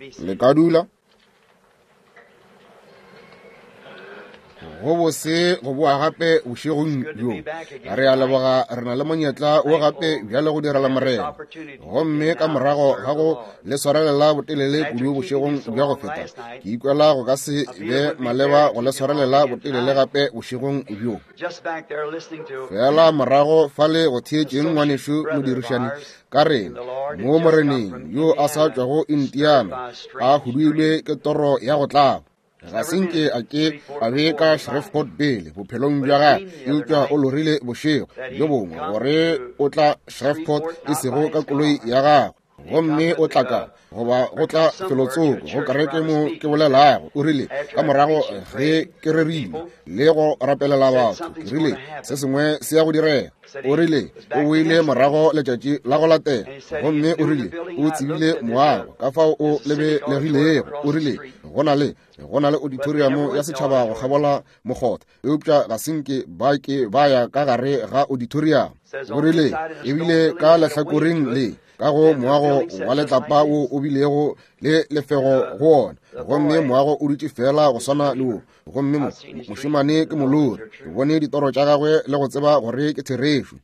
Le ka dula. Go bose go boa gape bošegong bjo. Re a leboga re na le monyetla wo gape bjale go direla Morena. Gomme ka morago ga go le swarelela botelele kudu bošegong bja go feta, ke ikwela go ka se be maleba go le swarelela botelele gape bošegong bjo. Fela morago fale go theetšeng ngwanešu modirišani ka rena mo Moreneng yo a sa tšwago Indiana a huduilwe ke toro ya go tlaba. Ga se nke a ke a be ka Shreveport pele bophelong bja gagwe, eupša o lorile bošego bjo bongwe gore o tla Shreveport e sego ka koloi ya gagwe, gomme o tla ka goba go tla felotsoko go kereke mo ke bolelago. O rile ka morago ge ke rerile le go rapelela batho, ke rile se sengwe se ya go direga. O rile o boile morago letšatši la go latela, gomme o rile o tsebile moago ka fao o lebelegilego. O rile go na le go na le auditorium ya setšhaba go kgabola mokgotha, eupša ga se nke ba ke ba ya ka gare ga auditorium. O rile ebile ka lehlakoreng le ka go moago wa letlapa wo o bilego le lefego go wona, gomme moago o dutše fela go swana le wo. Gomme mo mošemane ke molori, ke bone ditoro tša gagwe le go tseba gore ke therešo.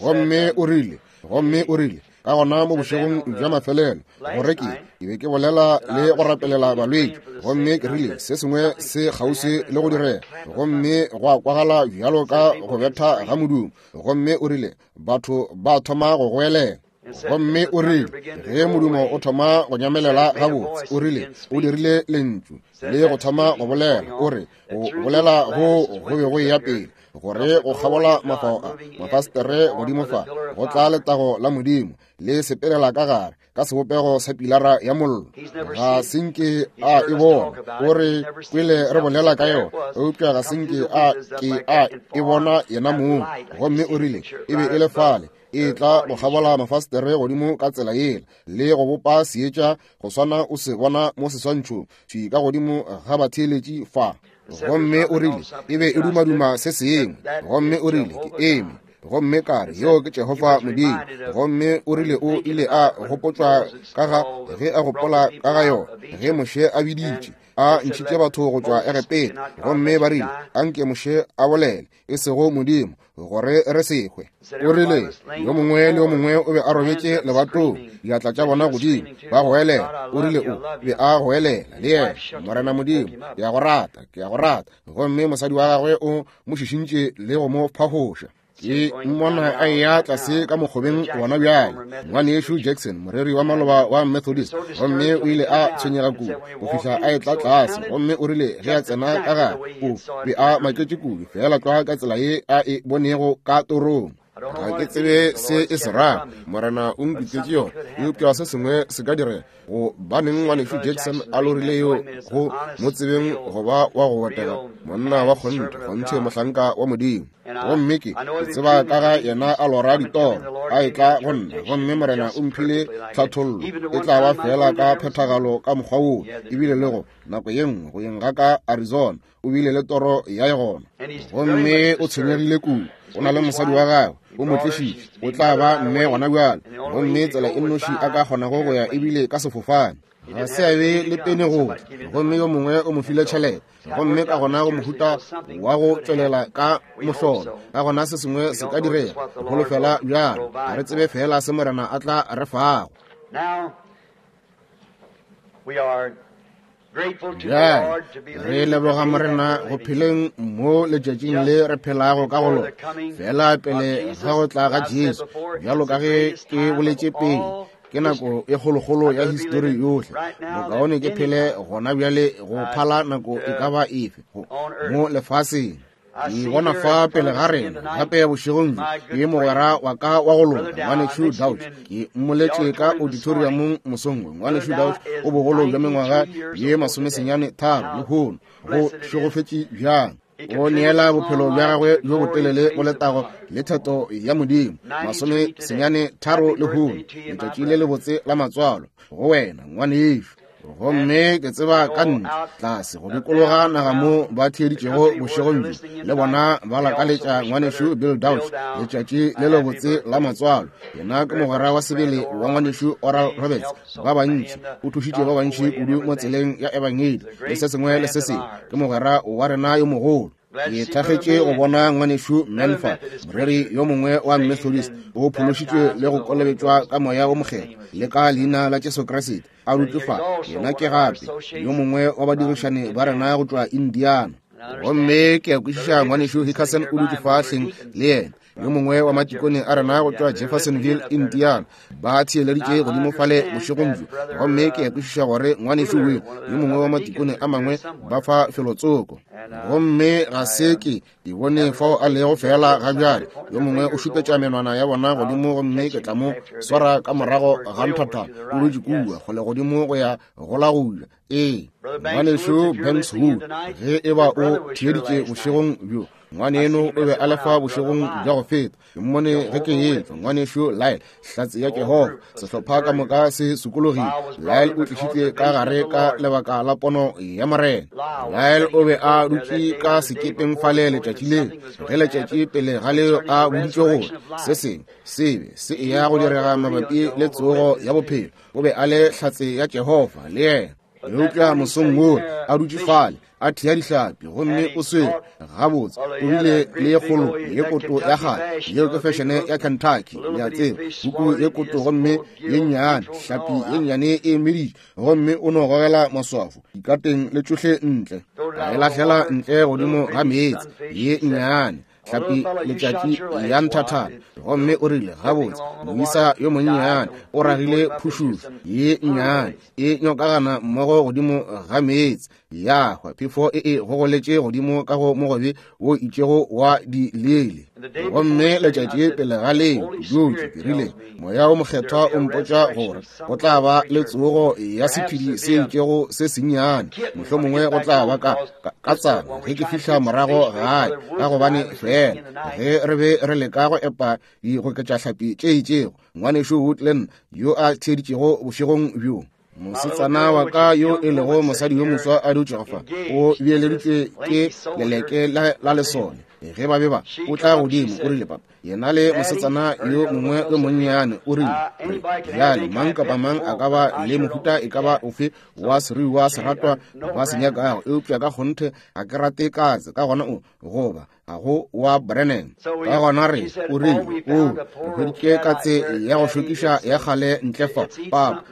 Gomme o rile, gomme o rile ka gona mo bošegong bja mafelelo gore ke ke be ke bolela le go rapelela balwetši, gomme ke rile se sengwe se kgauswi le go direga, gomme gwa kwagala bjalo ka go betha ga modumo. Gomme o rile batho ba thoma go goelela. Gomme o rile ge modumo o thoma go nyamelela gabotse, o rile o dirile lentšu le go thoma go bolela. O re go bolela go go be go eya pele gore go kgabola mafao a mafastere godimo fa go tla letago la Modimo le sepelela ka gare ka sebopego sa pilara ya mollo. Ga se nke a e bona. O re kwele re bolela ka yona, eupša ga se nke a ke a e bona yena mong. Gomme o rile e be e le fale e tla go kgabola mafastere godimo ka tsela yela le go bopa seetša go swana o se bona mo seswantšhong thwi ka godimo ga batheeletši fa. Gomme o rile e be e dumaduma se sengwe. Gomme o rile ke eme gomme ka re yo ke Jehofa Modimo. Gomme o rile o ile a gopotšwa ka ga ge a gopola ka ga yona ge Moshe a biditše a ntšhitše batho go tšwa Egepeta, gomme ba rile anke Moshe a bolele e sego Modimo gore re se hwe. O rile yo mongwe le yo mongwe o be a robetše lebatong, diatla tša bona godimo, ba goelela. O rile o be a goelela le yena, Morena Modimo, ke a go rata, ke a go rata. Gomme mosadi wa gagwe o mo šišintše le go mo phafoša. Ke mmona a eya tlase ka mokgobeng gona bjale, ngwanešu Jackson, moreri wa maloba wa Methodist, gomme o ile a tshwenyega kudu go fihla a etla tlase. Gomme o rile ge a tsena ka gare, o be a maketše kudu fela tlwa ka tsela ye a e bonego ka torong. Ga ke tsebe se e se rago, Morena o nkutetše yona, eupša se sengwe se ka direga. Go baneng ngwanešu Jackson a lorile yo go mo tsebeng go ba wa go botega, monna wa kgonthe, kgonthe mohlanka wa Modimo. Gomme ke tseba ka ga yena a lora ditoro a etla go nna, gomme Morena o mphile tlhathollo e tla ba fela ka phethagalo ka mokgwa woo. Ebile le go nako ye nngwe go yeng ga ka Arizona o bile le toro ya gona, gomme o tshwenyegile kudu. O na le mosadi wa gagwe, o mo tlišitše, o tla ba mme gona bjale, gomme tsela e nnoši a ka kgonago go ya ebile ka sefofane. Ga se a be le pene go tla, gomme yo mongwe o mo file tšhelete, gomme ka gona go mohuta wa go tšwelela ka mohlolo. Ka gona se sengwe se ka direga, holofela bjalo, ga re tsebe fela se Morena a tla re fago. Bjale re leboga Morena go pheleng mo letšatšing le re phelago ka go lona, fela pele ga go tla ga Jesu. Bjalo ka ge ke boletše pele, ke nako e kgolokgolo ya histori yohle. Bokaone ke phele gona bjale go phala nako e ka ba efe mo lefaseng. Ke bona fa pele ga rena gape bošegong bjo ke mogwera wa ka wa go loka ngwanešu Dauch. Ke mmoletše ka auditoriumong mosong wo. Ngwanešu Dauch o bogolo bja mengwaga ye 93 lehono. Go šegofetše bjang! O neela bophelo bja gagwe bjo botelele go letago le theto ya Modimo. 93 lehono, letšatši le lebotse la matswalo go wena ngwanešu. Gomme ke tseba ka ntle tlase go dikologa naga mo ba theeditšego bošegong bjo, le bona ba lakaletša ngwanešu Bill Dauch letšatši le lebotse la matswalo. Yena ke mogwera wa sebele wa ngwanešu Oral Roberts. Ba bantši o thušitše ba bantši kudu mo tseleng ya ebangedi le se sengwe le se sengwe. Ke mogwera wa rena yo mogolo. Ke thakgetše go bona ngwanešu Manfa, moreri yo mongwe wa Methodist, o phološitšwe le go kolobetšwa ka Moya wo Mokgethwa le ka leina la Jesu Kriste, a dutše fa. Yena ke gape yo mongwe wa badirišani ba rena go tšwa Indiana. Gomme ke a kwešiša ngwanešu Hickerson o dutše fa hleng le yena, yo mongwe wa matikone a rena go tšwa Jeffersonville, Indiana, ba theeleditše godimo fale bošegong bjo. Gomme ke a kwešiša gore ngwanešu Will, yo mongwe wa matikone a mangwe, ba fa felotsoko. Gomme ga se ke ke bone fao a lego fela ga bjale. Yo mongwe o šupetša menwana ya bona godimo, gomme ke tla mo swara ka morago ga nthatha. O dutše kua kgole godimo go ya go la go ja. Ee, ngwanešu Banks Wood, ge e ba o theeditše bošegong bjo, ngwaneno o be a le fa bošegong bja go feta. Ke mmone ge ke etšwa. Ngwanešu Lyle, hlatse ya Jehofa, sehlopha ka moka se sokologile. Lyle o tlišitše ka gare ka lebaka la pono ya Morena. Lyle o be a dutše ka sekepeng fale letšatši leo, ge letšatši pele ga leo a boditšwe gore se sengwe se be se eya go direga mabapi le tsogo ya bophelo. O be a le hlatse ya Jehofa le yena. Eupša mosong woo a dutše fale a thea dihlapi, gomme o swere gabotse, o bile le ye kgolo ye koto ya kgale, yeo ke fešene ya Kentucky, le a tseba, huku ye koto gomme ye nnyane, hlapi ye nnyane e meditše, gomme o no gogela maswafo dikateng le tšohle ntle, a e lahlela ntle godimo ga meetse, ye nnyane hlapi letšatši ya nthathana. Gomme o rile, gabotse, moisa yo monnyane o ragile phušušo ye nnyane e nyokagana mmogo godimo ga meetse, ya hwa, phefo e e gogoletše godimo ka go mogobe wo itšego wa dileele. Gomme letšatši pele ga leo, ke dutše, ke rile, Moya wo Mokgethwa o mpotša gore go tla ba le tsogo ya sephedi se itšego se sennyane, mohlomongwe go tla ba ka ka tsana ge ke fihla morago gae, ka gobane fela ge re be re leka go epa digoketšahlapi tše itšego, ngwanešu Woodland yo a theeditšego bošegong bjo, mosetsana wa ka yo e lego mosadi yo moswa a dutšego fa, o beeleditšwe ke leleke la lesole ge ba be ba o tla godimo, o rile, Papa, yena le mosetsana yo mongwe yo monnyane, o rile, bjale mang kapa mang a ka ba le mohuta e ka ba ofe wa seruiwa seratwa ba se nyakago, eupša ka kgonthe ga ke rate katse, ka gona o goba ga go wa Brennan. Ka gona re, o rile, o re hweditše katse ya go šokiša ya kgale ntle fa, papa,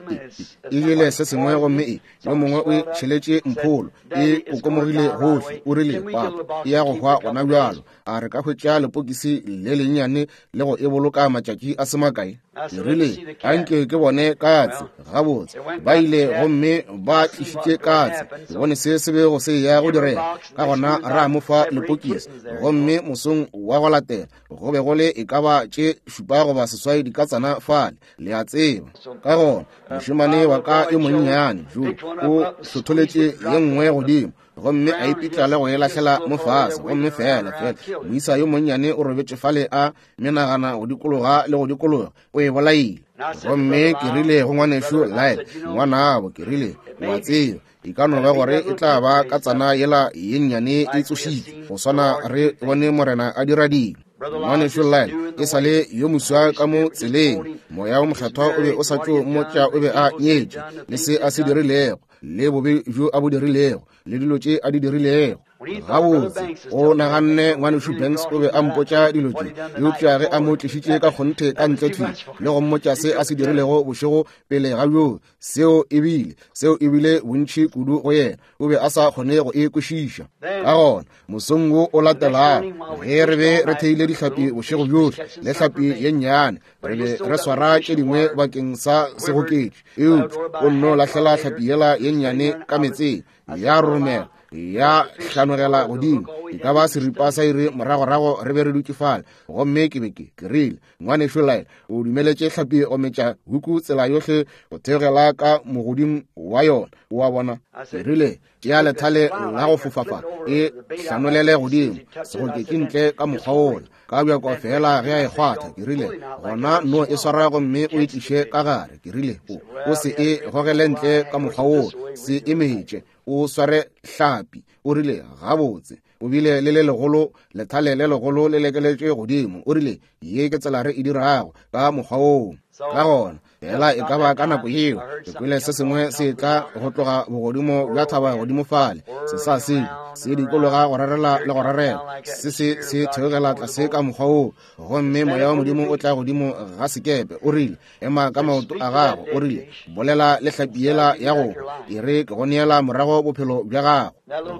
e jele se sengwe gomme e yo mongwe o e tšheletše mpholo, e kokomogile gohle, o rile, papa, e ya go hwa gona bjalo. A re ka hwetša lepokisi le lennyane le go e boloka matšatši a se makae? Ke rile, anke ke bone katse. Gabotse, ba ile gomme ba tlišitše katse. Ke bone se se bego se ya go direga. Ka gona ra mo fa lepokisi, gomme mosong wa go latela go be go le e ka ba tše 7 goba 8 dikatsana fale, le a tseba. Ka gona mošemane wa ka yo monnyane jo o hlotholetše ye nngwe godimo, gomme a ipitla le go e lahlela mo fase, gomme fela fela moisa yo monnyane o robetše fale a menagana go dikologa le go dikologa, o e bolaile. Gomme ke rile go ngwanešu Lyle, ngwanabo, ke rile, o a tseba, e ka no ba gore e tla ba ka tsana yela ye nnyane e tsošitšwe, go swana re bone Morena a dira dilo. Ngwanešu Lyle e sa le yo moswa ka mo tseleng, Moya wo Mokgethwa o be o sa tšo mmotša o be a nyetše, le se a se dirilego, le bobe bjo a bo dirilego, le dilo tše a di dirilego. Gabotse, o naganne ngwanešu Banks o be a mpotša dilo tše, eupša ge a mo tlišitše ka kgonthe ka ntle thwi le go mmotša se a se dirilego bošego pele ga bjoo, seo e bile, seo e bile bontši kudu go yena, o be a sa kgone go e kwešiša. Ka gona mosong wo o latelago, ge re be re theile dihlapi bošego bjohle, le hlapi ye nnyane, re be re swara tše dingwe bakeng sa segoketši, eupša o nno lahlela hlapi yela ye nnyane ka meetseng, ya roromela. Ya hlanogela godimo. E ka ba seripa sa iri moragorago re be re dutše fale. Gomme ke be ke, ke rile, Ngwanešu Lyle, o dumeletše hlapi go metša huku tsela yohle go theogela ka mogoding wa yona. O a bona? Ke rile, Tšea lethale la go fofafa, e hlanolele godimo, segoketši ntle ka mokgwa wola. Ka bjako feela ge a e kgwatha, ke rile, gona no e swara gomme o e tliše ka gare. Ke rile, o, o se e gogele ntle ka mokgwa wola, se e metše, o sware hlapi. O rile, Gabotse, o bile le le legolo, lethale le legolo le lekeletše godimo. O rile, Ye ke tsela re e dirago, ka mokgwa woo. Ka gona, fela e ka ba ka nako yeo, ke kwele se sengwe se tla go tloga bogodimo bja thaba godimo fale, se sa se se dikologa go rarela le go rarela, se se se theogela tlase ka mokgwa woo, gomme Moya wa Modimo o tla godimo ga sekepe. O rile, Ema ka maoto a gago. O rile, Bolela le hlapi yela ya go hwa, e re ke go neela morago bophelo bja gago.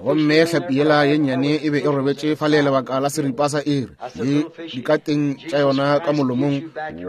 Gomme hlapi yela ye nnyane e be e robetše fale lebaka la seripa sa iri, le dikateng tša yona ka molomong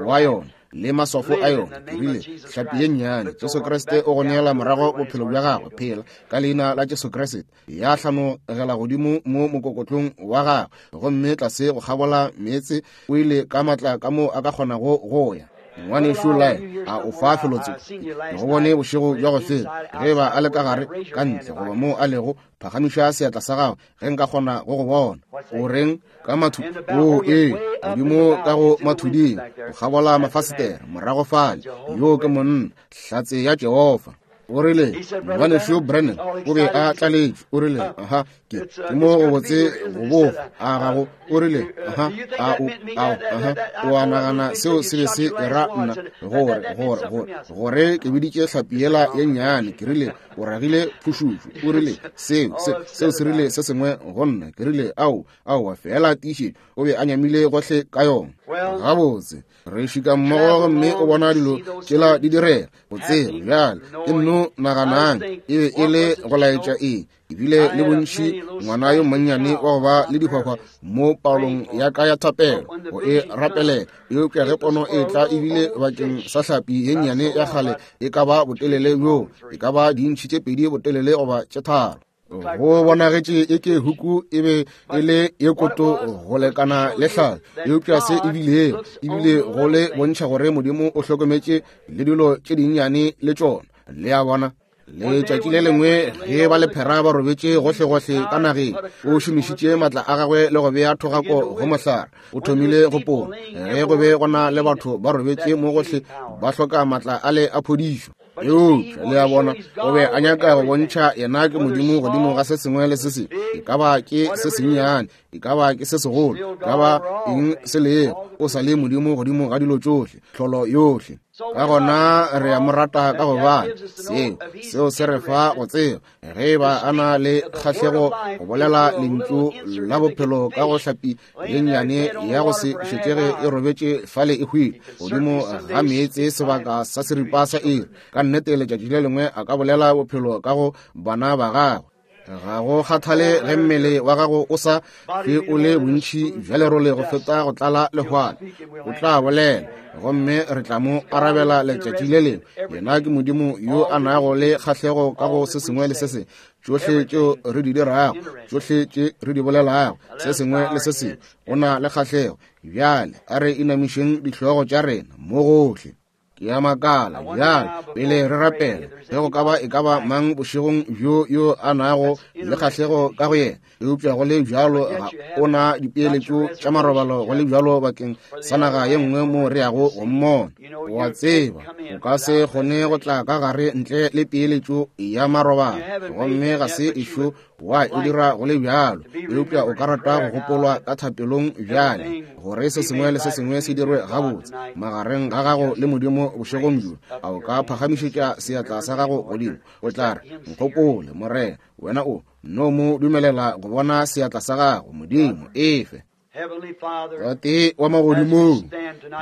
wa yona, le maswafo a yona. Ke rile, Hlapi ye nnyane, Jesu Kriste o go neela morago bophelo bja gago. Phela, ka Leina la Jesu Kriste. Ya hlanogela godimo mo mokokotlong wa gagwe, gomme tlase go kgabola meetse o ile ka matla ka mo a ka kgonago go ya. Ngwanešu Lyle, a o fa felotsoko? Ke go bone bošego bja go feta. Ge eba a le ka gare, ka ntle, goba moo a lego, phagamiša seatla sa gago ge nka kgona go go bona. O reng ka mathu? O ee, godimo ka go mathuding, go kgabola mafasetere, morago fale. Yoo ke monna, hlatse ya Jehofa. O rile, Ngwanešu Branham o be a tlaletšwe. O rile, Aha, ke, ke mo go botse go bofa a gago. O rile, Aha, a o, a o, aha, o a nagana seo se be se era nna, gore, gore, gore, gore ke biditše hlapi yela ye nnyane. Ke rile, O ragile phušušu. O rile, Seo, se, seo se rile se sengwe go nna. Ke rile, Ao, aowa, feela tiišetšo. O be a nyamile gohle ka yona. Gabotse, re šika mmogo gomme o bona dilo tšela di direga. Go tseba bjale, ke nno naganang e be e le go laetša eng. Ebile le bontši ngwana yo monnyane wa go ba le dihwahwa mo palong ya ka ya thapelo go e rapelela, eupša ge pono e tla ebile bakeng sa hlapi ye nnyane ya kgale e ka ba botelele bjoo, e ka ba diintšhi tše 2 botelele goba tše 3. Go bonagetše e ke huku e be e le ye koto go lekana le hlala, eupša se e bilego ebile go le bontšha gore Modimo o hlokometše le dilo tše dinnyane le tšona. Le a bona? Letšatši le lengwe ge ba lephera ba robetše gohlegohle ka nageng, o šomišitše matla a gagwe le go bea thogako go mohlare. O thomile go pona ge go be go na le batho ba robetše mo gohle ba hloka matla a le a phodišo. Eupša le a bona, o be a nyaka go bontšha yena ke Modimo godimo ga se sengwe le se sengwe, e ka ba ke se sennyane, e ka ba ke se segolo, e ka ba eng se lego, o sa le Modimo godimo ga dilo tšohle, tlholo yohle. Ka gona re a mo rata ka gobane seo, seo se re fa go tseba ge e ba a na le kgahlego go bolela lentšu la bophelo ka go hlapi ye nnyane ya go se šetšege e robetše fale e hwile godimo ga meetse sebaka sa seripa sa iri. Ka nnete letšatši le lengwe a ka bolela bophelo ka go bana ba gagwe. Ga go kgathale ge mmele wa gago o sa hlwe o le bontši bja lerole go feta go tlala lehwana, o tla bolela gomme re tla mo arabela letšatši le lengwe. Yena ke Modimo yo a nago le kgahlego ka go se sengwe le se sengwe, tšohle tšeo re di dirago, tšohle tše re di bolelago, se sengwe le se sengwe, o na le kgahlego. Bjale a re inamišeng dihlogo tša rena mo gohle. Ke a makala bjale, pele re rapela, ge go ka ba e ka ba mang bošegong bjo yo a nago le kgahlego ka go yena, eupša go le bjalo ga o na dipeeletšo tša marobalo go le bjalo bakeng sa naga ye nngwe moo re yago go mmona. O a tseba, o ka se kgone go tla ka gare ntle le peeletšo ya marobalo, gomme ga se ešo wa e dira go le bjalo, eupša o ka rata go gopolwa ka thapelong bjale, gore se sengwe le se sengwe se dirwe gabotse magareng ga gago le Modimo bošegong bjo. A o ka phagamišetša seatla sa gago godimo? O tla re, Nkgopole, Morena. Wena o no mo dumelela go bona seatla sa gago. Modimo, efe. Tate wa magodimong,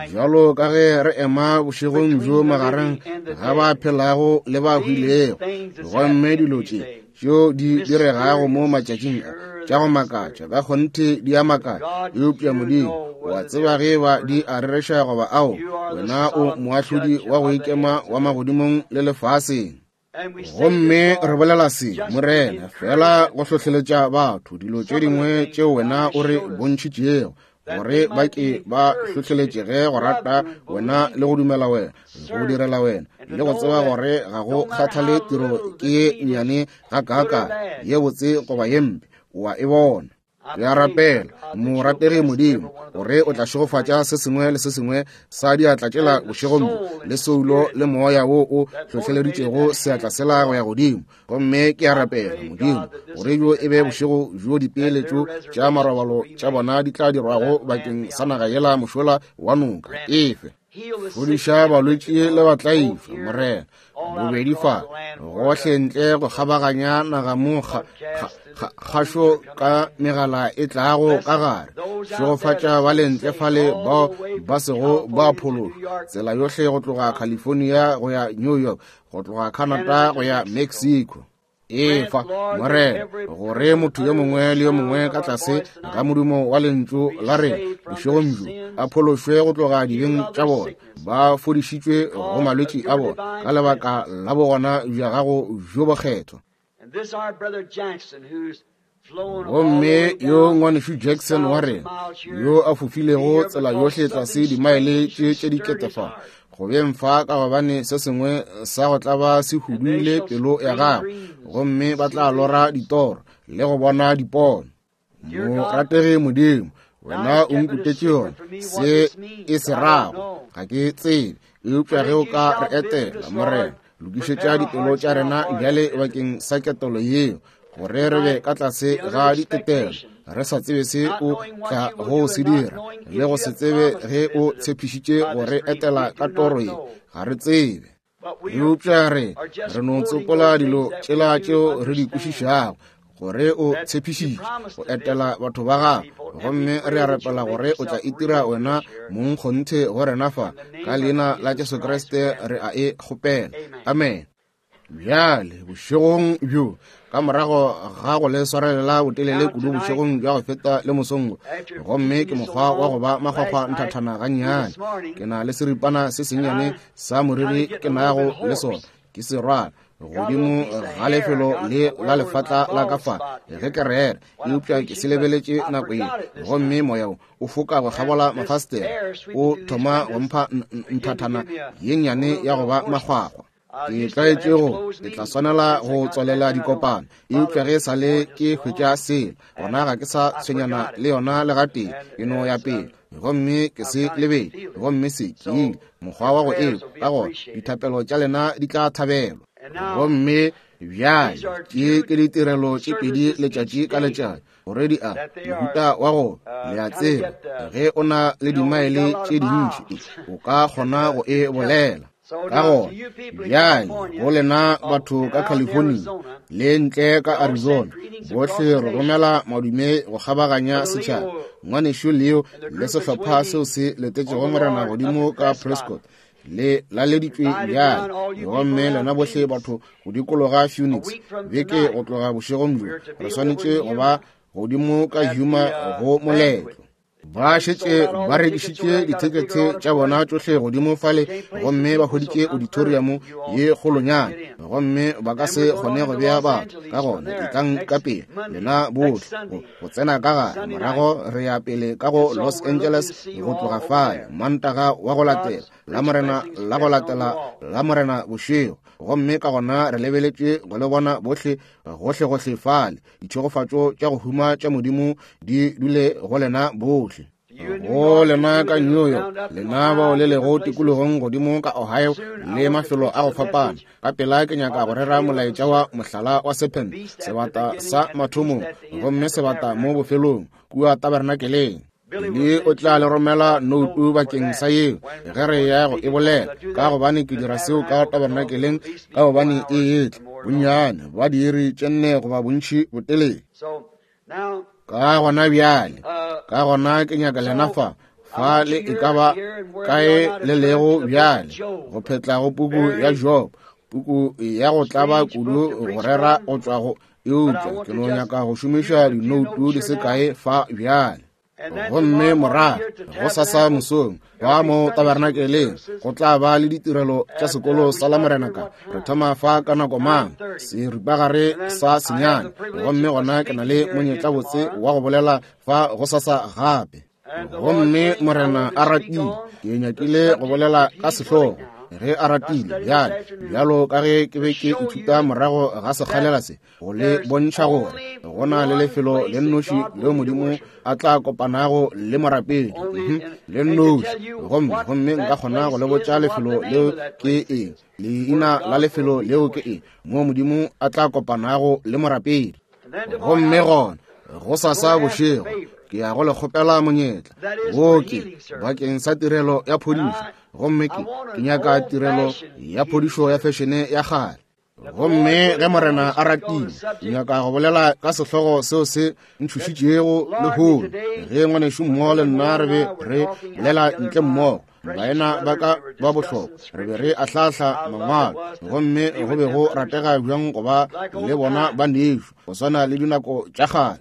bjalo ka ge re ema bošegong bjo magareng ga ba phelago le ba hwilego, gomme dilo tše tšeo di diregago mo matšatšing a tša go makatša, ka kgonthe di a makatša, eupša Modimo wa tseba ge ba di a rereša goba ao. Wena o moahlodi wa go ikema wa magodimong le lefaseng. Gomme re bolela se, Morena, feela go hlohleletša batho dilo tše dingwe tšeo Wena o re bontšhitšego, gore ba ke ba hlohleletšege go rata Wena le go dumela Wena, go direla Wena, le go tseba gore ga go kgathale tiro ke ye nnyane gakaakang, ye botse goba ye mpe, o a e bona. Ke a rapela, morategi Modimo, gore o tla šegofatša se sengwe le se sengwe sa diatla tšela bošegong bjo, le soulo le moya wo o hlohleleditšego seatla sela go ya godimo. Gomme ke a rapela, Modimo, gore bjo e be bošego bjo dipeeletšo tša marobalo tša bona di tla dirwago bakeng sa naga yela mošola wa noka. Efe. Fodiša balwetši le batlaišwa, Morena, bobedi fa, gohle ntle go kgabaganya naga mo kgašo ka megala e tlago ka gare. Šegofatša ba le ntle fale bao ba sego ba phološwa, tsela yohle go tloga California go ya New York, go tloga Canada go ya Mexico. Efa, Morena, gore motho yo mongwe le yo mongwe ka tlase ga modumo wa lentšu la rena bošegong bjo a phološwe go tloga dibeng tša bona, ba fodišitšwe go malwetši a bona ka lebaka la bogona bja gago bjo bokgethwa. Gomme yo ngwanešu Jackson wa rena yo a fofilego tsela yohle tlase dimaele tše tše diketefa go beng fa, ka gobane se sengwe sa go tlaba se huduile pelo ya gagwe, gomme ba tla lora ditoro le go bona dipono. Morategi Modimo, wena o nkutetše yona, se e se rago ga ke tsebe, eupša ge o ka re etela, Morena, lokišetša dipelo tša rena bjale bakeng sa ketelo yeo, gore re be ka tlase ga ditetelo, re sa tsebe se o tla go se dira, le go se tsebe ge o tshepišitše go re etela ka toro ye, ga re tsebe. Eupša re no tsopola dilo tšela tšeo re di kwešišago, gore o tshepišitše go etela batho ba gago, gomme re a rapela gore o tla itira wena mong kgonthe go rena fa, ka leina la Jesu Kriste re a e kgopela. Amen. Bjale bošegong bjo, ka morago ga go le swarelela botelele kudu bošegong bja go feta le mosong, gomme ke mokgwa wa go ba makgwakgwa nthathana gannyane, ke na le seripana se sennyane sa moriri ke nago le sona, ke se rwala godimo ga lefelo le la lefatla la ka fa ge ke rera, eupša ke se lebeletše nako ye, gomme moya wo o foka go kgabola mafastere o thoma go mpha nthathana ye nnyane ya go ba makgwakgwa. Ke tlwaetše go, ke tla swanela go tswalela dikopano, eupša ge e sa le ke hwetša selo, gona ga ke sa tshwenyana le yona le gatee, ke no ya pele gomme ke se lebele, gomme se ke ile mokgwa wa go ekwa, ka gona dithapelo tša lena di tla thabelwa. Gomme bjale tše ke ditirelo tše pedi letšatši ka letšatši, gore di a mohuta wa go, le a tseba, ge o na le dimaele tše dintši o ka kgona go e bolela. Ka gona bjale go lena batho ka California le ntle ka Arizona, bohle re romela madume go kgabaganya setšhaba. Ngwanešu Leo le sehlopha seo se letetšego Morena godimo ka Prescott le laleditšwe bjale, gomme lena bohle batho go dikologa Phoenix beke go tloga bošegong bjo, re swanetše go ba godimo ka Yuma go moletlo. Ba šetše ba rekišitše dithekethe tša bona tšohle godimo fale, gomme ba hweditše auditorium ye kgolonyana, gomme ba ka se kgone go bea batho. Ka gona etlang ka pele lena bohle go tsena ka gare, morago re ya pele ka go Los Angeles go tloga fale Mantaga wa go latela, Lamorena la go latela Lamorena bošego, gomme ka gona re lebeletše go le bona bohle gohlegohle fale. Ditšhegofatšo tša go huma tša Modimo di dule go lena bohle. Go lena ka New York, lena bao le lego tikologong godimo ka Ohio le mafelo a go fapana, ka pela ke nyaka go rera molaetša wa mohlala wa serpent, sebata sa mathomong, gomme sebata mo bofelong, kua tabernakeleng. Le o tla le romela noutu bakeng sa yeo ge re ya go e bolela, ka gobane ke dira seo ka tabernakeleng, ka gobane e etla bonnyane ba diiri tše nne goba bontši botelele. Ka gona bjale, ka gona ke nyaka lena fa, fa le e ka ba kae le lego bjale, go phetla go puku ya Job, puku ya go tlaba kudu go rera go tšwa go, eupša ke no nyaka go šomiša dinoutu di se kae fa bjale. Gomme morago gosasa mosong ba mo tabernakeleng go tla ba le ditirelo tša sekolo sa Lamorena ka re thoma fa ka nako mang seripagare sa senyane. Gomme gona ke na le monyetla botse wa go bolela fa gosasa gape. Gomme Morena a ratile, ke nyakile go bolela ka sehlogo ge a ratile bjale, bjalo ka ge ke be ke ithuta morago ga sekgalela se, go le bontšha gore go na le lefelo le nnoši leo Modimo a tla kopanago le morapedi, le nnoši. Gomme nka kgona go le botša lefelo leo ke eng, leina la lefelo leo ke eng, moo Modimo a tla kopanago le morapedi. Gomme gona gosasa bošego ke ya go le kgopela monyetla wo ke bakeng sa tirelo ya phodišo. Gomme ke nyaka tirelo ya phodišo ya fešene ya kgale. Gomme ge Morena a ratile, ke nyaka go bolela ka sehlogo seo se ntšhošitšego lehono, ge ngwanešu mmogo le nna re be re bolela ntle mmogo, baena ba ka ba bohlokwa, re be re ahlahla mangwalo, gomme go be go ratega bjang go ba le bona ba nešo go swana le dinako tša kgale.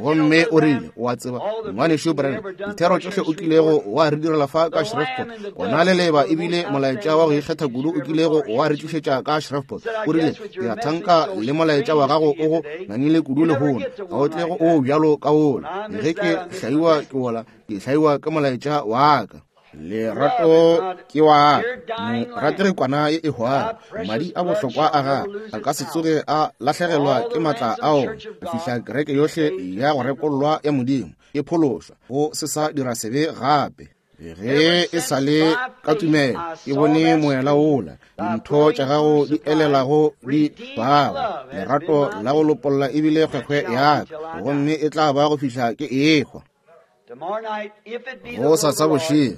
Gomme o rile, o a tseba ngwanešu Branham, dithero tšohle o kilego wa re direla fa ka Shreveport, gona le leba ebile molaetša wa go ikgetha kudu o kilego wa re tlišetša ka Shreveport. O rile, ke a thanka le molaetša wa gago o go ngangile kudu lehono, ga o tle go o bjalo ka wola. Ge ke hlaiwa ke wola, ke hlaiwa ke molaetša wa ka. Lerato ke wa morategi kwana ye e hwago, madi a bohlokwa a gagwe a ka se tsoge a lahlegelwa ke matla ao go fihla kereke yohle ya go rekollwa ya Modimo e phološwa go se sa dira sebe gape. Ge e sa le ka tumelo ke bone moela wola, dintho tša gago di elelago di bago, lerato la go lopolla ebile kgwekgwe ya ka, gomme e tla ba go fihla ke ehwa. Go sa sa bošego,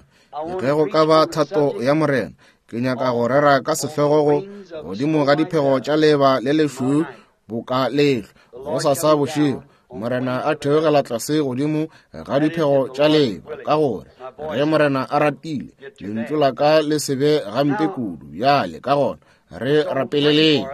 ge go ka ba thato ya Morena, ke nyaka go rera ka sehlogo go godimo ga diphego tša leba le lešweu boka lehlwa. Go sa sa bošego, Morena a theogela tlase godimo ga diphego tša leba, ka gore ge Morena a ratile, lentšu la ka le se be gampe kudu bjale. Ka gona re rapeleleng.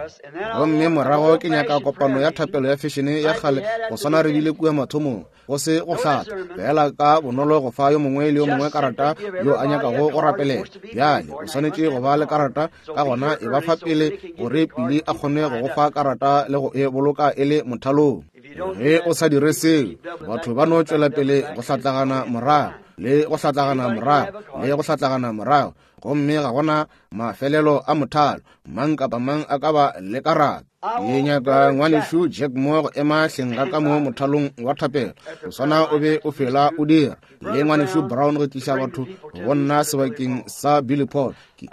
Gomme morago ke nyaka kopano ya thapelo ya fešene ya kgale go swana re bile kua mathomong, go se go hlatha fela ka bonolo go fa yo mongwe le yo mongwe karata yo a nyakago go rapelela. Bjale o swanetše go ba le karata, ka gona e ba fa pele gore Pili a kgone go go fa karata le go e boloka e le mothalong. Ge o sa dire seo, batho ba no tšwela pele go hlatlagana morago le go hlatlagana morago le go hlatlagana morago, gomme ga gona mafelelo a mothalo. Mang kapa mang a ka ba le karata. Ke nyaka ngwanešu Jack Moore go ema hleng ga ka mo mothalong wa thapelo, go swana o be o fela o dira, le ngwanešu Brown go tliša batho go nna sebakeng sa Billy Paul. Ke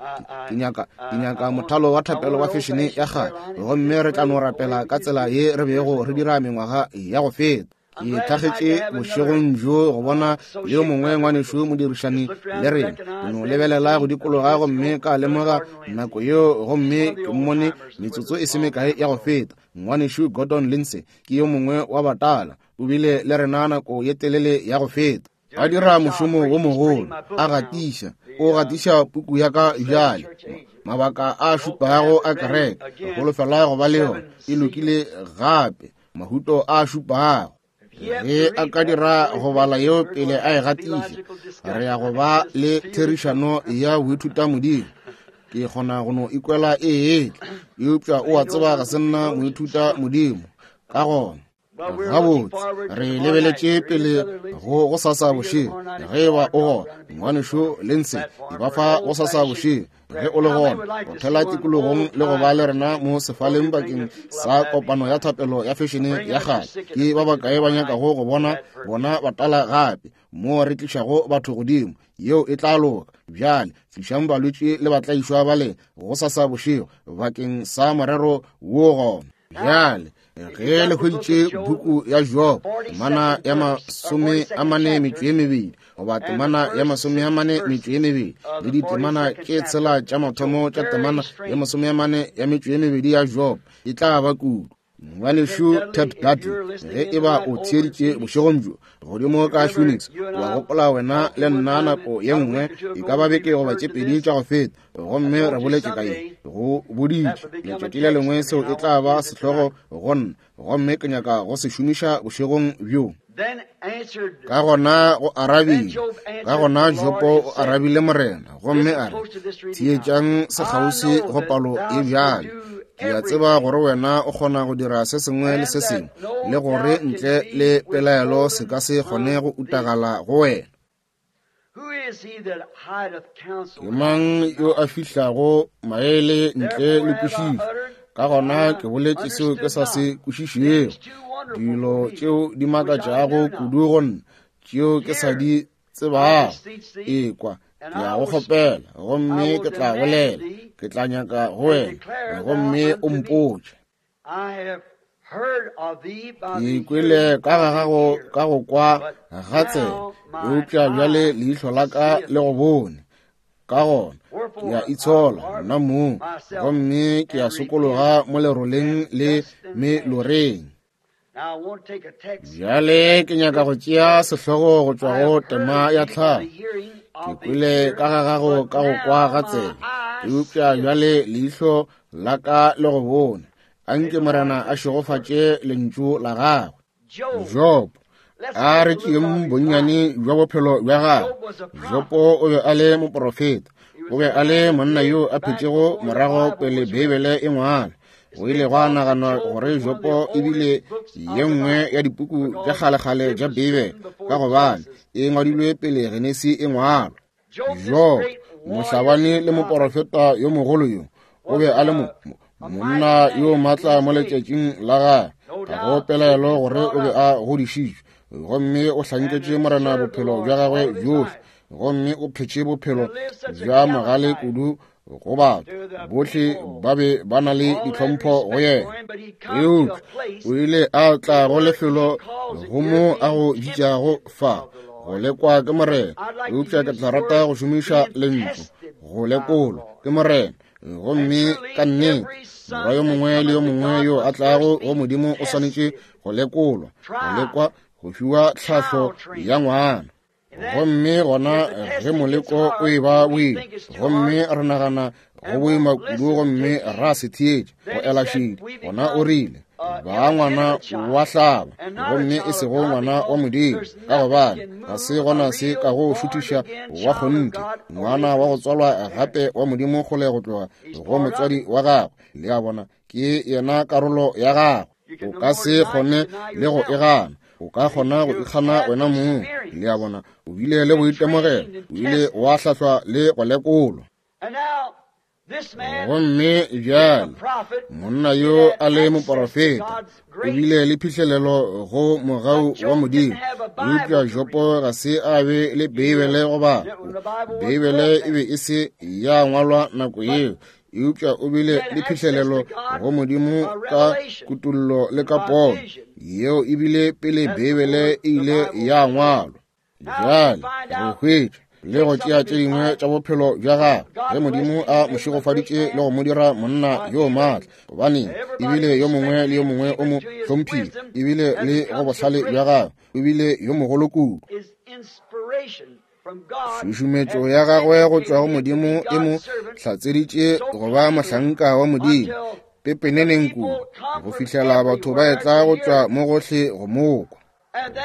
nyaka mothalo wa thapelo wa fešene ya kgale, gomme re tla no rapela ka tsela ye re bego re dira mengwaga ya go feta. Ke thagetše bošegong bjo go bona yo mongwe ngwanešu modirišani le rena. Ke no lebelela go dikologa gomme ka lemoga nako yeo, gomme ke mmone metsotso e se mekae ya go feta. Ngwanešu Gordon Lindsay ke yo mongwe wa batala, o bile le rena nako ye telele ya go feta, a dira mošomo wo mogolo, a gatiša, o gatiša puku ya ka bjale, mabaka a šupago a kereke, holofela go ba le yona e lokile gape, mahuto a šupago. Ge a ka dira go bala yeo pele a e gatiša, re ya go ba le therišano ya boithuta Modimo. Ke kgona go no ikwela e etla, eupša o a tseba ga se nna moithuta Modimo. Ka gona gabotse re lebeletše pele go gosasa bošego. Ge e ba o gona, ngwanešu Lindsay, e ba fa gosasa bošego. Ge o le gona, o thela tikologong le go ba le rena mo sefaleng bakeng sa kopano ya thapelo ya fešene ya kgale. Ke ba bakae ba nyakago go bona bona batala gape, mo re tlišago batho godimo? Yeo e tla loka. Bjale tlišang balwetši le batlaišwa ba le gosasa bošego bakeng sa morero wo gona. Bjale ge le hweditše buku ya Job, temana ya 42 goba temana ya 42 le ditemana tše 6 tša mathomo tša temana ya 42 ya Job, e tla ba kudu. Ngwanešu Ted Dudley, ge e ba o theeditše bošegong bjo godimo ka Phoenix, wa gopola wena le nna nako ye nngwe e ka ba beke goba tše pedi tša go feta, gomme re boletše ka ye, go boditše letšatši le lengwe seo e tla ba sehlogo go nna, gomme ke nyaka go se šomiša bošegong bjo. Ka gona go arabile, ka gona Jopo o arabile Morena, gomme a re, Theetšang sekgauswi go palo e bjale. Ke a tseba gore wena o kgona go dira se sengwe le se sengwe, le gore ntle le pelaelo se ka se kgone go utagala go wena. Ke mang yo a fihlago maele ntle le kwešišo? Ka gona ke boletše seo ke sa se kwešišego, dilo tšeo di makatšago kudu go nna, tšeo ke sa di tsebago. Ekwa, ke a go kgopela, gomme ke tla bolela, ke tla nyaka go wena, gomme o mpotše. Ke ikwele ka ga gago ka go kwa ga tsebe, eupša bjale leihlo la ka le go bone. Ka gona ke a itshola nna mong, gomme ke a sokologa mo leroleng le meloreng. Bjale ke nyaka go tšea sehlogo go tšwa go tema ya tlhago. Ke kwele ka ga gago ka go kwa ga tsebe, eupša bjale leihlo la ka le go bone. A nke Morena a šegofatše lentšu la gagwe. Job, a re tšeeng bonnyane bja bophelo bja gagwe. Jobo o be a le moporofeta, o be a le monna yo a phetšego morago pele Beibele e ngwalwa. Go ile gwa naganwa gore Jopo e bile ye nngwe ya dipuku tša kgalekgale tša Beibele ka gobane e ngwadilwe pele Genesi e ngwalwa. Job, mohlabani le moporofeta yo mogolo yo, o be a le monna yo matla mo letšatšing la gagwe. Ga go pelaelo gore o be a godišitšwe gomme o hlanketše Morena bophelo bja gagwe bjohle, gomme o phetše bophelo bja mogale kudu go batho bohle ba be ba na le ditlhompho go yena. Eupša o ile a tla go lefelo go mo a go bitšago fa go lekwa ke Morena. Eupša ke tla rata go šomiša lentšu go lekolwa ke Morena. Gomme ka nnete morwa yo mongwe le yo mongwe yo a tlago go Modimo o swanetše go lekolwa, go lekwa, go fiwa tlhahlo ya ngwana. Gomme gona ge moleko o e ba boima, gomme re nagana go boima kudu gomme ra se theetša go ela šedi, gona o rile, ba ngwana wa hlaba, gomme e sego ngwana wa Modimo, ka gobane ga se gona se ka go šuthiša wa kgonthe, ngwana wa go tswalwa gape wa Modimo kgole go tloga go motswadi wa gagwe. Le a bona, ke yena karolo ya gagwe. O ka se kgone le go e gana. O ka kgona go ikgana wena mong. Le a bona, o bile le boitemogelo, o ile wa hlahlwa le go lekolwa. Gomme bjale monna yo a le moporofeta o bile le phihlelelo go mogau wa Modimo, eupša Jopo ga se a be le Beibele go bala. Beibele e be e se ya ngwalwa nako yeo, eupša o bile le phihlelelo go Modimo ka kutollo le ka pono yeo e bile pele Beibele e ile ya ngwalwa. Bjale re hwetša le go tšea tše dingwe tša bophelo bja gagwe ge Modimo a mo šegofaditše le go mo dira monna yo maatla, gobane ebile yo mongwe le yo mongwe o mo hlomphile, ebile le go bohlale bja gagwe o bile yo mogolo kudu. Tšhušumetšo ya gagwe go tšwa go Modimo e mo hlatseditše go ba mohlanka wa Modimo pepeneneng kudu go fihlela batho ba etla go tšwa mo gohle go mo kwa.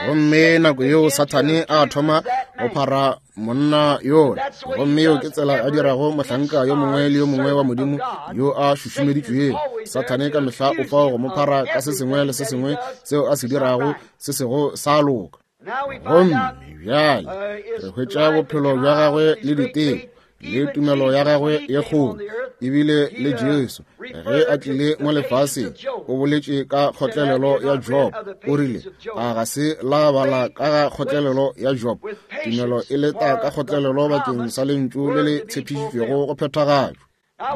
Gomme nako yeo Sathane a thoma go phara monna yola, gomme yeo ke tsela a dirago mohlanka yo mongwe le yo mongwe wa Modimo yo a šušumeditšwego. Sathane ka mehla o fao go mo phara ka se sengwe le se sengwe seo a se dirago se sego sa loka. Gomme bjale re hwetša bophelo bja gagwe le diteko le tumelo ya gagwe ye kgolo, ebile le Jesu ge a tlile mo lefaseng o boletše ka kgotlelelo ya Job. O rile, a ga se la bala ka ga kgotlelelo ya Job? Tumelo e leta ka kgotlelelo bakeng sa lentšu le le tshepišitšwego go phethagatšwa.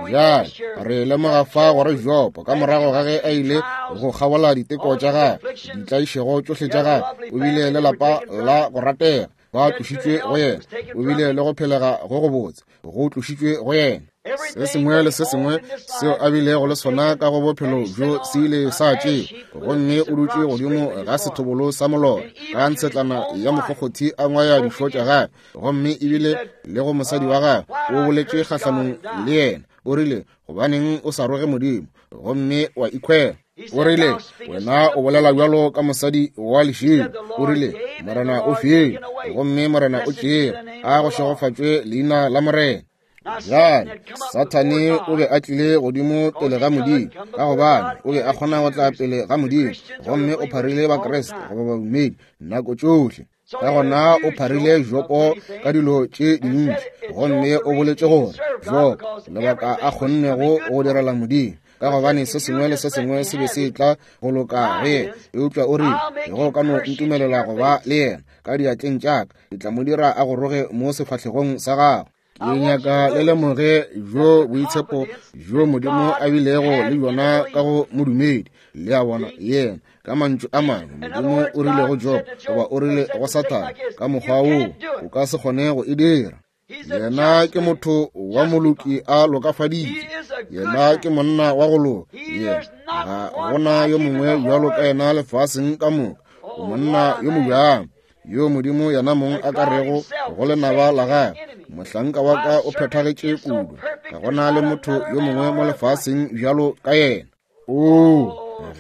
Bjale re lemoga fa gore Job ka morago ga ge a ile go kgabola diteko tša gagwe, ditlaišego tšohle tša gagwe, o bile le lapa la go ratega, ba tlošitšwe go yena, o bile le go phelega go go botse, go tlošitšwe go yena. Se sengwe le se sengwe seo a bilego le sona ka go bophelo bjo se ile sa tšewa, gomme o dutše godimo ga sethobolo sa molora ka ntshetlana ya mokgokgothi a ngwaya dišo tša gagwe, gomme ebile le go mosadi wa gagwe o boletše kgahlanong le yena, o rile, gobaneng o sa roge Modimo gomme wa ikhwela? O rile, Wena o bolela bjalo ka mosadi wa lešilo. O rile, Morena o file, gomme Morena o tšere. A go šegofatšwe leina la Morena. Bjale, Sathane o be a tlile godimo pele ga Modimo, ka gobane o be a kgona go tla pele ga Modimo, gomme o pharile Bakriste goba badumedi nako tšohle. Ka gona o pharile Jopo ka dilo tše dintši, gomme o boletše gore Jopo lebaka a kgonnego go direla Modimo, ka gobane se sengwe le se sengwe se be se tla go loka ge. Eupša o rile, Ge o ka no ntumelela go ba le yena ka diatleng tša ka, ke tla mo dira a go roge mo sefahlegong sa gago. Ke nyaka le lemoge bjo boitshepo bjo Modimo a bilego le bjona ka go modumedi. Le a bona, yena, ka mantšu a mangwe, Modimo o rile go Job, goba o rile go Sathane, ka mokgwa woo o ka se kgone go e dira. Yena ke motho wa moloki a lokafaditšwe. Yena ke monna wa go loka. Yena ga gona yo mongwe bjalo ka yena lefaseng ka moka. O monna yo mobjang, yo Modimo yena mong a ka rego go lenaba la gagwe, mohlanka wa ka o phethagetše kudu, ga gona le motho yo mongwe mo lefaseng bjalo ka yena. Oo,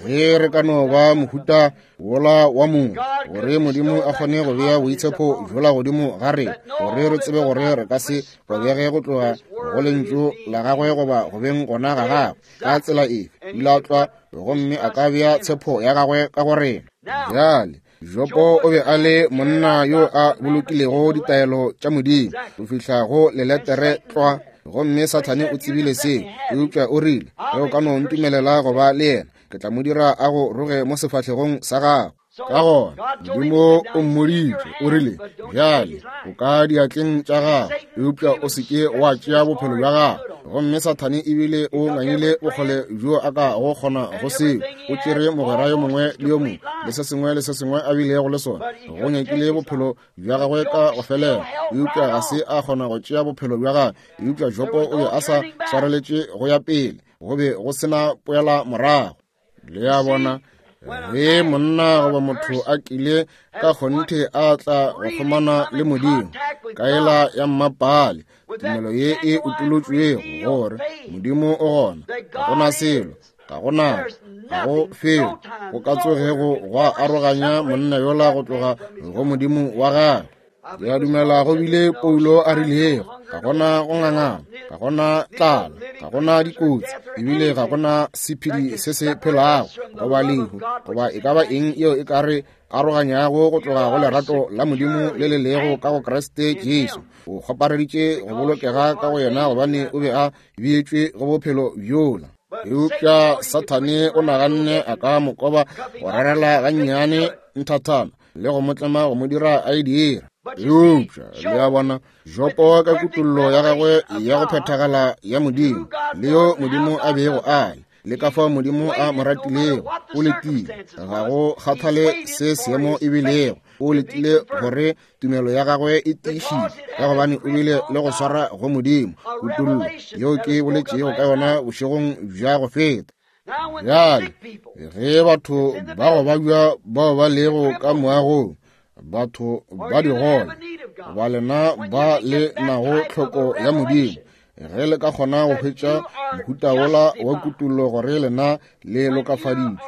ge re ka no ba mohuta wola wa mongwe, gore Modimo a kgone go bea boitshepo bjola godimo ga rena, gore re tsebe gore re ka se robege go tloga go lentšu la gagwe goba go beng gona ga gagwe ka tsela efe, o ile a tlwa gomme a ka bea tshepo ya gagwe ka go rena. Bjale, Jopo o be a le monna yo a bolokilego ditaelo tša Modimo go fihla go leletere tlwa, gomme Sathane o tsebile seo. Eupša o rile, Ge o ka no ntumelela go ba le yena, ke tla mo dira a go roge mo sefahlegong sa gago. Ka gona Modimo o mmoditše, o rile, Bjale o ka diatleng tša gago, eupša o se ke wa tšea bophelo bja gago. Gomme Sathane ebile o ngangile bokgole bjo a ka go kgona go seo. O tšere mogwera yo mongwe le yo mongwe le se sengwe le se sengwe a bilego le sona, go nyakile bophelo bja gagwe ka go felela, eupša ga se a kgona go tšea bophelo bja gagwe. Eupša Jopo o be a sa swareletše go ya pele, go be go se na poela morago. Le a bona, ge monna goba motho a kile ka kgonthe a tla go kgomana le Modimo ka ela ya mmapale, tumelo ye e utolotšwego gore Modimo o gona, ga go na selo, ga go nako, ga go felo go ka tsogego gwa aroganya monna yola go tloga go Modimo wa gagwe. Ke a dumela go bile Paulo a rilego, ga gona go ngangana, ga gona tlala, ga gona dikotsi, ebile ga gona sephedi se se phelago, goba lehu, goba e ka ba eng yeo e ka re aroganyago go tloga go lerato la Modimo le le lego ka go Kriste Jesu. O kgopareditše go bolokega ka go yena gobane o be a beetšwe go bophelo bjola. Eupša Sathane o naganne a ka mo koba go rarela gannyane nthathana le go mo tlema go mo dira a e dira. Eupša le a bona, Jopo ka kutollo ya gagwe ya go phethagala ya Modimo, le yo Modimo a bego a le, le ka fao Modimo a mo ratilego, o letile, ga go kgathale se seemo e bilego, o letile gore tumelo ya gagwe e tiišitše, ka gobane o bile le go swara go Modimo, kutollo yeo ke boletšego ka yona bošegong bja go feta. Bjale, ge batho ba go babja bao ba lego ka moagong, batho ba digole, goba lena ba le nago tlhoko ya Modimo, ge le ka kgona go hwetša mohuta wola wa kutollo gore lena le lokafaditšwe,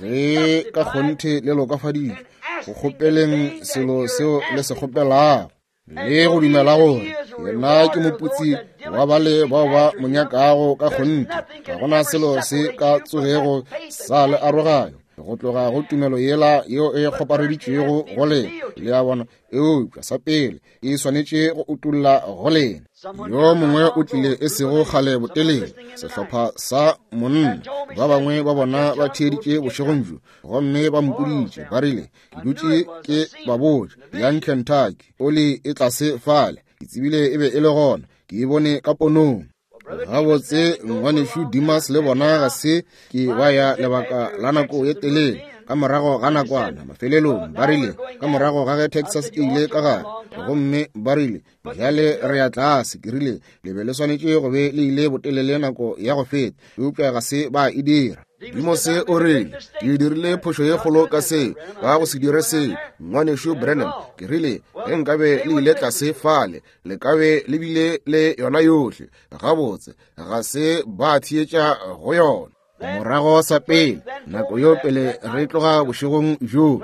ge ka kgonthe le lokafaditšwe, go kgopeleng selo seo le se kgopelago, le go dumela gore yena ke moputsi wa bale bao ba mo nyakago ka kgonthe, ga gona selo se ka tsogego sa le aroganyo go tloga go tumelo yela yeo e kgopareditšwego go lena. Le a bona? Eupša sa pele e swanetše go utolla go lena. Yo mongwe o tlile e sego kgale botelele, sehlopha sa monna, ba bangwe ba bona ba theeditše bošegong bjo, gomme ba mpoditše, ba rile, Ke dutše ke ba botša, yang Kentucky, oli e tlase fale, ke tsebile e be e le gona, ke e bone ka ponong. Gabotse, ngwanešu Dimas le bona ga se ke ba ya lebaka la nako ye telele. Ka morago ga nakwana, mafelelong, ba rile, ka morago ga ge Texas e ile ka gare, gomme ba rile, bjale re ya tlase. Ke rile, le be le swanetše go be le ile botelele nako ya go feta, eupša ga se ba e dira. Dimose o rile, ke dirile phošo ye kgolo ka se, ka go se dire se, ngwanešu Branham. Ke rile, ge nkabe le ile tlase fale, le ka be le bile le yona yohle. Gabotse, ga se ba theetša go yona. Morago sa pele, nako yo pele re tloga bošegong bjo,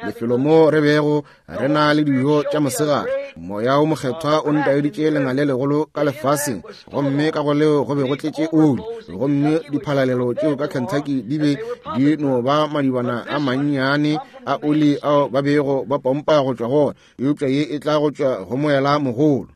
lefelo mo re bego re na le dijo tša mosegare, Moya wo Mokgethwa o ntaeditše lenga le legolo ka lefaseng, gomme ka go leo go be go tletše oli, gomme diphalalelo tšeo ka Kentucky di be di no ba madibana a mannyane a oli ao ba bego ba pompa go tšwa go ona, eupša ye e tla go tšwa go moela mogolo.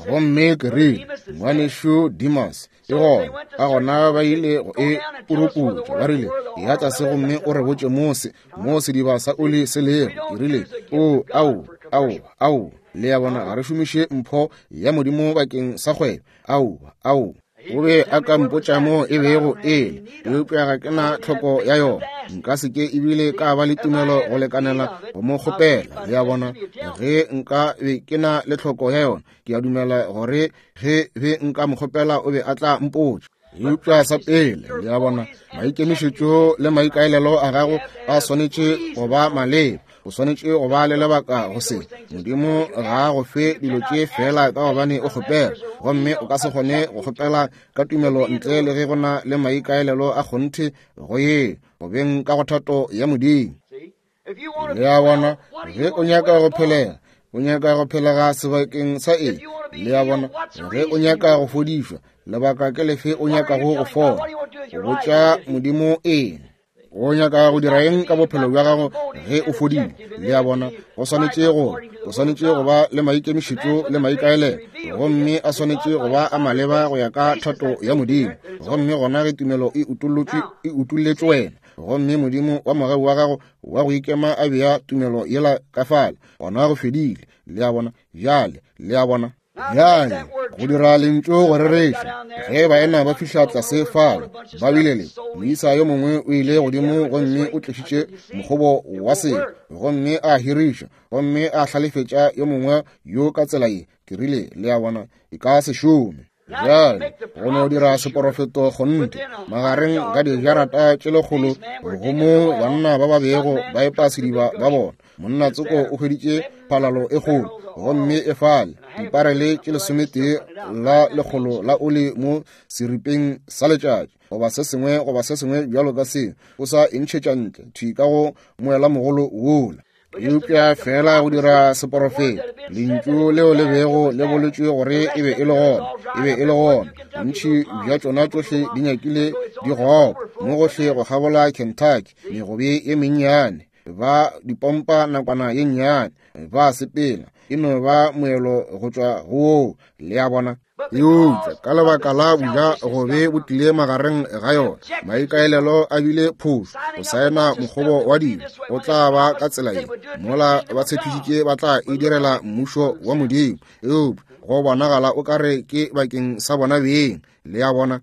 Gomme ke rile, Ngwanešu Demas, e gona ka gona ba ile go e puruputša, ba rile, ya tlase gomme o re botše mose mo sediba sa oli se lego. Ke rile, o, ao, ao, ao, le ya bona, ga re šomiše mpho ya Modimo bakeng sa kgwebo. Ao, ao. O be a ka mpotša mo e bego e le, eupša ga ke na tlhoko ya yona. Nka se ke ebile ka ba le tumelo go lekanela go mo kgopela, le ya bona. Ge nka be ke na le tlhoko ya yona, ke a dumela gore ge be nka mo kgopela o be a tla mpotša. Eupša sa pele, le a bona, maikemišetšo le maikaelelo a gago a swanetše go ba maleba. O swanetše go ba le lebaka go se. Modimo ga a go fe dilo tše feela ka gobane o kgopela, gomme o ka se kgone go kgopela ka tumelo ntle le ge go na le maikaelelo a kgonthe go ye go beng ka go thato ya Modimo. Le a bona, ge o nyaka go phelega, o nyaka go phelega sebakeng sa eng? Le a bona, ge o nyaka go fodišwa, lebaka ke lefe o nyakago go fola? O botša Modimo eng? O nyaka go dira eng ka bophelo bja gago ge o fodile? Le a bona, go swanetše go, o swanetše go ba le maikemišetšo le maikaelelo, gomme a swanetše go ba a maleba go ya ka thato ya Modimo. Gomme gona ge tumelo e utollotšwe, e utolletšwe wena, gomme Modimo wa mogau wa gago wa go ikema a bea tumelo yela ka fale, gona go fedile. Le a bona? Bjale, le a bona? Bjale, go dira lentšu go rereša, ge baena ba fihla tlase fale, ba bile le moisa yo mongwe o ile godimo gomme o tlišitše mokgobo wa selo, gomme a hiriša, gomme a hlalefetša yo mongwe yo ka tsela ye. Ke rile, le a bona, e ka se šome. Bjale, go no dira seporofeto kgonthe magareng ga dijarata tše lekgolo go mo banna ba ba bego ba epa sediba ba bona. Monna tsoko o hweditše phalalo e kgolo, gomme e fale diparele tše lesometee la lekgolo la oli mo seripeng sa letšatši, goba se sengwe goba se sengwe bjalo ka seo, o sa e ntšhetša ntle thwi ka go moelamogolo wola. Eupša feela go dira seporofeto, lentšu leo le bego le boletšwe gore e be e le gona, e be e le gona. Bontši bja tšona tšohle di nyakile di gopa mo gohle go kgabola Kentucky, megobe ye mennyane, ba di pompa nakwana ye nnyane, ba sepela, e no ba moelo go tšwa go woo, le a bona. Eupša ka lebaka la boja gobe bo tlile magareng ga yona, maikaelelo a bile phošo, go saena mokgobo wa dilo go tla ba ka tsela ye. Mola ba tshepišitše ba tla e direla mmušo wa Modimo, eupša go bonagala o ka re ke bakeng sa bona beng, le a bona,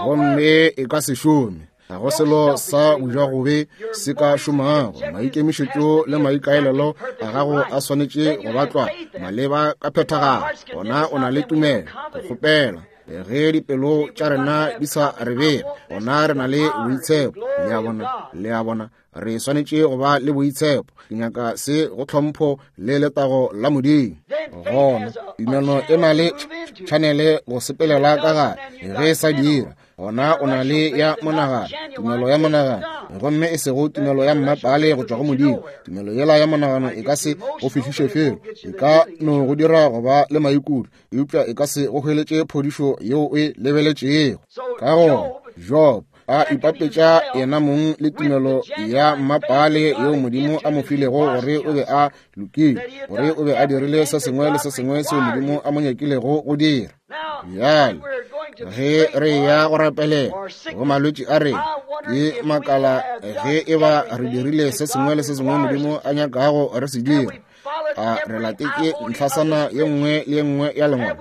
gomme e ka se šome. Ga go selo sa bojagobe se ka šomago. Maikemišetšo le maikaelelo a gago a swanetše go batlwa maleba ka phethagalo. Gona o na le tumelo go kgopela. Ge dipelo tša rena di sa re bega, gona re na le boitshepo. Le a bona? Le a bona? Re swanetše go ba le boitshepo. Ke nyaka se go tlhompho le letago la Modimo. Gona tumelo e na le tšhanele go sepelela ka gare. Ge e sa dira, gona o na le ya monagano, tumelo ya monagano, gomme e sego tumelo ya mmapale go tšwa go Modimo. Tumelo yela ya monagano e ka se go fihliše felo, e ka no go dira go ba le maikutlo, eupša e ka se go hweletše phodišo yeo o e lebeletšego. Ka gona Job a ipapetša yena mong le tumelo ya mmapale yeo Modimo a mo filego gore o be a lokile, gore o be a dirile se sengwe le se sengwe seo Modimo a mo nyakilego go dira. Bjale ge re ya go rapelela go malwetši a rena, ke makala ge e ba re dirile se sengwe le se sengwe Modimo a nyakago re se dira. A re latetše ntlhasana ye nngwe le ye nngwe ya lengwalo?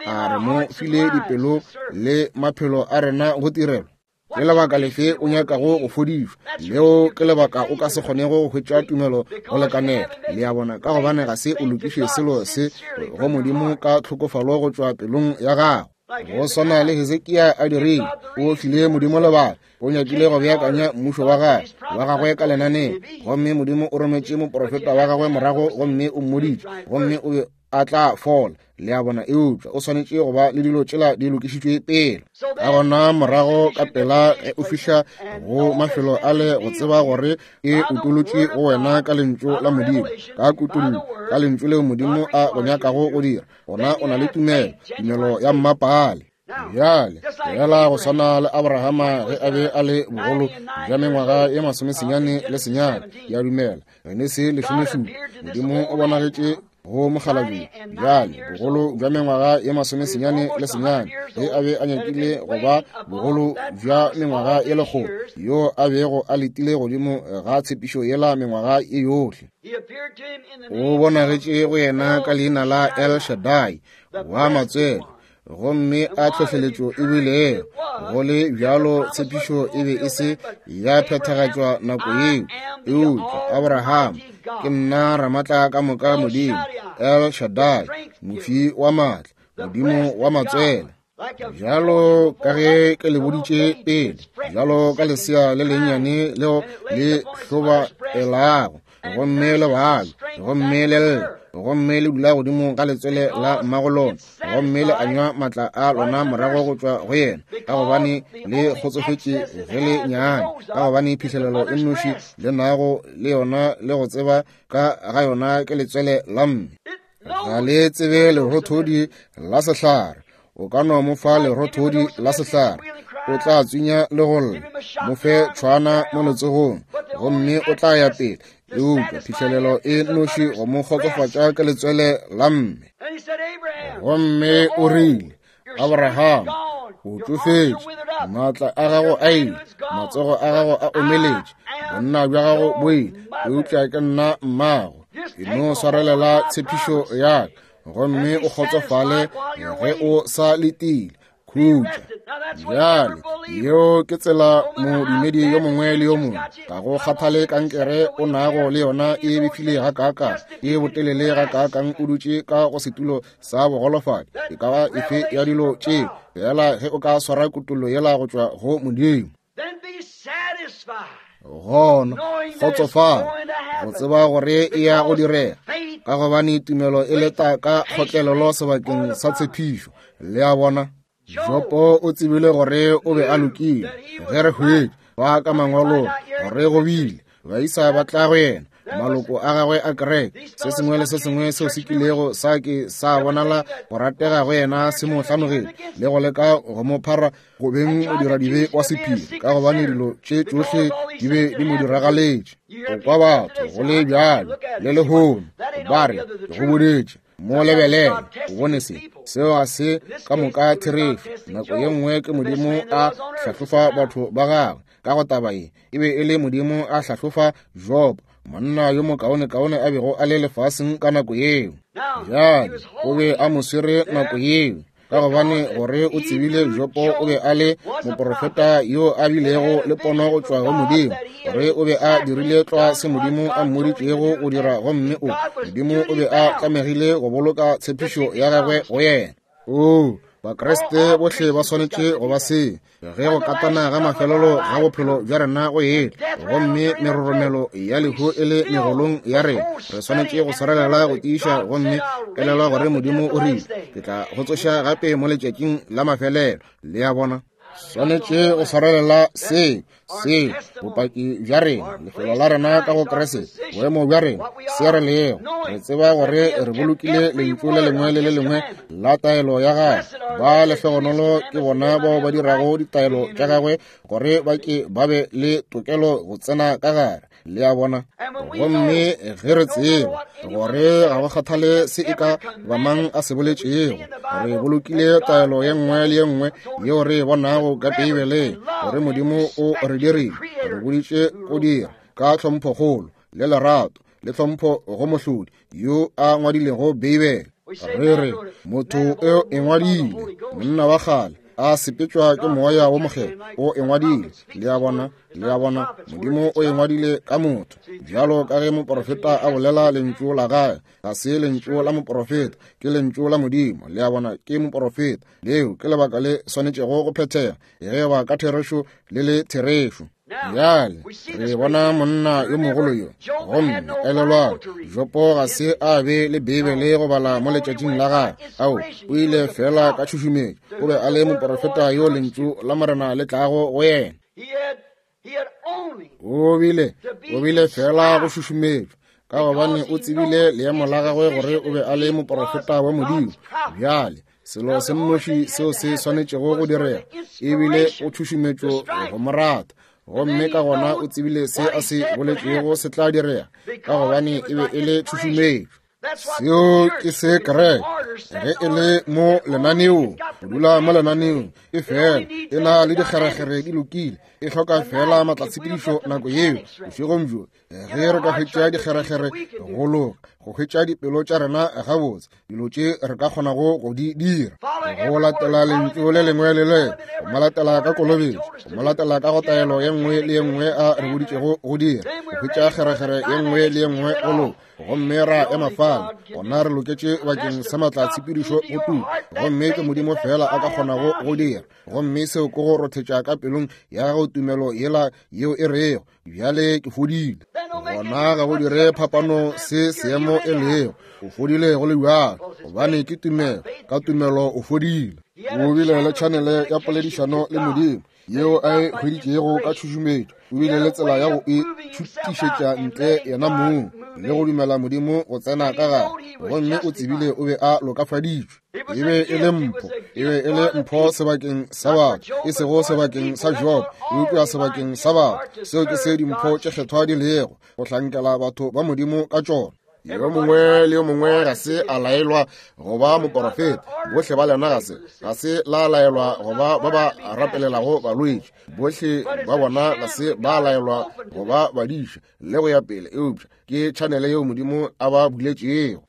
A re mo file dipelo le maphelo a rena go tirelo? Ke lebaka lefe o nyakago go fodišwa? Leo ke lebaka o ka se kgonego go hwetša tumelo go lekanela. Le a bona, ka gobane ga se o lokiše selo se go Modimo ka tlhokofalo go tšwa pelong ya gago. Go swana le Hezekia a dirile, o file Modimo lebaka. O nyakile go beakanya mmušo wa gagwe wa gagwe ka lenaneo, gomme Modimo o rometše moprofeta wa gagwe morago gomme o mmoditše, gomme o be a tla fola. Le a bona? Eupša o swanetše go ba le dilo tšela di lokišitšwe pele. Ka gona morago ka pela ge o fihla go mafelo a le go tseba gore e utolotšwe go wena ka lentšu la Modimo, ka kutollo, ka lentšu leo Modimo a go nyakago go dira, gona o na le tumelo, tumelo ya mmapaale. Bjale, fela go swana le Abrahama ge a be a le bogolo bja mengwaga ye 99, ke a dumela, Genesi 17, Modimo o bonagetše go mokgalabje. Bjale, bogolo bja mengwaga ye 99, ge a be a nyakile go ba bogolo bja mengwaga ye 100, yo a bego a letile godimo ga tshepišo yela mengwaga ye yohle. O bonagetše go yena ka leina la El Shaddai, wa matswele, gomme a tlhohleletšo e bilego. Go le bjalo tshepišo e be e se ya phethagatšwa nako yeo, eupša Abraham, ke nna Ramatla ka moka Modimo, El Shaddai, mofi wa maatla, Modimo wa matswele. Bjalo ka ge ke le boditše pele, bjalo ka lesea le lennyane leo le hlobaelago, gomme le bala, gomme le lla, gomme le dula godimo ga letswele la mmago lona, gomme le anywa maatla a lona morago go tšwa go yena, ka gobane le kgotsofetše ge le nyane, ka gobane phihlelelo e nnoši le nago le yona le go tseba ka ga yona ke letswele la mme. Ga le tsebe lerothodi la sehlare. O ka no mo fa lerothodi la sehlare, o tla tswinya le go lla. Mo fe tšhwana mo letsogong, gomme o tla ya pele. Eupša phihlelelo e noši go mo kgotsofatša ke letswele la mme. Gomme o rile, Abraham, o tšofetše, maatla a gago a ile, matsogo a gago a omeletše, bonna bja gago bo ile, eupša ke nna mmago. Ke no swarelela tshepišo ya ka, gomme o kgotsofale ge o sa letile. Khutša. Bjale, yeo ke tsela modumedi yo mongwe le yo mongwe, ga go kgathale kankere o nago le yona e befile gakaakang, e botelele gakaakang, o dutše ka go setulo sa bogolofadi, e ka ba efe ya dilo tšeo, fela ge o ka swara kutollo yela go tšwa go Modimo, gona kgotsofala go tseba gore e ya go direga, ka gobane tumelo e leta ka kgotlelelo sebakeng sa tshepišo. Le a bona? Jopo o tsebile gore o be a lokile. Ge re hwetša ba ka mangwalong gore go bile baisa ba tla go yena, maloko a gagwe a kereke, se sengwe le se sengwe seo se kilego sa ke sa bonala go ratega go yena se mo hlanogile le go leka go mo phara go beng modiradibe wa sephiri, ka gobane dilo tše tšohle di be di mo diragaletše. O kwa batho go le bjalo le lehono ba re, ke go boditše, mo lebelele, o bone se. Seo ga se ka moka therešo. Nako ye nngwe ke Modimo a hlahlofa batho ba gagwe. Ka go taba ye, e be e le Modimo a hlahlofa Job, monna yo mokaonekaone a bego a le lefaseng ka nako yeo. Bjale o be a mo swere nako yeo, ka gobane gore o tsebile Jopo o be a le moprofeta yo a bilego le pono go tšwa go Modimo, gore o be a dirile tlwa se Modimo a mmoditšego go dira, gomme o Modimo o be a tlamegile go boloka tshepišo ya gagwe go yena. Oo, Bakriste bohle ba swanetše go ba se. Ge go katana ga mafelelo ga bophelo bja rena go etla, gomme meroromelo ya lehu e le megolong ya rena, re swanetše go swarelela go tiiša gomme elelwa gore Modimo o rile, ke tla go tsoša gape mo letšatšing la mafelelo. Le a bona? Swanetše go swarelela se, se bopaki bja rena, lefelo la rena ka go Kriste, boemo bja rena, se re lego. Re tseba gore re bolokile lentšu le lengwe le le lengwe la taelo ya gagwe. Ba lehlogonolo ke bona bao ba dirago ditaelo tša gagwe, gore ba ke ba be le tokelo go tsena ka gare. Le a bona? Gomme ge re tseba gore ga go kgathale se e ka ba mang a se boletšego, re bolokile taelo ye nngwe le ye nngwe yeo re e bonago ka Beibeleng, gore Modimo o re dirile, re boditše go dira ka tlhomphokgolo le lerato le tlhompho go Mohlodi yo a ngwadilego Beibele. Re re motho o e ngwadile, monna wa kgale a sepetšwa ke Moya wo Mokgethwa, o e ngwadile. Le a bona? Le a bona, Modimo o e ngwadile ka motho, bjalo ka ge moprofeta a bolela lentšu la gagwe. Ga se lentšu la moprofeta, ke lentšu la Modimo. Le a bona, ke moprofeta. Leo ke lebaka le swanetšego go phethega, ge ba ka therešo le le therešo. Bjale re bona monna yo mogolo yo, gomme elelwang, Jopo ga se a be le Beibele go bala mo letšatšing la gagwe. Ao, o ile fela ka tšhušumetšo. O be a le moprofeta yo lentšu la Morena le tlago go yena. O bile, o bile fela go šušumetšwa, ka gobane o tsebile leemo la gagwe gore o be a le moprofeta wa Modimo. Bjale selo se nnoši seo se swanetšego go direga e bile go tšhušumetšo go mo rata, gomme ka gona o tsebile se a se boletšego se tla direga, ka gobane e be e le tšhušumetšo. Seo ke se kereke ge e le mo lenaneong, go dula mo lenaneong e fela e na le dikgerekgere di lokile, e hloka fela matlatshepedišo nako yeo. Bošegong bjo ge re ka hwetša dikgerekgere go loka, go hwetša dipelo tša rena gabotse, dilo tše re ka kgonago go di dira, go latela lentšu le lengwe le le, go mo latela ka kolobetšo, go mo latela ka go taelo ye nngwe le ye nngwe a re boditšego go dira, go hwetša kgerekgere ye nngwe le ye nngwe go loka, gomme ra ema fale, gona re loketše bakeng sa matlatshepedišo go tuka, gomme ke Modimo fela a ka kgonago go dira. Gomme seo ke go rothetša ka pelong ya gago tumelo yela yeo e rego, bjale ke fodile. Gona ga go dire phapano se seemo e lego, o fodile go le bjalo, gobane ke tumelo, ka tumelo o fodile. O bile le tšhanele ya poledišano le Modimo yeo a e hweditšego ka tšhušumetšo. O bile le tsela ya go e tšhutišetša ntle yena mong le go dumela Modimo go tsena ka gare, gomme o tsebile o be a lokafaditšwe. E be e le mpho, e be e le mpho sebakeng sa batho, e sego sebakeng sa Job, eupša sebakeng sa batho. Seo ke se dimpho tše kgethwa di lego, go hlankela batho ba Modimo ka tšona. Yo mongwe le yo mongwe ga se a laelwa go ba moporofeta, bohle ba lena ga se, ga se la laelwa go ba ba ba rapelelago balwetši, bohle ba bona ga se ba laelwa go ba badiša le go ya pele, eupša ke tšhanele yeo Modimo a ba buletšego.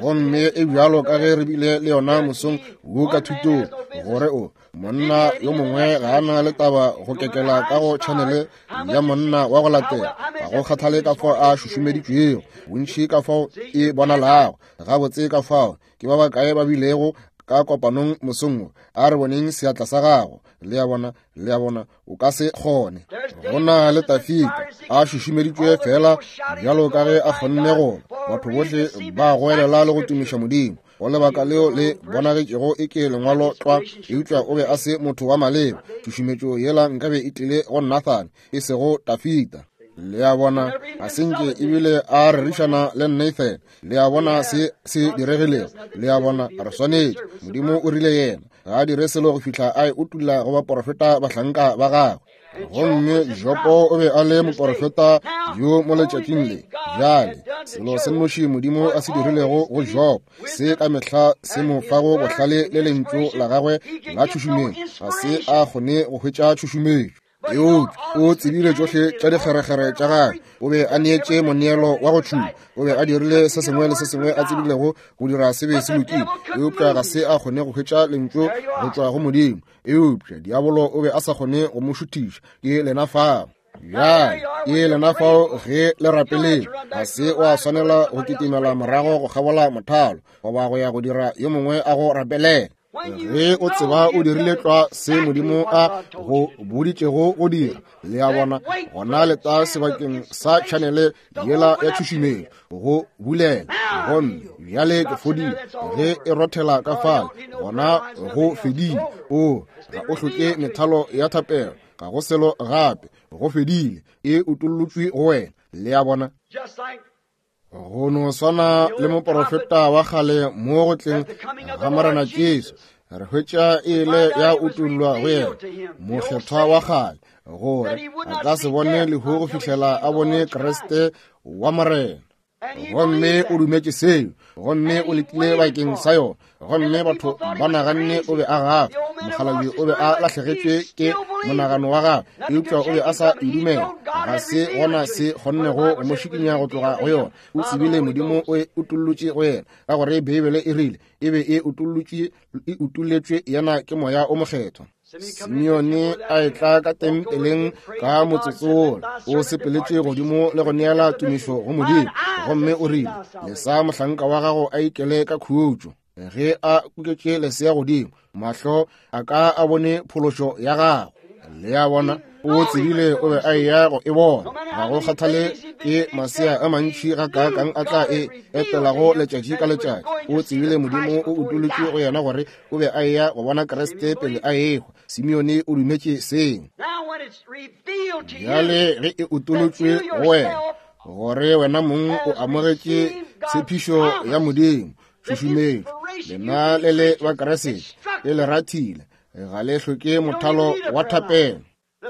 Gomme e bjalo ka ge re bile le yona mosong wo ka thutong, gore o monna yo mongwe ga a na le taba go kekela ka go tšhanele ya monna wa go latela, ga go kgathale ka fao a šušumeditšwego, bontši ka fao e bonalago gabotse ka fao. Ke ba bakae ba bilego ka kopanong mosong wo? A re boneng seatla sa gago. Le a bona, le a bona, o ka se kgone. Go na le Tafita a šušumeditšwe fela bjalo ka ge a kgonne go. Batho bohle ba goelela le go tumiša Modimo. Go lebaka leo le bonagetšego e ke lengwalo tlwa, eupša o be a se motho wa maleba. Tšhušumetšo yela nkabe e tlile go Nathan, e sego Tafita. Le a bona, ga se nke ebile a rerišana le Nathan. Le a bona se se diregilego. Le a bona, re swanetše. Modimo o rile yena ga a dire selo go fihla a e utulla go baporofeta bahlanka ba gagwe. Gomme Jopo o be a le moporofeta yo mo letšatšing le. Bjale, selo se nnoši Modimo a se dirilego go Job, se ka mehla se mo fago bohlale le lentšu la gagwe la tšhušumetšo, ga se a kgone go hwetša tšhušumetšo. Eupša o tsebile tšohle tša dikgerekgere tša gagwe. O be a neetše moneelo wa go tšhuma. O be a dirile se sengwe le se sengwe a tsebilego go dira se be se lokile, eupša ga se a kgone go hwetša lentšu go tšwa go Modimo. Eupša diabolo o be a sa kgone go mo šuthiša. Ke lena fao. Bjale, ke lena fao ge le rapeleng. Ga se wa swanela go kitimela morago go kgabola mothalo goba go ya go dira yo mongwe a go rapelela. Ge o tseba o dirile tlwa se Modimo a go boditšego go dira, le a bona, gona leta sebakeng sa tšhanele yela ya tšhušumetšo go bulela. Gomme bjale ke fodile. Ge e rothela ka fale, gona go fedile. O ga o hloke methalo ya thapelo, ga go selo gape, go fedile. E utollotšwe go wena, le a bona. Go no swana le moporofeta wa kgale mo go tleng ga Morena Jesu, re hwetša e ile ya utollwa go yena, mokgethwa wa kgale, gore a ka se bone lehu go fihlela a bone Kriste wa Morena. Gomme o dumetše seo, gomme o letile bakeng sa yona. Gomme batho ba naganne o be a gafa, mokgalabje o be a lahlegetšwe ke monagano wa gagwe, eupša o be a sa e dumela. Ga se gona se kgonnego go mo šikinya go tloga go yona. O tsebile Modimo o e utollotše go yena, ka gore Beibele e rile e be e utollotšwe, e utolletšwe yena ke Moya o Mokgethwa. Simeone a etla ka tempeleng ka motsotsola, o sepeletše godimo le go neela tumišo go Modimo, gomme o rile, Lesa mohlanka wa gago a ikele ka khutšo. Ge a kuketše lesea godimo, mahlo a ka a bone phološo ya gago. Le a bona? O tsebile o be a eya go e bona. Ga go kgathale ke masea a mantši gakaakang a tla e etelago letšatši ka letšatši, o tsebile Modimo o utolotše go yena gore o be a eya go bona Kriste pele a ehwa. Simeone o dumetše seo. Bjale ge e utolotšwe go wena, gore wena mong o amogetše tshepišo ya Modimo, tšhušumetšo, lena le le ba Kriste, le le rathile, ga le hloke mothalo wa thapelo.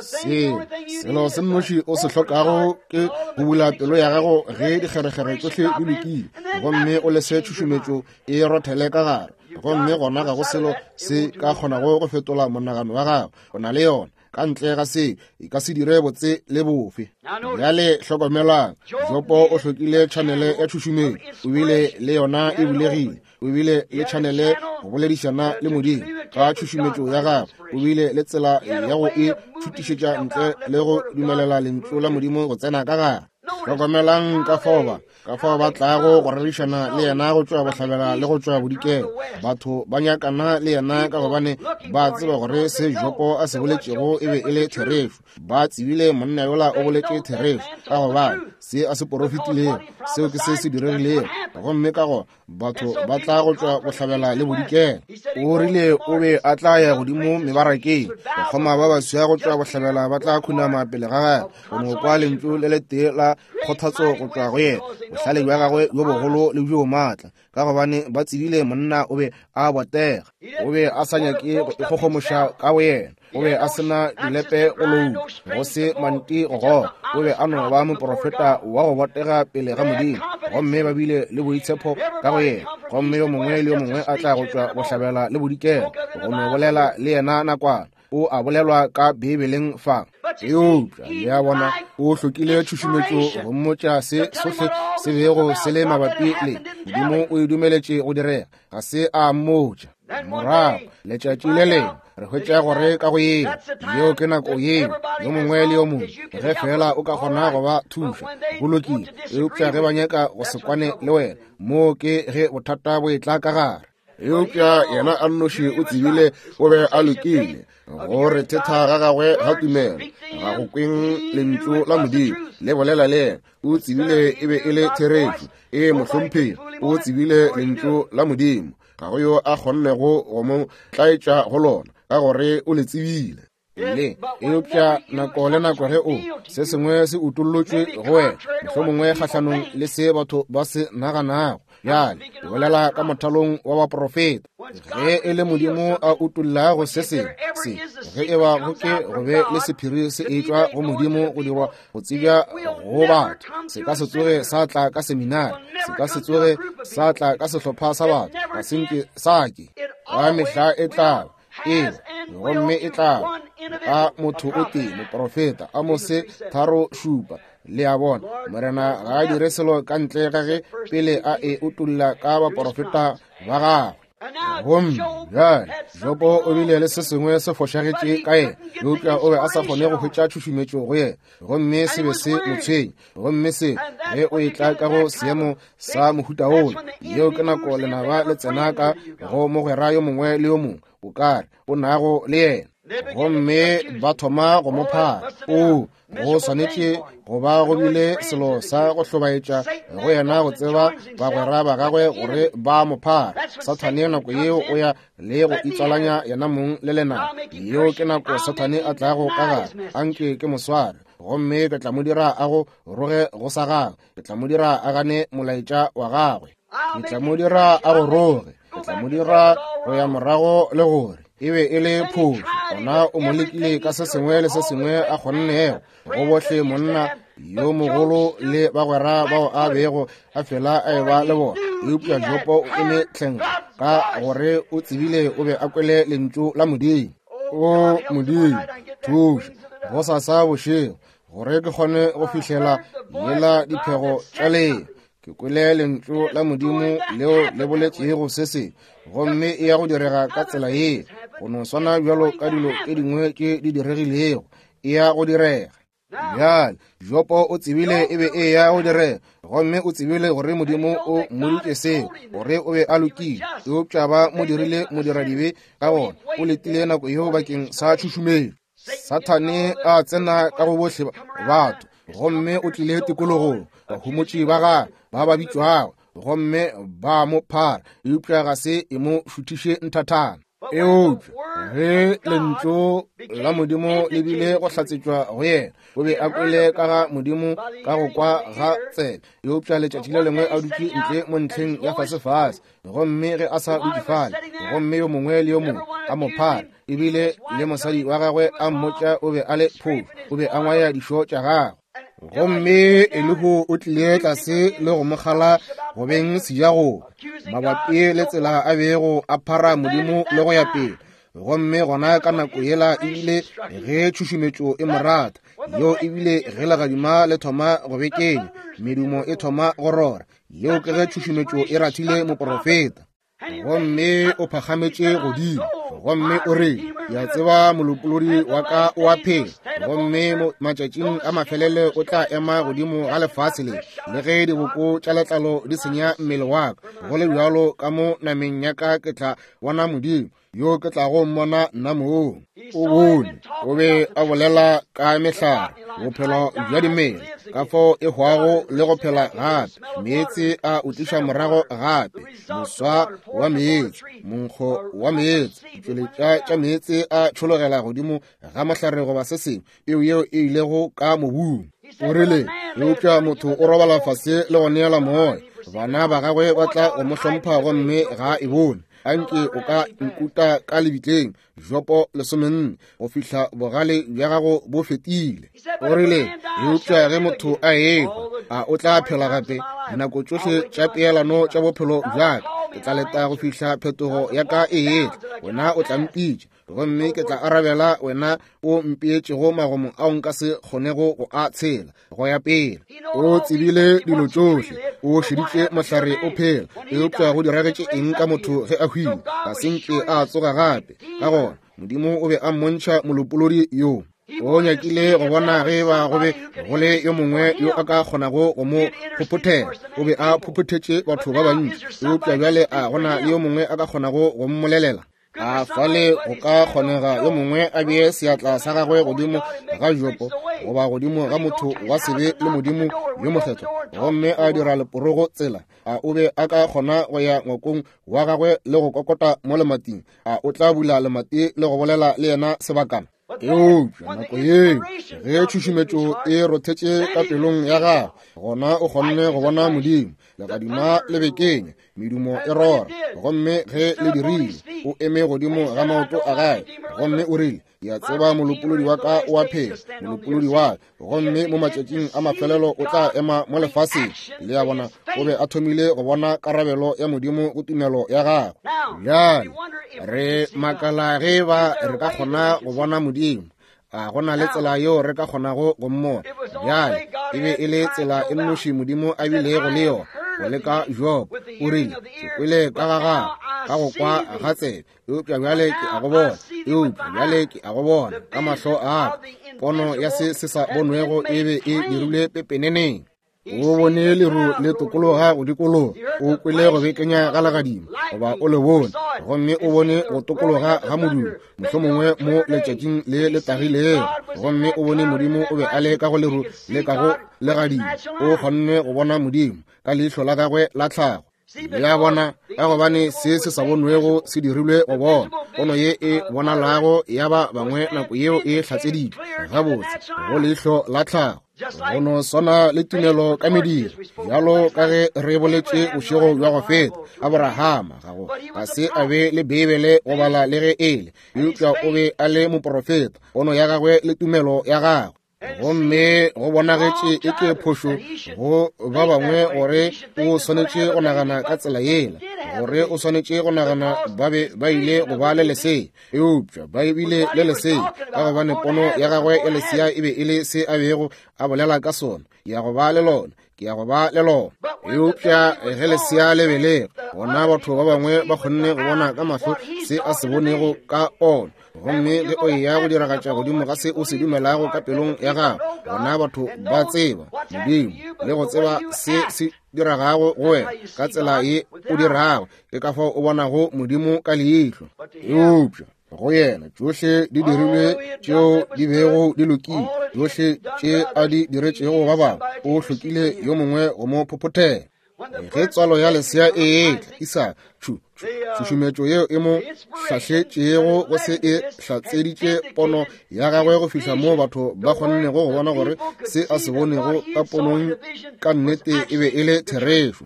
Seo selo se nnoši o se hlokago ke go bula pelo ya gago ge dikgerekgere tsohle di lokile, gomme o lese tšhušumetšo e rothele ka gare, gomme gona ga go selo se ka kgonago go fetola monagano wa gago. O na le yona. Ka ntle ga seo e ka se dire botse le bofe. Bjale hlokomelang, Jopo o hlokile tšhanele ya tšhušumetšo, o bile le yona e bulegile, o bile le tšhanele go boledišana le Modimo ka tšhušumetšo ya gagwe, o bile le tsela ya go e šutišetša ntle le go dumelela lentšu la Modimo go tsena ka gare. Hlokomelang ka fao ba ka fao ba tlago go rerišana le yena go tšwa bohlabela le go tšwa bodikela. Batho ba nyakana le yena ka gobane ba tseba gore se Jopo a se boletšego e be e le therešo. Ba tsebile monna yola o boletše therešo, ka gobane se a se porofetilego seo ke se se diregilego, gomme ka gona batho ba tla go tšwa bohlabela le bodikela. O rile o be a tla ya godimo mebarakeng, bakgoma ba baswa go tšwa bohlabela ba tla khunama pele ga gagwe go no kwa lentšu le letee la kgothatso go tšwa go yena, bohlale bja gagwe bjo bogolo le bjo maatla, ka gobane ba tsebile monna o be a botega. O be a sa nyake go ikgogomoša ka boyena, o be a se na dilepe go loula, go se manti go goga, o be a no ba moprofeta wa go botega pele ga Modimo, gomme ba bile le boitshepo ka go yena. Gomme yo mongwe le yo mongwe a tla go tšwa bohlabela le bodikela go no bolela le yena nakwana. O a bolelwa ka Beibeleng fa. Eupša le a bona, o hlokile tšhušumetšo go mmotša se sohle se bego se le mabapi le Modimo. O e dumeletše go direga, ga se a mmotša. Morago letšatši le lengwe re hwetša gore ka go yeo, yeo ke nako yeo yo mongwe le yo mongwe, ge fela o ka kgona go ba thuša, go lokile. Eupša ge ba nyaka go se kwane le wena, moo ke ge bothata bo etla ka gare. Eupša yena a nnoši o tsebile o be a lokile, go re thetha ga gagwe ga tumelo ga go kweng lentšu la Modimo le bolela le yena. O tsebile e be e le therešo. Ee, mohlomphegi, o tsebile lentšu la Modimo. Ga go yo a kgonnego go mo tlaetša go lona, ka gore o le tsebile. Le eupša nako le nako ge o se sengwe se utollotšwe go wena, mohlomongwe kgahlanong le se batho ba se naganago. Bjale ke bolela ka mothalong wa baprofeta. Ge e le Modimo a utollago se sengwe se, ge e ba go ke go be le sephiri se etšwa go Modimo go dirwa go tsebja go batho, se ka se tsoge sa tla ka seminari, se ka se tsoge sa tla ka sehlopha sa batho, ga se nke sa ke. Ka mehla e tla ee, gomme e tla ka motho o tee, moprofeta. Amose 3:7. Le a bona, Morena ga a dire selo ka ntle ga ge pele a e utolla ka baprofeta ba gagwe. Gomme bjale Jobo o bile le se sengwe se fošagetše ka yena, eupša o be a sa kgone go hwetša tšhušumetšo go yena, gomme se be se mo tshwenya. Gomme se ge o etla ka go seemo sa mohuta wola, yeo ke nako lenaba le tsena ka go mogwera yo mongwe le yo mongwe o ka re o nago le yena, gomme ba thoma go mo phara. O go swanetše go ba go bile selo sa go hlobaetša go yena go tseba bagwera ba gagwe gore ba mo phara. Sathane nako yeo o ya le go itswalanya yena mong le lenaba. Yeo ke nako Sathane a tlago ka gare. Anke ke mo sware, gomme ke tla mo dira a go roge go sa gagwe. Ke tla mo dira a gane molaetša wa gagwe. Ke tla mo dira a go roge. Ke tla mo dira go ya morago le gore e be e le phošo. Gona o mo lekile ka se sengwe le se sengwe a kgonnego go bohle, monna yo mogolo le bagwera bao a bego a fela a eba le bona. Eupša Jopo o eme hleng ka gore o tsebile o be a kwele lentšu la Modimo. O Modimo, thuša gosasa bošego gore ke kgone go fihlela yela diphego tša lena. Ke kwele lentšu la Modimo leo le boletšego se se, gomme e ya go direga ka tsela ye, go no swana bjalo ka dilo tše dingwe tše di diregilego, e ya go direga. Bjale Jopo o tsebile e be e ya go direga, gomme o tsebile gore Modimo o mmoditše seo, gore o be a lokile, eupša ba mo dirile modiradibe. Ka gona o letile nako yeo bakeng sa tšhušumetšo. Sathane a tsena ka go bohle batho, gomme o tlile tikologong, bahumotši ba gagwe ba ba bitšwago, gomme ba mo phara, eupša ga se e mo šuthiše nthathana. Eupša ge lentšu la Modimo le bile go hlatsetšwa go yena, o be a kwele ka ga Modimo ka go kwa ga tsebe, eupša letšatši le lengwe a dutše ntle mo ntlheng ya fasefase, gomme ge a sa dutše fale, gomme yo mongwe le yo mongwe a mo phara, ebile le mosadi wa gagwe a mmotša o be a le phofu, o be a ngwaya dišo tša gagwe. Gomme Elihu o tlile tlase le go mo kgala go beng sejagobe mabapi le tsela a bego a phara Modimo le go ya pele. Gomme gona ka nako yela ebile ge tšhušumetšo e mo rata, yeo ebile ge legadima le thoma go bekenya, medumo e thoma go rora, yeo ke ge tšhušumetšo e rathile moprofeta. Gomme o phagametše godimo, gomme o re, ke a tseba molopolodi wa ka o a phela, gomme matšatšing a mafelelo o tla ema godimo ga lefase le, le ge diboko tša letlalo di senya mmele wa ka, go le bjalo ka mo nameng ya ka ke tla bona Modimo, yo ke tlago mmona nna mong. O bone, o be a bolela ka mehlare, bophelo bja dimela, ka fao e hwago le go phela gape, meetse a o tliša morago gape, moswa wa meetse, monkgo wa meetse, ditšweletša tša meetse a tšhologela godimo ga mohlare goba se sengwe, peu yeo e ilego ka mobung. O rile, eupša motho o robala fase le go neela moya, bana ba gagwe ba tla go mo hlompha gomme ga e bone. Anke o ka nkuta ka lebitleng, Jopo 14, go fihla bogale bja gago bo fetile. O rile, eupša ge motho a ehwa, a o tla phela gape? Dinako tšohle tša peelano tša bophelo bja ka, ke tla leta go fihla phetogo ya ka e etla. Wena o tla mpitša, gomme ke tla arabela, wena o mpeetšego magomo ao nka se kgonego go a tshela go ya pele. O tsebile dilo tšohle, o šeditše mohlare o phela, eupša go diragetše eng ka motho ge a hwile? Ga se nke a tsoga gape. Ka gona Modimo o be a mmontšha molopolodi yo. O nyakile go bona ge ba go be go le yo mongwe yo a ka kgonago go mo phophothela. O be a phophothetše batho ba bantši, eupša bjale a gona le yo mongwe a ka kgonago go mmolelela? A fale go ka kgonega yo mongwe a bee seatla sa gagwe godimo ga Jopo goba godimo ga motho wa sebe le Modimo yo mokgethwa, gomme a dira leporogo tsela? A o be a ka kgona go ya ngwakong wa gagwe le go kokota mo lemating? A o tla bula lemati le go bolela le yena sebakana? Eupša nako yeo ge tšhušumetšo e rothetše ka pelong ya gagwe, gona o kgonne go bona Modimo, legadima le bekenya, medumo e rora, gomme ge le dirile, o eme godimo ga maoto a gagwe, gomme o rile, Ke a tseba molopolodi wa ka o a phela, molopolodi wa ka, gomme mo matšatšing a mafelelo o tla ema mo lefaseng. Le a bona, o be a thomile go bona karabelo ya Modimo go tumelo ya gagwe. Bjale re makala ge ba re ka kgona go bona Modimo. A go na le tsela yeo re ka kgonago go mmona? Bjale e be e le tsela e nnoši Modimo a bilego le yona go leka Job. O rile, ke kwele ka ga gago ka go kwa ga tsebe, eupša bjale ke a go bona, eupša bjale ke a go bona ka mahlo a ka. Pono ya se se sa bonwego e be e dirilwe pepeneneng. O bone leru le tokologa go dikologa, o kwele go bekenya ga legadima, goba o le bone, gomme o bone go tokologa ga modumo, mohlomongwe mo letšatšing le le tagilego, gomme o bone Modimo o be a le ka go leru le ka go legadima. O kgonne go bona Modimo ka leihlo la gagwe la tlhago. Le a bona, ka gobane se se sa bonwego se dirilwe go bona, pono ye e bonalago ya ba bangwe nako yeo e hlatseditšwe gabotse go leihlo la tlhago. Go no swana le tumelo ka mediro, bjalo ka ge re boletše bošego bja go feta, Aborahama ga go ga se a be le Beibele go bala le ge e le, eupša o be a le moprofeta, pono ya gagwe le tumelo ya gagwe. Gomme go bonagetše e ke phošo go ba bangwe gore o swanetše go nagana ka tsela yela, gore o swanetše go nagana ba be ba ile go ba le lesea, eupša ba bile le lesea ka gobane pono ya gagwe ya lesea e be e le se a bego a bolela ka sona, ke ya go ba le lona, ke ya go ba le lona. Eupša ge lesea le belege, gona batho ba bangwe ba kgonne go bona ka mahlo se a se bonego ka ona. Gomme ge o eya go diragatša godimo ga se o se dumelago ka pelong ya gago, gona batho ba tseba Modimo le go tseba se se diragago go wena ka tsela ye o dirago. Ke ka fao o bonago Modimo ka leihlo. Eupša Go yena tšohle di dirilwe tšeo di bego di lokile, tšohle tše a di diretšego ba bangwe, o hlokile yo mongwe go mo phophothela. Ge tswalo ya lesea e etla, Isaka, tšhu, tšhu, tšhušumetšo yeo e mo hlahletšego go se e hlatseditše pono ya gagwe go fihla moo batho ba kgonnego go bona gore se a se bonego ka ponong ka nnete e be e le therešo.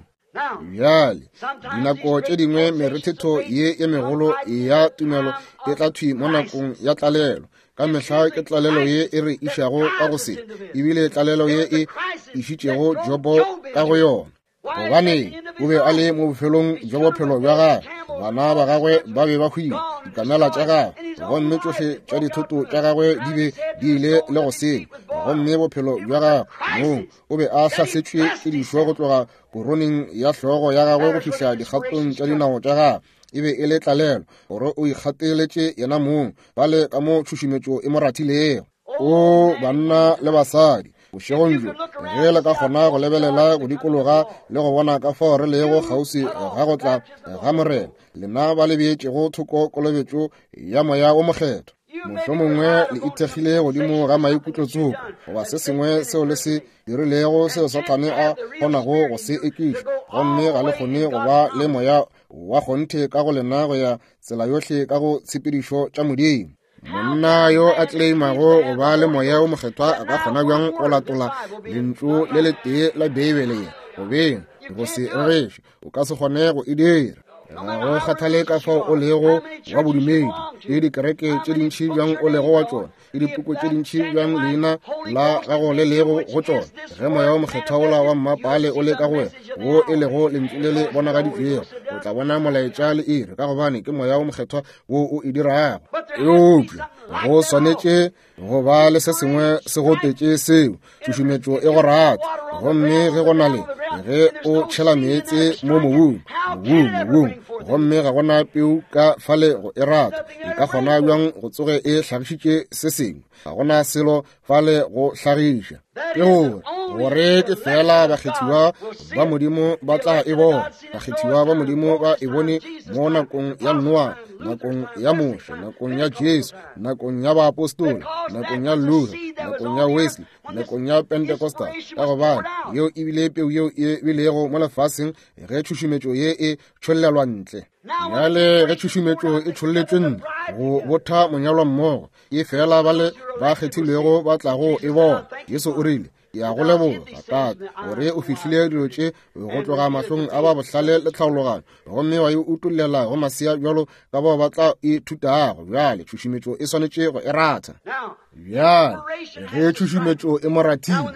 Bjale, dinako tše dingwe merethetho ye e megolo ya tumelo e tla thwi mo nakong ya tlalelo. Ka mehla ke tlalelo ye e re išago ka go se, ebile tlalelo ye e išitšego Jobo ka go yona. Gobane o be a le mo bofelong bja bophelo bja gagwe, bana ba gagwe ba be ba hwile, dikamela tša gagwe, gomme tšohle tša dithoto tša gagwe di be di ile le go senya, gomme bophelo bja gagwe mong o be a hlasetšwe ke dišo go tloga koroneng ya hlogo ya gagwe go fihla dikgatong tša dinao tša gagwe. E be e le tlalelo gore o ikgateletše yena mong bale ka mo tšhušumetšo e mo rathilego. O banna le basadi, bošegong bjo, ge le ka kgona go lebelela go dikologa le go bona ka fao re lego kgauswi ga go tla ga Morena, lena ba le beetšego thoko kolobetšo ya Moya wo Mokgethwa, mohlomongwe le ithekgile godimo ga maikutlo tsoko goba se sengwe seo le se dirilego seo Sathane a kgonago go se ekiša, gomme ga le kgone go ba le moya wa kgonthe ka go lena go ya tsela yohle ka go tshepedišo tša Modimo. Monna yo a tleimago go ba le moya wo mokgethwa a ka kgona bjang go latola lentšu le letee la Beibele ye go beng go se rereše? O ka se kgone go e dira. Ga go kgathale ka fao o lego wa bodumedi, le dikereke tše dintši bjang o lego wa tšona, le dipuku tše dintši bjang leina la gago le lego go tšona, ge moya wa mokgethwa wola wa mmapaale o le ka go wena, wo e lego lentšu le le bonagaditšwego, o tla bona molaetša le iri, ka gobane ke moya wa mokgethwa wo o e dirago. Eupša go swanetše go ba le se sengwe se gotetše seo, tšhušumetšo e go rata. Gomme ge go na le, ge o tšhela meetse mo mobung, mobung, mobung, gomme ga gona peu ka fale go e rata, e ka kgona bjang go tsoge e hlagišitše se sengwe? Ga gona selo fale go hlagiša. Ke gore, gore ke feela bakgethiwa ba Modimo ba tla e bona. Bakgethiwa ba Modimo ba e bone mo nakong ya Noa, nakong ya Moshe, nakong ya Jesu, nakong ya baapostola, nakong ya Luther, nakong ya Wesley, nakong ya Pentecostal, ka gobane yeo e bile peu yeo e bilego mo lefaseng ge tšhušumetšo ye e tšhollelwa ntle. Bjale ge tšhušumetšo e tšholletšwe ntle go botha monyalwa mmogo, e fela ba le ba kgethilwego ba tlago e bona. Jesu o rile, Ke a go leboga, Tate, gore o fihlile dilo tše go tloga mahlong a ba bohlale le tlhaologanyo, gomme wa e utollela go masea bjalo ka bao ba tla ithutago. Bjale tšhušumetšo e swanetše go e ratha. Bjale ge tšhušumetšo e mo rathile,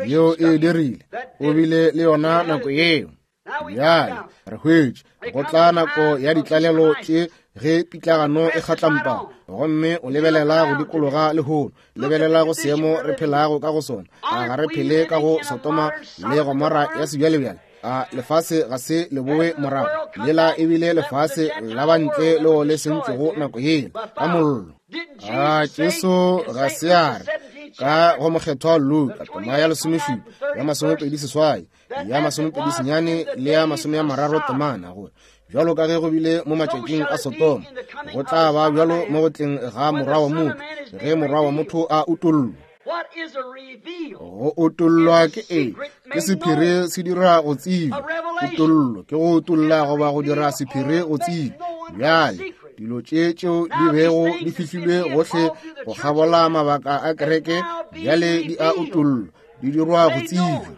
yeo e dirile, o bile le yona nako yeo. Bjale re hwetše go tla nako ya ditlalelo tše ge pitlagano e kgatlampa, gomme o lebelela go dikologa lehono, lebelela go seemo re phelago ka go sona. A ga re phele ka go Sodoma le Gomora ya sebjalebjale? A lefase ga se le bowe morago? Lela ebile lefase la bantle leo le sentšwego nako yela ka mollo. A Jesu ga se a re ka go mokgethwa Luka tema ya lesomešupa ya 28 ya 29 le ya 30 temana gore bjalo ka ge go bile mo matšatšing a Sodoma, go tla ba bjalo mo go tleng ga Morwa wa motho, ge Morwa wa motho a utollwa. Go utollwa ke eng? Ke sephiri se dira go tsebja. Kutollo ke go utolla goba go dira sephiri go tsebja. Bjale dilo tše tšeo di bego di fihlilwe gohle go kgabola mabaka a kereke bjale di a utollwa, di dirwa go tsebja.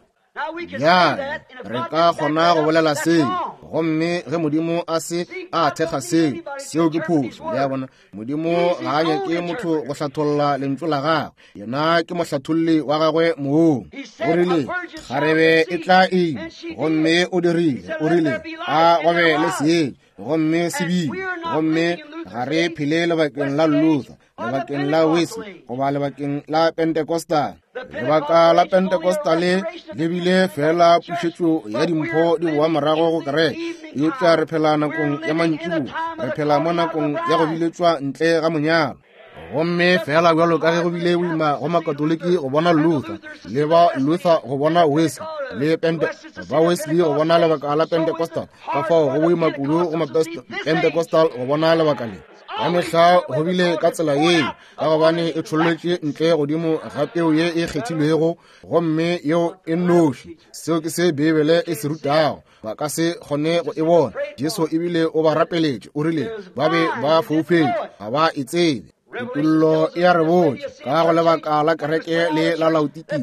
Bjale re ka kgona go bolela seo, gomme ge Modimo a se a thekga seo, seo ke phošo. Le a bona, Modimo ga a nyake motho go hlatholla lentšu la gagwe, yena ke mohlatholli wa gagwe mong. O rile kgarebe e tla ima, gomme o dirile. O rile a go be le seetša, gomme se bile. Gomme ga re phele lebakeng la Luther, lebakeng la Wesley, goba lebakeng la Pentecostal. Lebaka la Pentecostal le bile fela pušetšo ya dimpho di boa morago go kereke, eupša re phela nakong ya mantšiboa, re phela mo nakong ya go biletšwa ntle ga monyalo. Gomme fela bjalo ka ge go bile boima go Makatoliki go bona Luther, le ba Luther go bona Wesley, le Pente, ba Wesley go bona lebaka la Pentecostal, ka fao go boima kudu go Pentecostal go bona lebaka le. Ka mehla go bile ka tsela yeo, ka gobane e tšholletše ntle godimo ga peu ye e kgethilwego, gomme yeo e nnoši. Seo ke se Beibele e se rutago. Ba ka se kgone go e bona. Jesu ebile o ba rapeletše, o rile ba be ba foufetše, ga ba e tsebe. Kutollo e a re botša ka go lebaka la kereke le la Laodikia,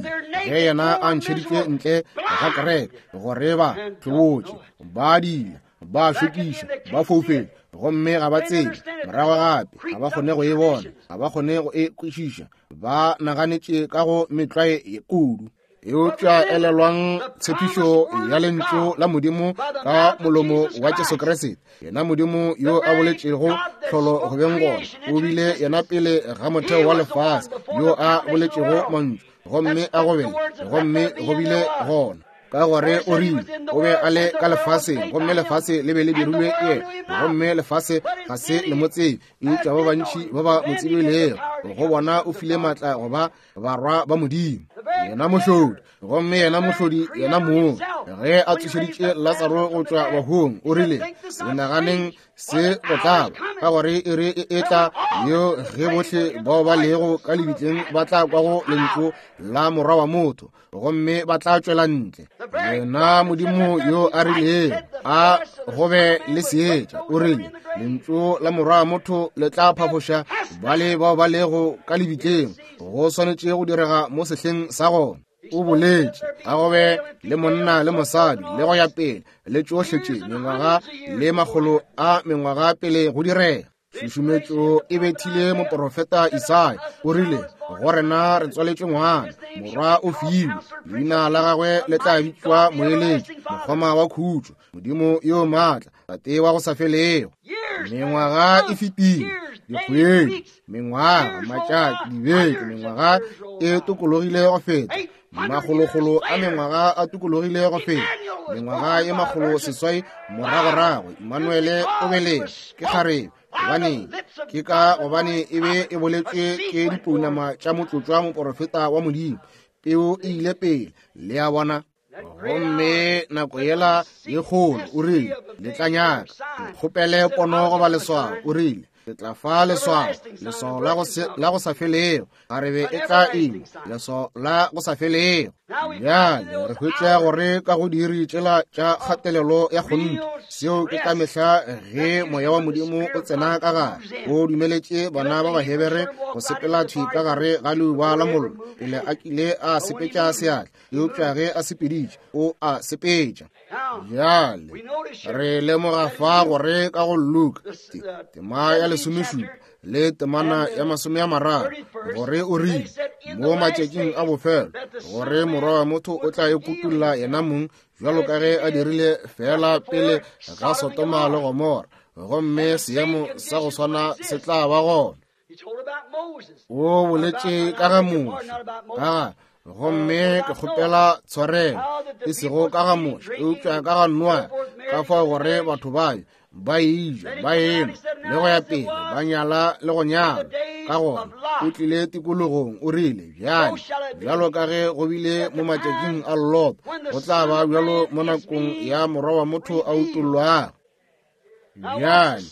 ge yena a ntšheditšwe ntle ga kereke, gore ba hlobotše, ba dila, ba šokiša, ba foufetše, gomme ga ba tsebe. Morago gape ga ba kgone go e bona, ga ba kgone go e kwešiša, ba naganetše ka go metlwae kudu. Eupša elelwang tshepišo ya lentšu la Modimo ka molomo wa Jesu Kriste, yena Modimo yo a boletšego tlholo go beng gona, o bile yena pele ga motheo wa lefase yo a boletšego mantšu, gomme a go bele, gomme go bile gona. Ka gore o rile o be a le ka lefaseng, gomme lefase le be le dirilwe ke yena, gomme lefase ga se le mo tsebe, eupša ba bantši ba ba mo tsebilego, go bona o file maatla go ba barwa ba Modimo. Yena mohlodi, gomme yena mohlodi yena mong, ge a tsošeditše Latsaro go tšwa bahung, o rile, se naganeng se go tlaba, ka gore e re e etla yo ge bohle bao ba lego ka lebitleng ba tla kwa go lentšu la Morwa wa motho, gomme ba tla tšwela ntle. Yena Modimo yo a rilego a go be le seetša, o rile lentšu la Morwa wa motho le tla phafoša bale bao ba lego ka lebitleng. Go swanetše go direga mo sehleng sa gona. O boletše a go be le monna le mosadi le go ya pele le tšohle tše, mengwaga le makgolo a mengwaga pele go direga. Tšhušumetšo e bethile moporofeta Isaya, o rile, go rena re tswaletšwe ngwana, morwa o filwe, leina la gagwe le tla bitšwa Moeletši, Mokgoma wa Khutšo, Modimo yo maatla, Tate wa go sa felego. Mengwaga e fetile, dikgwedi, mengwaga, matšatši, dibeke, mengwaga e tokologile go feta, makgolokgolo a mengwaga a tokologile go feta, mengwaga e 600 moragorago, Immanuele o belege ke kgarebe. Gobaneng? Ke ka gobane e be e boletšwe ke dipounama tša motlotšwa moporofeta wa Modimo. Peu e ile pele, le a bona. Gomme nako yela ye kgolo, o rile, le tla nyaka kgopele pono goba leswao. O rile, ke tla fa leswao, leswao la go sa felego. Kgarebe e tla ima, leswao la go sa felego. Bjale re hwetša gore ka go diiri tšela tša kgatelelo ya kgonthe, seo ke ka mehla ge moya wa Modimo o tsena ka gare, o dumeletše bana ba Bahebere go sepela thwi ka gare ga leuba la mollo pele a kile a sepetša seatla. Eupša ge a sepeditše, o a sepetša. Bjale re lemoga fa gore ka go Luka tema ya 17 le temana ya 30, gore o rile mo matšatšing a bofelo gore Morwa wa motho o tla ikutulla yena mong bjalo ka ge a dirile fela pele ga Sodoma le Gomora, gomme seemo sa go swana se tla ba gona. O boletše ka ga Moshe, ka ga, gomme ke kgopela tshwarelo, e sego ka ga Moshe, eupša ka ga Noa, ka fao gore batho ba ba eja, ba enwa, le go ya pele, ba nyala le go nyala. Ka gona o tlile tikologong, o rile, bjale, bjalo ka ge go bile mo matšatšing a Lot, go tla ba bjalo mo nakong ya Morwa wa motho a utollwago. Bjale,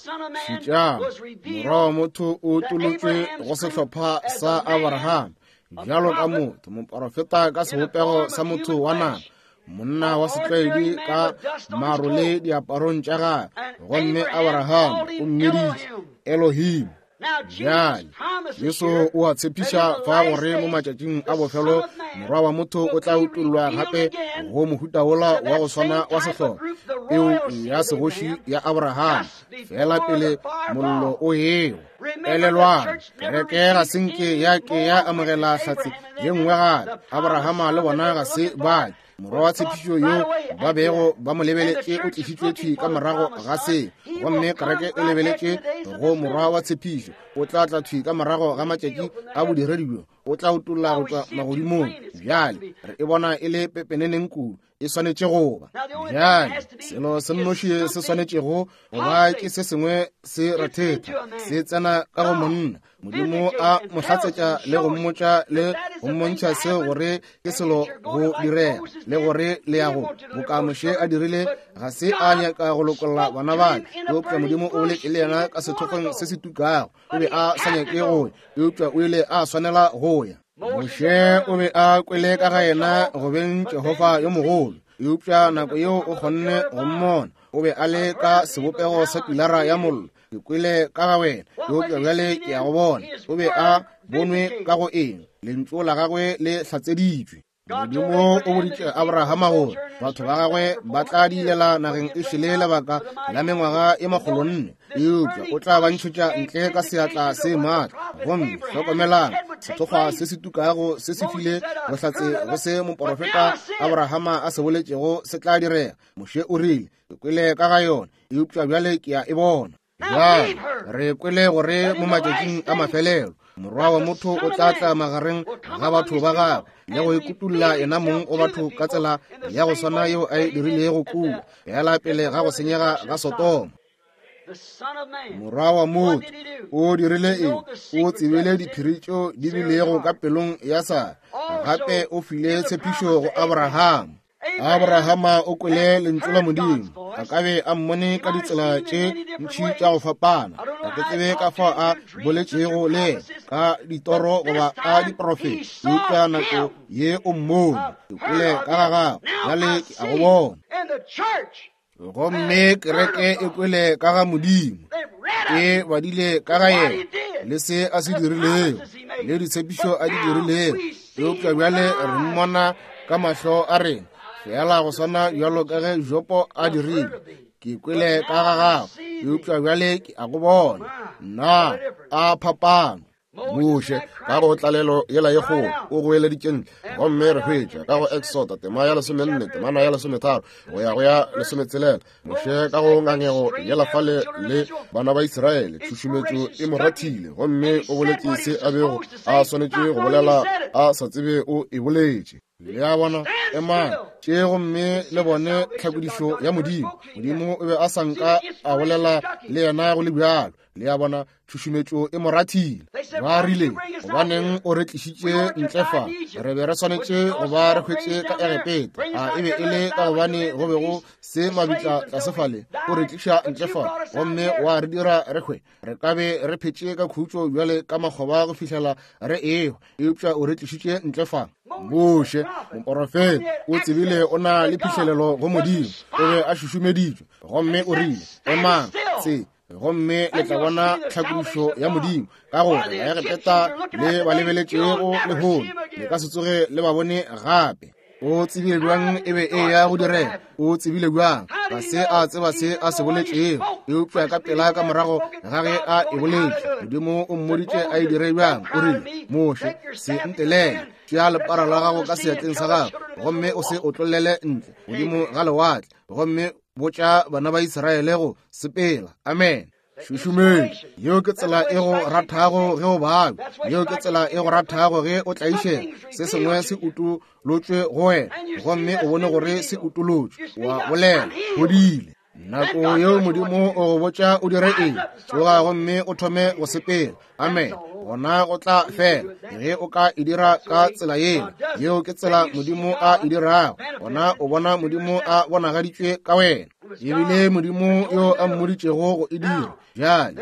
šetšang, Morwa wa motho o utolotšwe go sehlopha sa Abraham, bjalo ka motho, moporofeta ka sebopego sa motho wa nama, monna wa setlwaedi ka maro le diaparong tša gagwe, gomme Abraham o mmiditše Elohim. Bjale, Jesu o a tshepiša fa gore mo matšatšing a bofelo Morwa wa motho o tla utollwa gape go mohuta wola wa go swana wa sehlopha, peu ya segoši ya Abraham, fela pele mollo o ewa. Elelwang, kereke ga se nke ya ke ya amogela hlatse ye nngwe gape. Abrahama le bona ga se ba ke. Morwa wa tshepišo yo ba bego ba mo lebeletše o tlišitšwe thwi ka morago ga se, gomme kereke e lebeletše go morwa wa tshepišo. O tla tla thwi ka morago ga matšatši a bodiredi bjo, o tla utolla go tšwa magodimong. Bjale re e bona e le pepeneneng kudu. E swanetše go ba. Bjale, selo se nnoši se swanetšego go ba ke se sengwe se rethetha, se tsena ka go monna. Modimo a mo hlatsetša le go mmotša le go mmontšha seo gore ke selo go direga le gore le ya go boka Moshe a dirile. Ga se a nyaka go lokolla bana bale, eupša Modimo o boletše le yena ka sethokgweng se se tukago. O be a sa nyake go ya, eupša o ile a swanela go ya. Moshe o be a kwele ka ga yena go beng Jehofa yo mogolo, eupša nako yeo o kgonne go mmona, o be a le ka sebopego sa pilara ya mollo. Ke kwele ka ga wena, eupša bjale ke ya go bona. O be a bonwe ka go eng? Lentšu la gagwe le hlatseditšwe. Modimo o boditše Abrahama gore batho ba gagwe ba tla diilela nageng e šele lebaka la mengwaga e 400, eupša o tla ba ntšhetša ntle ka seatla se maatla. Gomme hlokomelang, sethokgwa se se tukago se se file bohlatse go se moporofeta Abrahama a se boletšego se tla direga. Moshe o rile, Ke kwele ka ga yona, eupša bjale ke a e bona. Bjale re kwele gore mo matšatšing a mafelelo Morwa wa motho o tla tla magareng ga batho ba gagwe le go ikutulla yena mong go batho ka tsela ya go swana yeo a e dirilego kua fela pele ga go senyega ga Sodoma. Morwa wa motho o dirile eng? O tsebile diphiri tšeo di bilego ka pelong ya Sara. Gape o file tshepišo go Abrahama. Abrahama o kwele lentšu la Modimo. A ka be a mmone ka ditsela tše ntši tša go fapana. Ga ke tsebe ka fao a boletšego le yena ka ditoro goba ka diprofeto, eupša nako ye o mmone. Ke kwele ka ga gago, bjale ke a go bona. Gomme kereke e kwele ka ga Modimo, e badile ka ga yena le se a se dirilego le ditshepišo a di dirilego, eupša bjale re mmona ka mahlo a rena fela go swana bjalo ka ge Jopo a dirile. Ke kwele ka ga gago, eupša bjale ke a go bona. Na a phapano! Moshe ka go tlalelo yela ye kgolo o goeleditše ntle, gomme re hwetša ka go Exoda tema ya 14 temana ya 13 go ya go ya 16, Moshe ka go ngangego yela fale le bana ba Israele, tšhušumetšo e mo rathile, gomme o boletše se a bego a swanetše go bolela a sa tsebe o e boletše. Le a bona? Emang tše gomme le bone tlhakodišo ya Modimo. Modimo o be a sa nka a bolela le yena go le bjalo. Le a bona, tšhušumetšo e mo rathile. Ba rile, Gobaneng o re tlišitše ntle fa? Re be re swanetše go ba re hwetše ka Egepeta. A e be e le ka gobane go be go se mabitla tlase fale? O re tliša ntle fa gomme wa re dira re hwe. Re ka be re phetše ka khutšo bjale ka makgoba go fihlela re ehwa, eupša o re tlišitše ntle fa. Moshe, moporofeta, o tsebile o na le phihlelelo go Modimo. O be a šušumeditšwe, gomme o rile, Emang tse, gomme le tla bona tlhakodišo ya Modimo, ka gore Baegepeta le ba lebeletšego lehono le ka se tsoge le ba bone gape. O tsebile bjang e be e ya go direga? O tsebile bjang? Ga se a tseba se a se boletšego, eupša ka pela ka morago ga ge a e boletše, Modimo o mmoditše a e dire bjang. O rile, Moshe, se ntelele, tšea lepara la gago ka seatleng sa gago gomme o se otlollele ntle godimo ga lewatle, gomme botša bana ba Israele go sepela. Amen. Šušumetšo, yeo ke tsela e go rathago ge o babja, yeo ke tsela e go rathago ge o tlaišega. Se sengwe se utolotšwe go wena, gomme o bone gore se utolotšwe, wa bolela, fodile. Nako yeo Modimo o go botša o dire eng, tsoga gomme o thome go sepela. Amen. Gona go tla fela ge o ka e dira ka tsela yela. Yeo ke tsela Modimo a e dirago. Gona o bona Modimo a bonagaditšwe ka wena. Ebile Modimo yo a mmoditšego go e dira. Bjale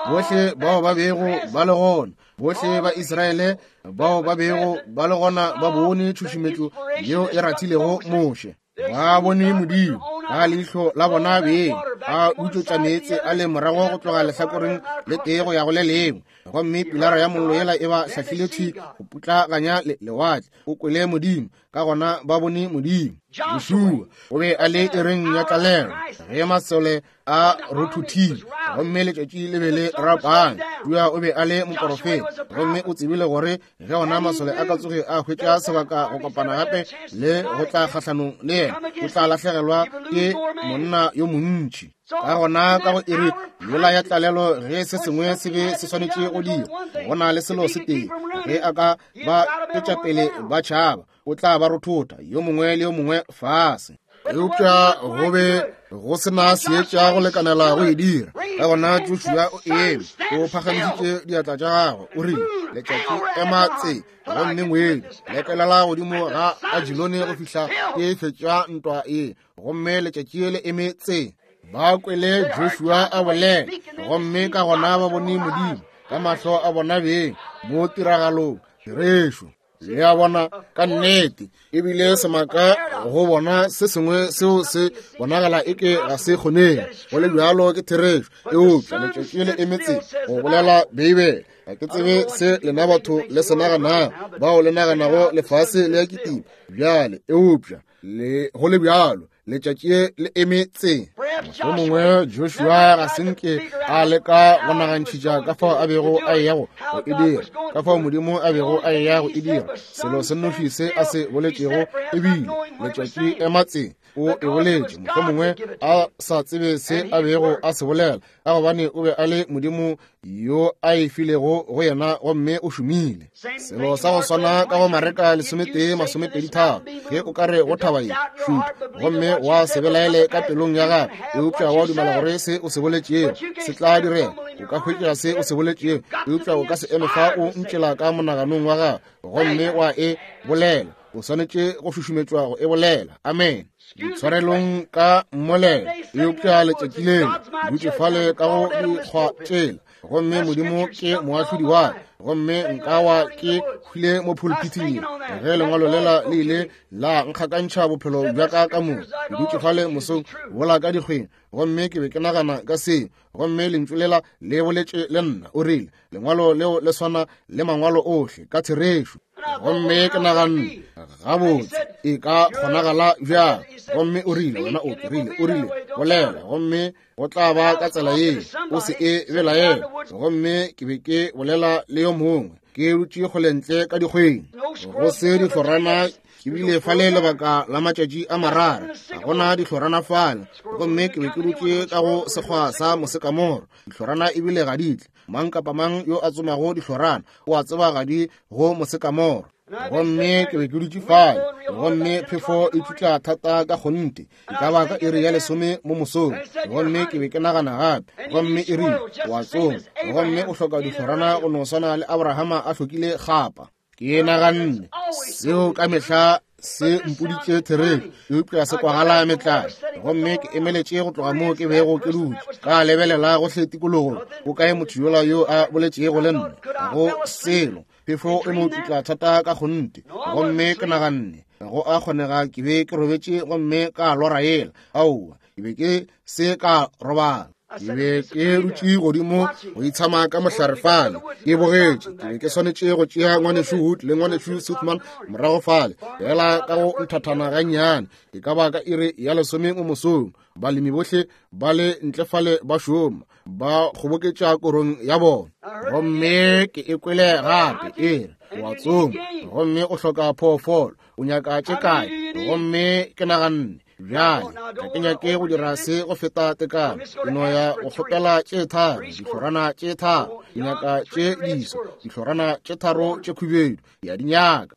bohle bao ba bego ba le gona, bohle ba Israele bao ba bego ba le gona ba bone tšhušumetšo yeo e rathilego Moshe. Ba bone Modimo ka leihlo la bona beng a utšotša meetse a le morago go tloga lehlakoreng le tee go ya go le lengwe, gomme pilara ya mollo yela e ba hlahlile thwi go putlaganya lewatle. O kwele Modimo, ka gona ba bone Modimo. Joshua o be a le iring ya tlalelo ge masole a rothuthile gomme letšatši le be le rapame. Joshua o be a le moporofeta, gomme o tsebile gore ge ona masole a ka tsoge a hwetša sebaka go kopana gape le go tla kgahlanong le yena, o tla lahlegelwa ke monna yo montši. Ka gona ka go iri yola ya tlalelo ge se sengwe se be se swanetše go dira, go na le selo se tee, ge a ka ba tšwetša pele ba tšhaba. O tla ba rothotha, yo mongwe le yo mongwe fase. Eupša go be go se na seetša go lekanela go e dira. Ka gona Joshua o eme, o phagamišitše diatla tša gagwe, o rile, Letšatši ema tse, gomme ngwedi lekelela godimo ga Ajilone go fihla ke fetša ntwa ye. Gomme letšatši le eme tse. Ba kwele Joshua a bolela, gomme ka gona ba bone Modimo ka mahlo a bona beng mo tiragalong. Therešo. Le a bona, ka nnete ebile semaka go bona se sengwe seo se bonagala eke ga se kgonege, go le bjalo ke therešo. Eupša letšatši le emetse go bolela Beibele. Ga ke tsebe se lena batho le se naganago, bao le naganago lefase le ya kitima bjale, eupša le go le bjalo letšatši le eme tse. Mohlomongwe Joshua ga se nke a leka go nagantšhitša ka fao a bego a eya go e dira, ka fao Modimo a bego a eya go e dira. Selo se nnoši se a se boletšego e bile letšatši ema tse. O e boletše mohlomongwe a sa tsebe se a bego a se bolela, ka gobane o be a le Modimo yo a e filego go yena, gomme o šomile. Selo sa go swana ka go Mareka 11:23, ge o ka re go thaba ye, šutha, gomme wa se belaele ka pelong ya gago, eupša wa dumela gore se o se boletšego se tla direga, o ka hwetša se o se boletšego, eupša o ka se eme fa o ntšela ka monaganong wa gago gomme wa e bolela. O swanetše go šušumetšwa go e bolela. Amen. Ditshwarelong ka mmolelo, eupša letšatši leo dutše fale ka go dikgwa tšela, gomme Modimo ke moahlodi wa ka, gomme nka wa ke hwile mo pulpithing ye ge lengwalo lela le ile la nkgakantšha bophelo bja ka ka moka. Ke dutše fale mosong wola ka dikgweng, gomme ke be ke nagana ka seo, gomme lentšu lela le boletše le nna, o rile, lengwalo leo le swana le mangwalo ohle ka therešo. Gomme ke naganne, gabotse, e ka kgonagala bjang? Gomme o rile, wena o rile, o rile, bolela, gomme go tla ba ka tsela ye, o se e belaele. Gomme ke be ke bolela le yo mongwe, ke dutše kgole ntle ka dikgweng, go se dihlorana. Ke bile fale lebaka la matšatši a mararo, ga gona dihlorana fale. Gomme ke be ke dutše ka go sekgwa sa mosekamoro, dihlorana ebile ga di tle. Mang kapa mang yo a tsomago dihlorana o a tseba ga di go mosekamoro. Gomme ke be ke dutše fale, gomme phefo e tšutla thata ka kgonthe, e ka ba ka iri ya 10 mo mosong. Gomme ke be ke nagana gape, gomme e rile, o a tsoma, gomme o hloka dihlorana go no swana le Abrahama a hlokile kgapa. Ke naganne seo ka mehla se mpoditše therešo, eupša se kwagala metlae. Gomme ke emeletše go tloga moo ke bego ke dutše, ka lebelela gohle tikologong, o kae motho yola yo a boletšego le nna? Ga go selo, phefo e no tšutla thata ka kgonthe. Gomme ke naganne, go a kgonega ke be ke robetše gomme ka lora yela. Aowa, ke be ke se ka robala. Ke be ke dutše godimo go itshama ka mohlare fale, ke bogetše. Ke be ke swanetše go tšea ngwanešu Wood le ngwanešu Sothmann morago fale, fela ka go nthathana gannyane, e ka ba ka iri ya 10 mo mosong. Balemi bohle ba le ntle fale ba šoma, ba kgoboketša korong ya bona. Gomme ke e kwele gape e re, o a tsoma gomme o hloka phoofolo, o nyaka tše kae? Gomme ke naganne, bjale ga ke nyake go dira se go feta tekano, ke no ya go kgopela tše tharo, dihlorana tše tharo, ke nyaka tše diso, dihlorana tše tharo tše khubedu, ke a di nyaka.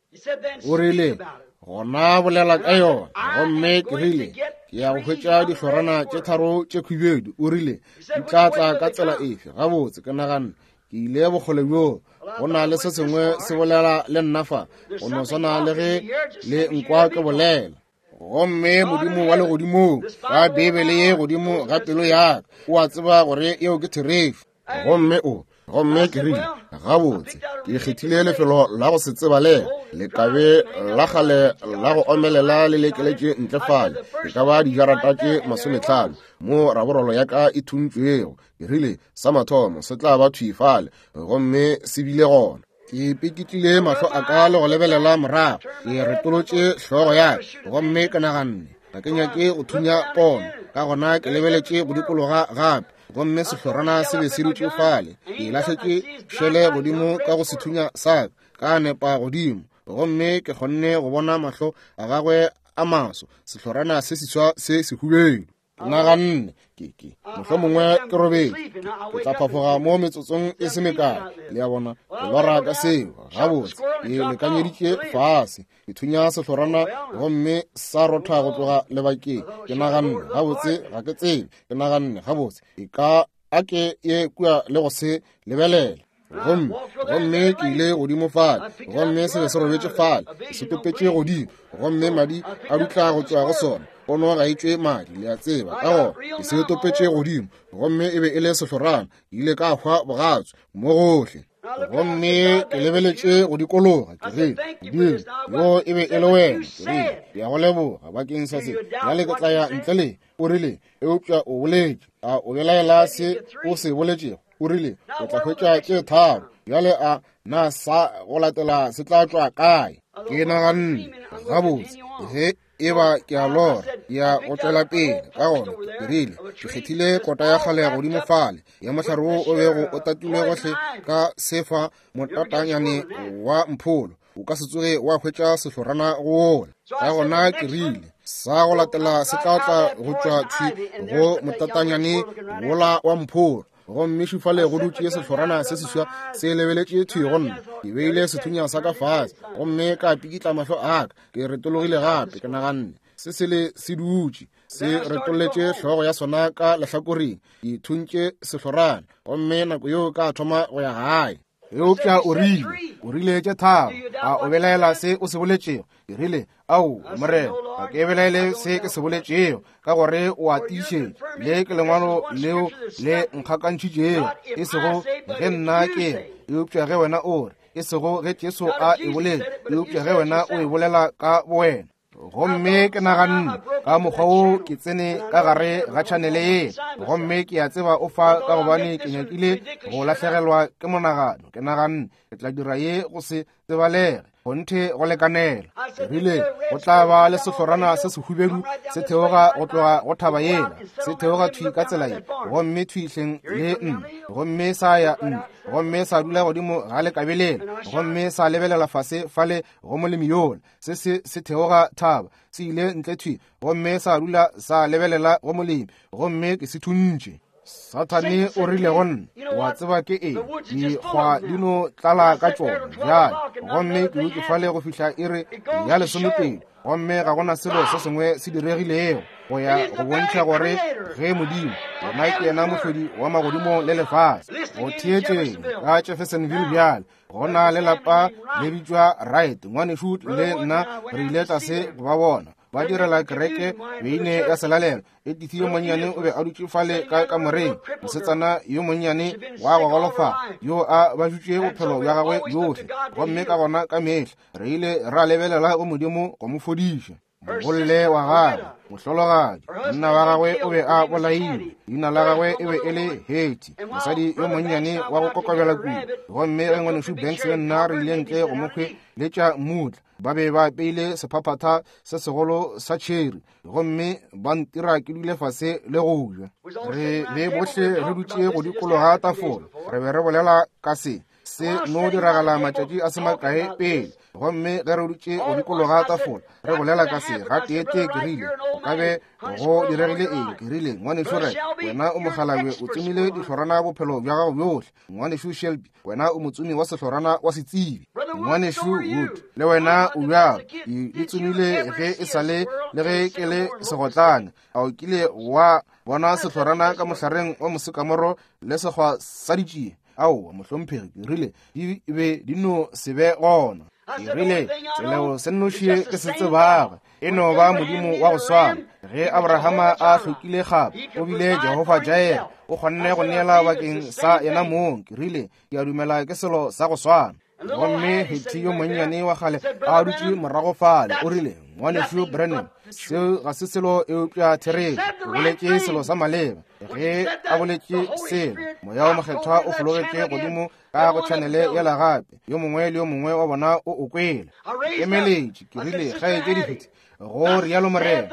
O rile, gona bolela ka yona. Gomme ke rile, ke ya go hwetša dihlorana tše tharo tše khubedu. O rile, di tla tla ka tsela efe? Gabotse, ke naganne ke ile bokgole bjoo, go na le se sengwe se bolela le nna fa, go no swana le ge le nkwa ke bolela. Gomme Modimo wa legodimong, ka Beibele ye godimo ga pelo ya ka, o a tseba gore yeo ke therešo. Gomme o, gomme ke rile, gabotse, ke kgethile lefelo la go se tsebalege, lekabe la kgale la go omelela le lekeletše ntle fale, e ka ba dijarata tše 50, mo raborolo ya ka e thuntšwego. Ke rile, sa mathomo se tla ba thwi fale, gomme se bile gona. Ke pikitlile mahlo a ka le go lebelela morago, ke retolotše hlogo ya ka, gomme ke naganne, ga ke nyake go thunya pono. Ka gona ke lebeletše go dikologa gape, gomme sehlorana se be se dutše fale. Ke lahletše šele godimo ka go sethunya sa ka, ka nepa godimo, gomme ke kgonne go bona mahlo a gagwe a maso, sehlorana se seswa se sehubedu. Ke naganne, ke, ke, mohlomongwe ke robetše, ke tla phafoga mo metsotsong e se mekae. Le a bona, ke lora ka seo. Gabotse, ke lekanyeditše fase, ke thunya sehlorana gomme sa rotha go tloga lebakeng. Ke naganne, gabotse, ga ke tsebe. Ke naganne, gabotse, e ka a ke ye kua le go se lebelela. Gomme, gomme ke ile godimo fale, gomme se be se robetše fale, ke se topetše godimo, gomme madi a dutla go tšwa go sona. Pono ga e tšwe madi, le a tseba. Ka gona ke se topetše godimo, gomme e be e le sehlorana. Ke ile ka hwa bogatswe mo gohle. Gomme ke lebeletše go dikologa, ke rile, Modimo, yo e be e le wena. Ke rile, ke a go leboga bakeng sa se. Bjale ke tla ya ntle le. O rile, eupša o boletše. A o belaela se o se boletšego? O rile, o tla hwetša tše tharo. Bjale a na sa go latela se tla tšwa kae? Ke naganne, gabotse, ge e ba ke a lora, ya go tšwela pele. Ka gona ke rile, ke kgethile kota ya kgale godimo fale ya mohlare wo o bego o tatilwe gohle ka sefa motatanyane wa mpholo, o ka se tsoge wa hwetša sehlorana go wola. Ka gona ke rile, sa go latela se tla tla go tšwa thwi go motatanyane wola wa mpholo. Gomme šufale go dutše sehlorana se seswa se lebeletše thwi go nna. Ke beile sethunya sa ka fase gomme ka pikitla mahlo a ka. Ke retologile gape, ke naganne, se sele se dutše se retolletše hlogo ya sona ka lehlakoreng. Ke thuntše sehlorana gomme nako yeo ka thoma go ya gae. Eupša o rile, o rile tše tharo, a o belaela se o se boletšego? Ke rile, Ao, Morena, ga ke belaele se ke se boletšego, ka gore o a tiišetša. Le ke lengwalo leo le nkgakantšhitšego, e sego ge nna ke re, eupša ge wena o re, e sego ge Jesu a e boletše, eupša ge wena o e bolela ka bowena. Gomme ke naganne, ka mokgwa wo ke tsene ka gare ga tšhanele ye, gomme ke a tseba o fa ka gobane ke nyakile go lahlegelwa ke monagano. Ke naganne ke tla dira ye go se tsebalege, kgonthe go lekanela. Ke rile go tla ba le sehlorana se sehubedu se theoga go tloga go thaba yela, se theoga thwi ka tsela ye, gomme thwi hleng le nna, gomme sa ya ntle, gomme sa dula godimo ga lekabelela, gomme sa lebelela fase fale go molemi yola. Se se se theoga thaba, se ile ntle thwi, gomme sa dula sa lebelela go molemi, gomme ke se thuntše. Sathane o rile go nna, o a tseba ke eng, dikgwa di no tlala ka tšona bjale. Gomme ke dutše fale go fihla iri ya lesomepedi, gomme ga gona selo se sengwe se diregilego, go ya go bontšha gore ge Modimo, yena ke yena mohlodi wa magodimo le lefase. Go theetšeng ka Jeffersonville bjale, go na le lapa le bitšwa Wright. Ngwanešu le nna re ile tlase go ba bona ba direla kereke beine ya selalelo. Edith yo monnyane o be a dutše fale ka kamoreng, mosetsana yo monnyane wa go golofala yo a bajutše bophelo bja gagwe bjohle. Gomme ka gona ka mehla re ile ra lebelela go Modimo go mo fodiša. Mogolle wa gagwe, mohlologadi, monna wa gagwe o be a bolailwe, leina la gagwe e be e le Hetty, mosadi yo monnyane wa go kokobela kudu. Gomme ge ngwanešu Banks le nna re ile ntle go mo hweletša mmutla, ba be ba apeile sephaphatha se segolo sa tšheri, gomme ba ntira ke dule fase le go ja. Re be bohle re dutše go dikologa tafola, re be re bolela ka se. Se no diragala matšatši a se makae pele. Gomme ge re dutše go dikologa tafola re bolela ka se, gateetee ke rile, go ka be go diregile eng? Ke rile, Ngwanešu Red, wena o mokgalabje, o tsomile dihlorana bophelo bja gago bjohle. Ngwanešu Shelby, wena o motsomi wa sehlorana wa setsebi. Ngwanešu Wood, le wena o bjalo. Ke di tsomile ge e sa le le ge ke le segotlane. A o kile wa bona sehlorana ka mohlareng wa mosekamoro le sekgwa sa ditšie? Aowa, mohlomphegi, ke rile, di be di no se be gona. Ke rile, selo se nnoši ke se tsebago, e no ba Modimo wa go swana. Ge Abrahama a hlokile kgapa, o bile Jehofa Jaire, o kgonne go neela bakeng sa yena mong. Ke rile, ke a dumela ke selo sa go swana. Gomme Hetty yo monnyane wa kgale a dutše morago fale, o rile, Ngwanešu Branham, seo ga se selo eupša therešo. O boletše selo sa maleba. Ge a boletše selo, Moya wo Mokgethwa o fologetše godimo ka go tšhanele yela gape. Yo mongwe le yo mongwe wa bona o o kwele. Ke emeletše, ke rile, Kgaetšedi Hetty, go rialo Morena,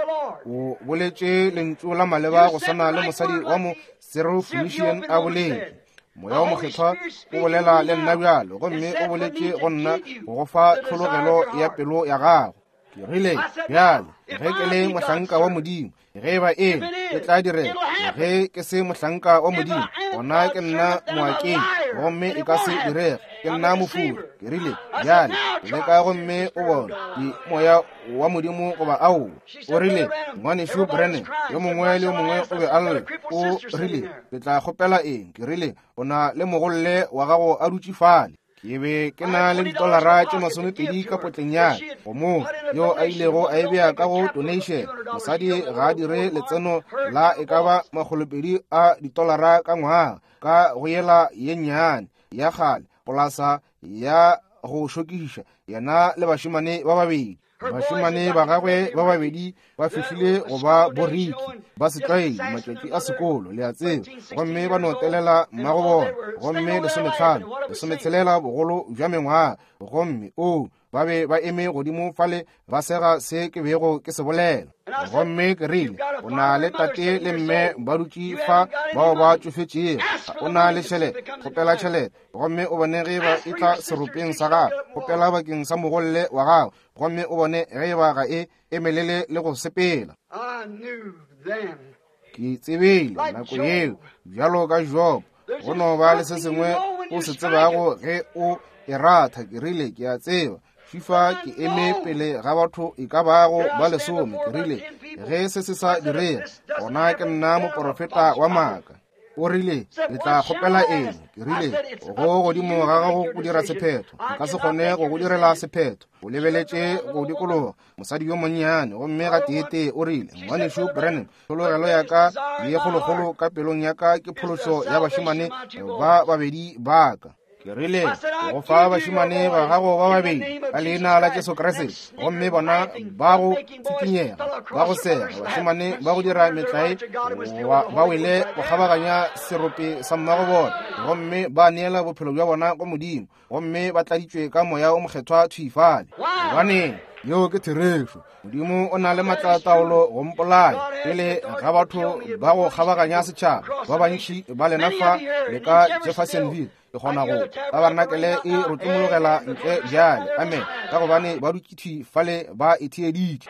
o boletše lentšu la maleba go swana le mosadi wa mo Syrophoenician a boletše. Moya wo Mokgethwa o bolela le nna bjalo, gomme o boletše go nna go go fa tlhologelo ya pelo ya gago. Ke rile, bjale, ge ke le mohlanka wa Modimo, ge e ba eng, e tla direga. Ge ke se mohlanka wa Modimo, gona ke nna moakeng, gomme e ka se direge. Ke nna mofuri. Ke rile, bjale, leka gomme o bone ke moya wa Modimo goba aowa. O rile, Ngwanešu Branham, yo mongwe le yo mongwe o be a lla. O rile, ke tla kgopela eng? Ke rile, o na le mogolle wa gago a dutše fale. Ke be ke na le ditolara tše 20 ka potleng ya go mo yo a ilego a e bea ka go donation. Mosadi ga a dire letseno la e ka ba $200 a ditolara ka ngwaga ka go yela ye nnyane ya kgale polasa ya go šokiša, yena le bašemane ba babedi. Bašemane ba gagwe ba babedi ba fihlile go ba boriki ba setlwaedi matšatši a sekolo, le a tseba, gomme ba no telela mmago bona, gomme 15, 16 bogolo bja mengwaga, gomme o ba be ba eme godimo fale ba sega se ke bego ke se bolela. Gomme ke rile, o na le tate le mme ba dutše fa bao ba tšofetšego, o na le tšhelete, kgopela tšhelete, gomme o bone ge ba e tla seropeng sa gago, kgopela bakeng sa mogolle wa gago, gomme o bone ge ba ga e emelele le go sepela. Ke tsebile nako yeo, bjalo ka Job, go no ba le se sengwe o se tsebago ge o e ratha. Ke rile, ke a tseba FIFA ke eme pele ga batho e ka bago ba 10. Ke rile, ge se se sa direge, gona ke nna moprofeta wa maaka. O rile, ke tla kgopela eng? Ke rile, go godimo ga gago go dira sephetho. Nka se kgone go go direla sephetho. O lebeletše go dikologa mosadi yo monnyane, gomme ga teetee o rile, Ngwanešu Branham, tlhologelo ya ka ye kgolokgolo ka pelong ya ka ke phološo ya bašemane ba babedi ba ka. Ke rile, go fa bašemane ba gago ba babedi ka leina la Jesu Kriste, gomme bona ba go tsikinyega, ba go sega, bašemane ba go dira metlae, ba wele go kgabaganya serope sa mmago bona, gomme ba neela bophelo bja bona go Modimo, gomme ba tladitšwe ka moya o mokgethwa thwi fale. Gobaneng, yeo ke therešo. Modimo o na le matlataolo go mpolaya pele ga batho ba go kgabaganya setšhaba. Ba bantši ba lena fa le ka Jeffersonville, ke kgona go tabarnakele e rotlomologela ntle bjale, amen, ka gobane ba dutše thwi fale ba e theeditše.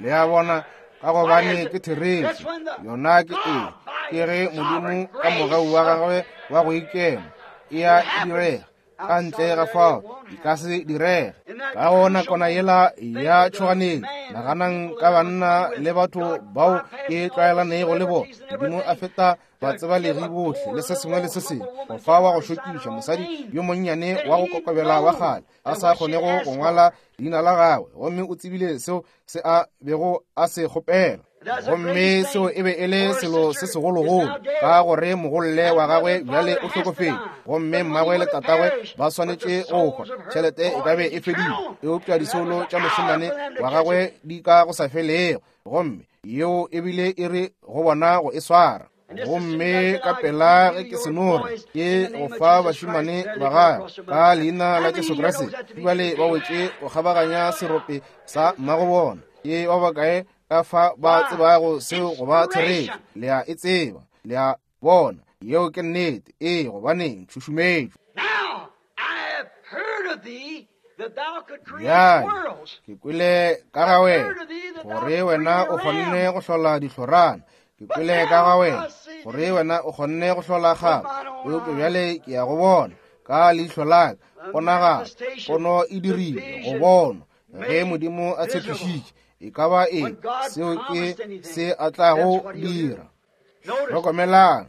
Le a bona, ka gobane ke therešo. Yona ke eng? Ke ge Modimo ka mogau wa gagwe wa go ikema e a direga. Ka ntle ga fao e ka se direge. Ka gona kona yela ya tšhoganetšo, naganang ka banna le batho bao ke tlwaelanego le bona. Modimo a feta batsebalegi bohle le se sengwe le se sengwe go fa wa go šokiša mosadi yo monnyane wa go kokobela wa kgale a sa kgonego go ngwala leina la gagwe, gomme o tsebile seo se a bego a se kgopela. Gomme seo e be e le selo se segologolo, ka gore mogolle wa gagwe bjale o hlokofetše, gomme mmagwe le tatagwe ba swanetše go hwa. Tšhelete e ka be e fedile, eupša disoulo tša mošemane wa gagwe di ka go sa felego, gomme yeo e bile e re go bona go e swara. Gomme ka pela ge ke senore ke go fa bašemane ba gagwe ka leina la Jesu Kriste, bjale ba wetše go kgabaganya serope sa mmago bona. Ke ba bakae ka fa ba tsebago seo go ba therešo? Le a e tseba, le a bona, yeo ke nnete. Ee, gobaneng tšhušumetšo. Bjale ke kwele ka ga wena gore wena o kgonne go hlola dihlorana. Ke kwele ka ga wena gore wena o kgonne go hlola kgabo, eupša bjale ke ya go bona ka leihlo la ka. Ponagalo, pono e dirile go bonwa. Ge Modimo a tshepišitše e ka ba eng, seo ke se a tlago dira. Hlokomelang,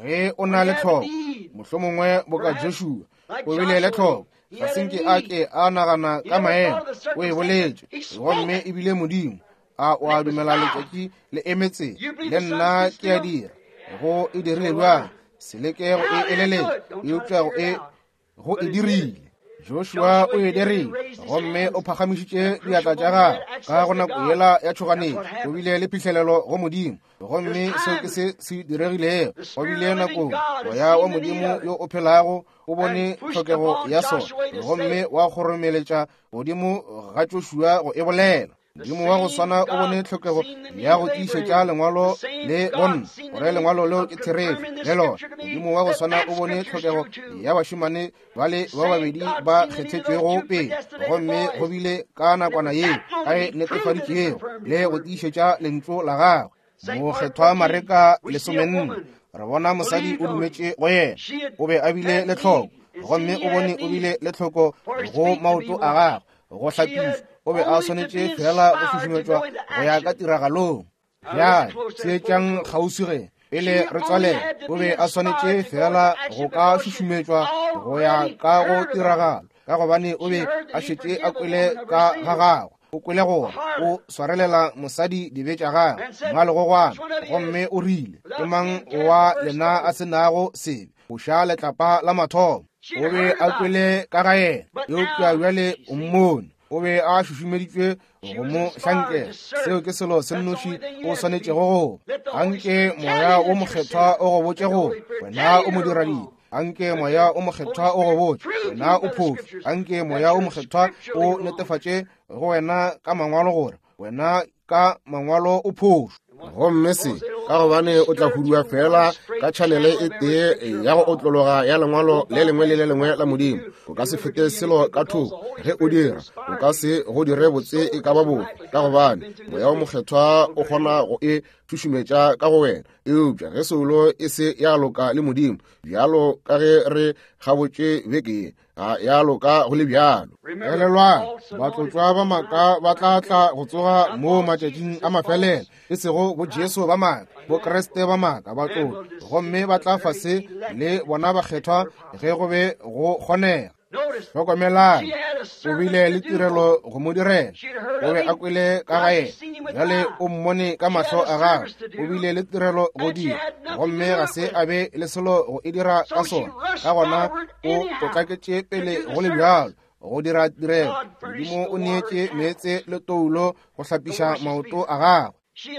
ge o na le tlhoko, mohlomongwe boka Joshua o bile le tlhoko, ga se nke a ke a nagana ka maemo, o e boletše, gomme e bile Modimo. A o a dumela letšatši le emetse? Le nna ke a dira. Go e dirile bjang? Se leke go e eleletša, eupša go e dirile. Joshua o e dirile, gomme o phagamišitše diatla tša gagwe ka go nako yela ya tšhoganetšo. O bile le phihlelelo go Modimo, gomme seo ke se se diregilego. Go bile nakong moya wa Modimo yo o phelago o bone tlhokego ya sona, gomme wa kgoromeletša godimo ga Joshua go e bolela. Modimo wa go swana o bone tlhokego ya go tiišetša Lengwalo le go nna, gore Lengwalo leo ke therešo, le lona. Modimo wa go swana o bone tlhokego ya bašemane bale ba babedi ba kgethetšwego pele, gomme go bile ka nakwana yeo a e netefaditšego le go tiišetša Lentšu la Gagwe. Mokgethwa Mareka 14, re bona mosadi o dumetše go yena. O be a bile le tlhoko, gomme o bone o bile le tlhoko go maoto a gagwe go hlapišwa. O be a swanetše fela go šušumetšwa go ya ka tiragalong. Bjale seetšang kgauswi ge pele re tswalela. O be a swanetše fela go ka šušumetšwa go ya ka go tiragalo, ka gobane o be a šetše a kwele ka ga gagwe. O kwele gore o swarelela mosadi dibe tša gagwe mmalegogwana, gomme o rile, Ke mang wa lena a se nago sebe? Foša letlapa la mathomo. O be a kwele ka ga yena, eupša bjale o mmone. O be a šušumeditšwe go mo hlankela. Seo ke selo se nnoši o swanetšego go. Anke Moya wo Mokgethwa o go botše gore wena o modiradibe. Anke Moya o Mokgethwa o go botše wena o phošo. Anke Moya o Mokgethwa o netefatše go wena ka Mangwalo gore wena ka Mangwalo o phošo. Gomme se ka gobane o tla hudua fela ka tšhanele e tee ya go otlologa ya Lengwalo le lengwe le le lengwe la Modimo. O ka se fete selo ka thoko. Ge o dira, o ka se go dire botse e ka ba bofe, ka gobane Moya wo Mokgethwa o kgona go e šušumetša ka go wena. Eupša ge soulo e se ya loka le Modimo, bjalo ka ge re gabotše beke ye, ga ya loka go le bjalo. Elelwang, batlotšwa ba maaka ba tla tla go tsoga mo matšatšing a mafelelo, e sego bo Jesu ba maaka, bo Kriste ba maaka, batlotšwa, gomme ba tla fase le bona bakgethwa ge go be go kgonega. Hlokomelang, o bile le tirelo go mo direla. O be a kwele ka ga yena, bjale o mmone ka mahlo a gagwe. O bile le tirelo go dira, gomme ga se a be le selo go e dira ka sona. Ka gona o potlaketše pele go le bjalo go dira tirelo. Modimo o neetše meetse le toulo go hlapiša maoto a gagwe.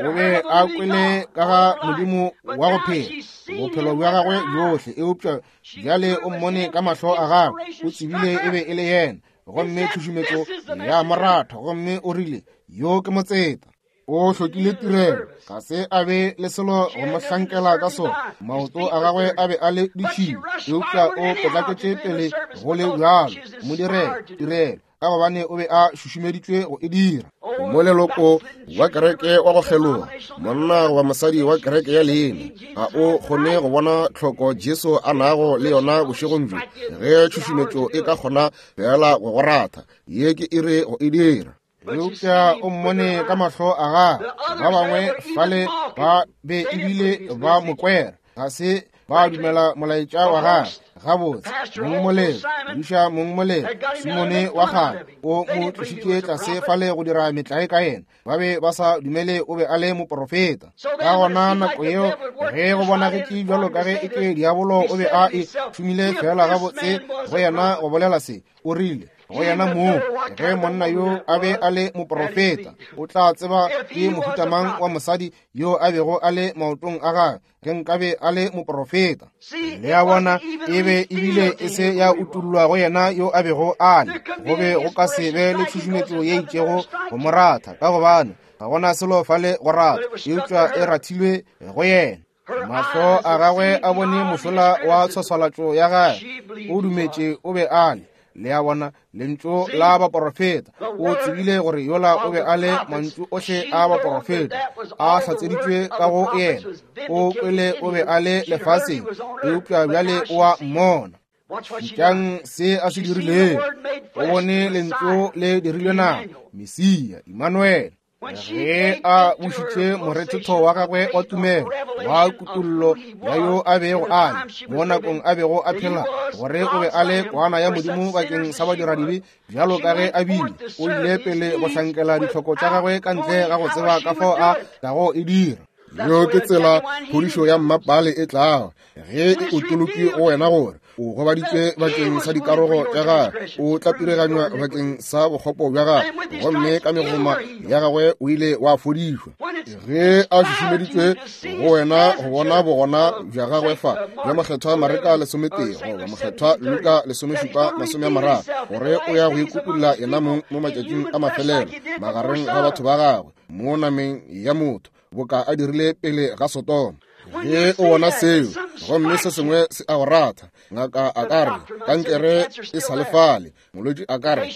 O be a kwele ka ga Modimo wa go phela bophelo bja gagwe bjohle, eupša bjale o mmone ka mahlo a gagwe. O tsebile e be e le yena, gomme tšhušumetšo ya mo ratha, gomme o rile, Yo ke motseta. O hlokile tirelo, ga se a be le selo go mo hlankela ka sona. Maoto a gagwe a be a le ditšhila, eupša o potlaketše pele go le bjalo mo direla tirelo, ka gobane o be a šušumeditšwe go e dira. Moleloko wa kereke wa go kgeloga, monna goba mosadi wa kereke ya leina, ga o kgone go bona tlhoko Jesu a nago le yona bošegong bjo. Ge tšhušumetšo e ka kgona fela go go ratha, ye ke iri go e dira. Eupša o mmone ka mahlo a gagwe. Ba bangwe fale ba be ebile ba mo kwera, ga se ba dumela molaetša wa gagwe. Gabotse, mongmolelo, buša mongmolelo, Simone wa kgale, o mo tlošitše tlase fale go dira metlae ka yena. Ba be ba sa dumele o be a le moprofeta. Ka gona nako yeo ge go bonagetše bjalo ka ge eke diabolo o be a e šomile fela gabotse go yena go bolela se, o rile go yena moo, ge monna yo a be a le moprofeta, o tla tseba ke mohuta mang wa mosadi yo a bego a le maotong a gagwe, ge nkabe a le moprofeta. Le a bona, e be ebile e se ya utollwa go yena yo a bego a le. Go be go ka se be le tšhušumetšo ye itšego go mo ratha, ka gobane ga gona selo fale go ratha, eupša e rathilwe go yena. Mahlo a gagwe a bone mošola wa tshwaswalatšo ya gagwe. O dumetše o be a le. Le a bona, lentšu la baporofeta. O tsebile gore yola o be a le mantšu ohle a baporofeta a hlatseditšwe ka go yena. O kwele o be a le lefaseng, eupša bjale o a mmona. Šetšang se a se dirilego. O bone lentšu le dirilwe nama, Mesia, Immanuel. Ge a bušitše morethetho wa gagwe wa tumelo wa kutollo ya yo a bego a le mo nakong a bego a phela, gore o be a le kwana ya Modimo bakeng sa badiradibe, bjalo ka ge a bile, o ile pele go hlankela ditlhoko tša gagwe ka ntle ga go tseba ka fao a tlago e dira. Yeo ke tsela phodišo ya mmapale e tlago, ge e otolotšwe go wena gore o gobaditšwe bakeng sa dikarogo tša gagwe, o tlapireganywa bakeng sa bokgopo bja gagwe, gomme ka megoma ya gagwe o ile wa fodišwa. Ge a šušumeditšwe go wena go bona bogona bja gagwe fa, bja Mokgethwa Mareka 11 goba Mokgethwa Luka 17:30, gore o ya go ikukulla yena mong mo matšatšing a mafelelo magareng ga batho ba gagwe mo nameng ya motho, boka a dirile pele ga Sodoma. Ge o bona seo, gomme se sengwe se a go ratha, ngaka a ka re kankere e sa le fale, molwetši a ka re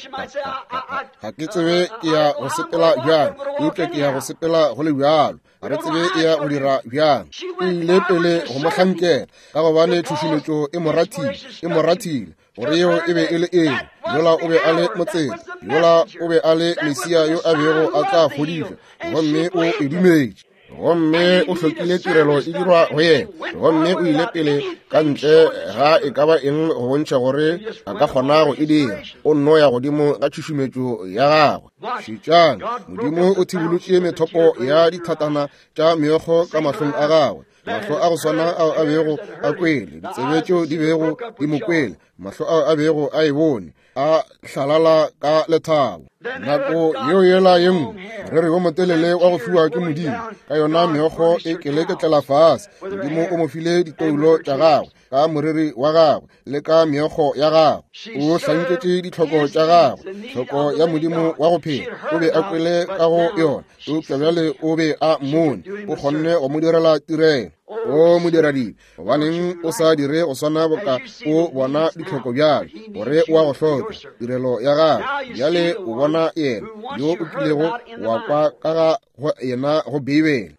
ga ke tsebe ke ya go sepela bjang, eupša ke ya go sepela go le bjalo, ga re tsebe e ya go dira bjang. O ile pele go mo hlankela, ka gobane tšhušumetšo e mo rathile, e mo rathile gore yeo e be e le eng. Yola o be a le motseta, yola o be a le Mesia yo a bego a tla fodiša, gomme o e dumetše. Gomme o hlokile tirelo e dirwa go yena, gomme o ile pele ka ntle ga e ka ba eng go bontšha gore a ka kgona go e dira. O nno ya godimo ga tšhušumetšo ya gagwe. Šetšang, Modimo o thibolotše methopo ya dithatana tša meokgo ka mahlong a gagwe, mahlo a go swana ao a bego a kwele, ditsebe tšeo di bego di mo kwele, mahlo ao a bego a e bone, a hlalala ka lethabo. Nako yeo yela ye nngwe, moreri wo motelele wa go fiwa ke Modimo, ka yona meokgo e keleketlela fase. Modimo o mo file ditoulo tša gagwe ka moreri wa gagwe le ka meokgo ya gagwe. O hlanketše ditlhoko tša gagwe, tlhoko ya Modimo wa go phela. O be a kwele ka go yona, eupša bjale o be a mmone, o kgonne go mo direla tirelo. O modiradibe, gobaneng o sa dire go swana boka o bona ditlhoko bjale, gore o a go hloka tirelo ya gagwe? Bjale o bona yena yo o kilego wa kwa ka ga go yena go Beibele.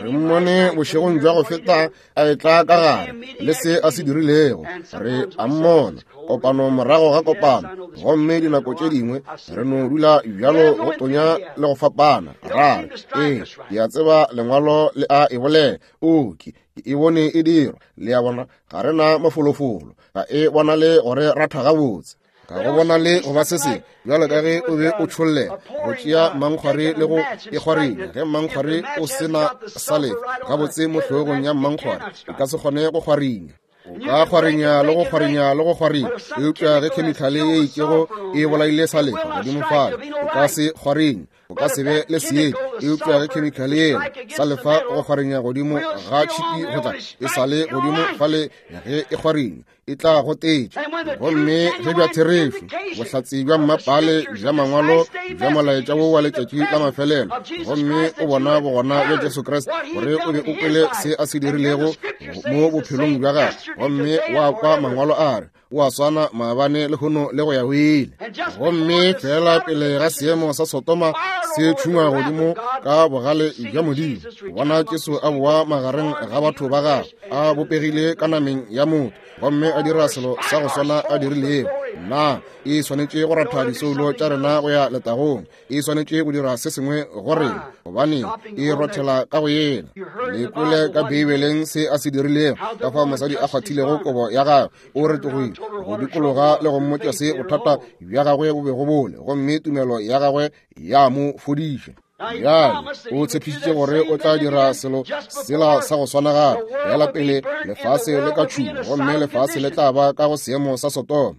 Re mmone bošegong bja go feta a etla ka gare le se a se dirilego. Re a mmona kopano morago ga kopano, gomme dinako tše dingwe re no dula bjalo go tonya le go fapana. Ra re, ee, ke a tseba lengwalo le a e bolela. O ke e bone e dirwa. Le a bona, ga re na mafolofolo, ga e bonale gore ratha gabotse, ga go bonale go ba se sengwe bjalo ka ge o be o tšhollela go tšea mankgwari le go e kgwarinya. Ge mankgwari o se na salefa gabotse mo hlogong ya mankgwari, e ka se kgone go kgwarinya. O ka kgwarinya le go kgwarinya le go kgwarinya, eupša ge khemikhale ye itšego e bolaile salefa godimo fale, o ka se kgwarinye, o ka se be le seetša. Eupša ge khemikhale yela sa lefa go kgwarinya godimo ga tšhipi go tla e sa le godimo fale, ge e kgwarinya e tla gotetša. Gomme ge bja therešo, bohlatse bja mmapale bja mangwalo bja molaetša wo wa letšatši la mafelelo, gomme o bona bogona bja Jesu Kriste, gore o be o kwele se a se dirilego mo bophelong bja gagwe, gomme wa kwa mangwalo a re o a swana maabane lehono le go ya go ile. Gomme fela pele ga seemo sa Sodoma se tšhungwa godimo ka bogale bja Modimo, bona Jesu a boa magareng ga batho ba gagwe, a bopegile ka nameng ya motho, gomme a dira selo sa go swana a dirilego. Na e swanetše go ratha disoulo tša rena go ya letagong? E swanetše go dira se sengwe go rena, gobane e rothela ka go yena. Le kwele ka Beibeleng se a se dirilego, ka fao mosadi a kgwathilego kobo ya gagwe, o retogile go dikologa le go mmotša se bothata bja gagwe bo bego bole, gomme tumelo ya gagwe ya mo fodiša. Bjale o tshepišitše gore o tla dira selo sela sa go swana gape, bjala pele lefase le ka tšhuma, gomme lefase le tla ba ka go seemo sa Sodoma.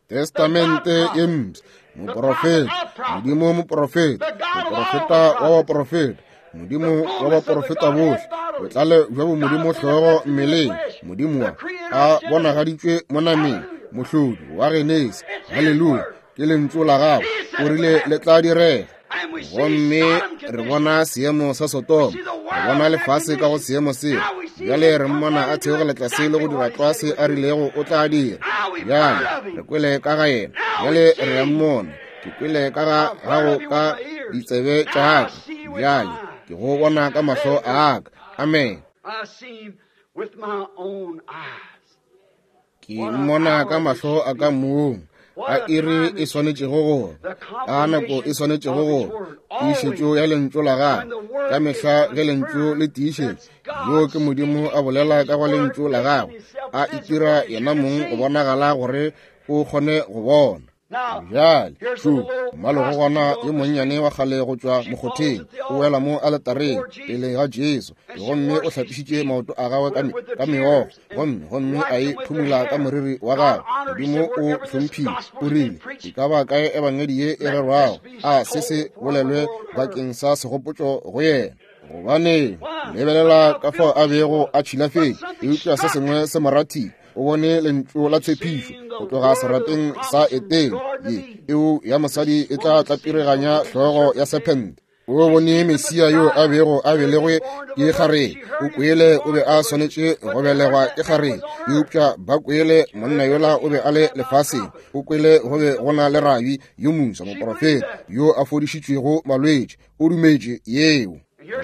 Testamente ye Mpsha, moprofeta, Modimo moprofeta, moprofeta wa baprofeta, Modimo wa baprofeta bohle, botlalo bja bomodimo hlogo mmeleng, Modimo wa a bonagaditšwe mo nameng, mohlodi wa Genesi. Haleluya! Ke lentšu la gagwe, o rile le tla direga. Gomme re bona seemo sa Sodoma, re bona lefase ka go seemo seo. Bjale re mmona a theogela tlase le go dira tlwa se a rilego o tla dira. Bjale re kwele ka ga yena, bjale re a mmona. Ke kwele ka ga gago ka ditsebe tša ka, bjale ke go bona ka mahlo a ka. Amen. Ke mmona ka mahlo a ka mong. A iri e swanetšego go ba, a nako e swanetšego go ba, tiišetšo ya lentšu la gagwe. Ka mehla ge lentšu le tiišetša, yo ke Modimo a bolela ka go lentšu la gagwe, a itira yena mong go bonagala gore o kgone go bona. Bjale, šo mmalegogwana yo monnyane wa kgale go tšwa mokgotheng, o wela mo aletareng pele ga Jesu, gomme o hlapišitše maoto a gagwe ka meokgo, gomme a e phumula ka moriri wa gagwe. Modimo o hlomphile, o rile, E ka ba kae ebangedi ye e rerwago, a se se bolelwe bakeng sa segopotšo go yena. Gobane lebelela ka fao a bego a tšhilafetše, eupša se sengwe se mo rathile. O bone lentšu la tshepišo go tloga serapeng sa Etene, ye eo ya mosadi e tla tlapireganya hlogo ya sephente. O bone Mesia yo a bego a belegwe ke kgarebe. O kwele o be a swanetše go belegwa ke kgarebe, eupša ba kwele monna yola o be a le lefaseng. O kwele go be go na le rabi yo moswa, moprofeta yo a fodišitšwego malwetši. O dumetše yeo.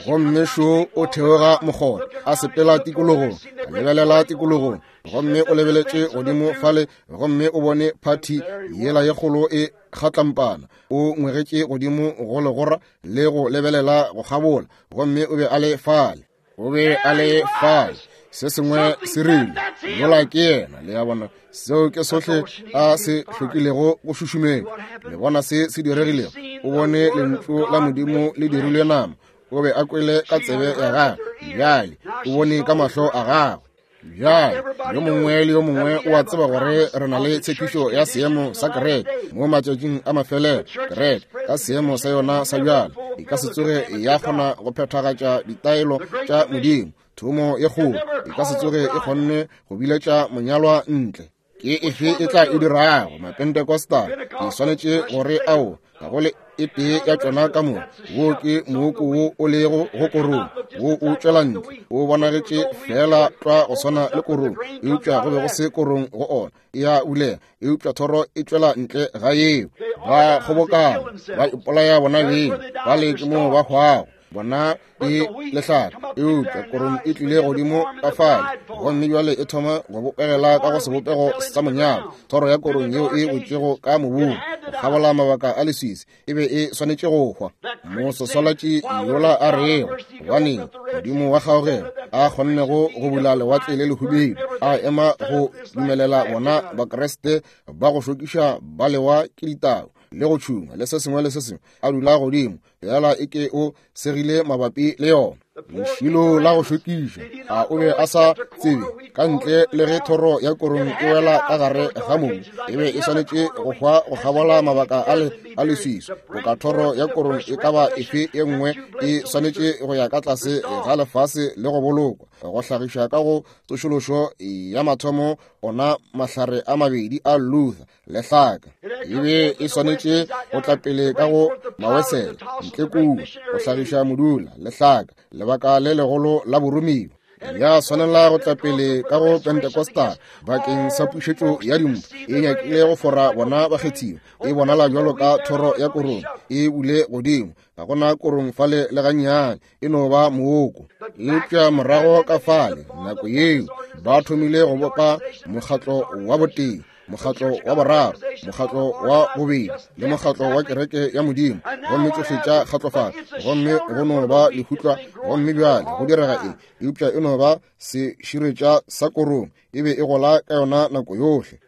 Gomme šo o theoga mokgotha, a sepela tikologong, a lebelela tikologong, gomme o lebeletše godimo fale, gomme o bone phathi yela ye kgolo e kgatlampana. O ngwegetše godimo go legora le go lebelela go kgabola, gomme o be a le fale. O be a le fale. Se sengwe se rile, yola ke yena. Le a bona, seo ke sohle a se hlokilego go šušumetša. Le bona se se diregilego? O bone lentšu la Modimo le dirilwe nama. O be a kwele ka tsebe ya gagwe, bjale o bone ka mahlo a gagwe. Bjale yo mongwe le yo mongwe o a tseba gore re na le tshepišo ya seemo sa kereke mo matšatšing a mafelelo. Kereke ka seemo sa yona sa bjale e ka se tsoge ya kgona go phethagatša ditaelo tša Modimo. Thomo ye kgolo e ka se tsoge e kgonne go biletša monyalwa ntle. Ke efe e tla e dirago? Mapentecostal ke swanetše gore ao ga go le e tee ya tšona ka moka. Wo ke mooko wo o lego go korong, wo o tšwela ntle, o bonagetše feela tlwa go swana le korong, eupša go be go se korong go ona. E a bulega, eupša thoro e tšwela ntle ga yeo. Ba kgobokana, ba ipolaya bona beng, ba le ke moo ba hwago. Bona ke lehlare, eupša korong e tlile godimo ka fale, gomme bjale e thoma go bopegela ka go sebopego sa monyalo. Thoro ya korong yeo e wetšego ka mobung go kgabola mabaka a leswiswi e be e swanetše go hwa. Moswaswalatši yola a rego, gobaneng Modimo wa kgaogelo a kgonnego go bula lewatle le lehubedu, a ema go dumelela bona Bakriste ba go šokiša ba lewa ke ditau le go tšhungwa le se sengwe le se sengwe, a dula godimo bjala e ke o segile mabapi le yona. Lešilo la go šokiša, a o be a sa tsebe ka ntle le ge thoro ya korong e wela ka gare ga mobu, e be e swanetše go hwa go kgabola mabaka a le a leswiswi. Boka thoro ya korong e ka ba efe e nngwe e swanetše go ya ka tlase ga lefase le go bolokwa, go hlagiša ka go tsošološo ya mathomo ona mahlare a mabedi a Luther lehlaka. E be e swanetše go tla pele ka go mawesela ntle kua go hlagiša modula lehlaka, lebaka le legolo la boromiwa. Ya swanela go tla pele ka go Pentecostal bakeng sa pušetšo ya dimpho. E nyakile go fora bona bakgethiwa. E bonala bjalo ka thoro ya korong e bule godimo. Ga gona korong fale le gannyane, e no ba mooko. Eupša morago ka fale nako yeo ba thomile go bopa mokgatlo wa botee, mokgatlo wa boraro, mokgatlo wa bobedi, le mokgatlo wa kereke ya Modimo, gomme tšohle tša kgatlofala, gomme go no ba lehutlwa. Gomme bjale go direga eng? Eupša e no ba seširetša sa korong, e be e gola ka yona nako yohle.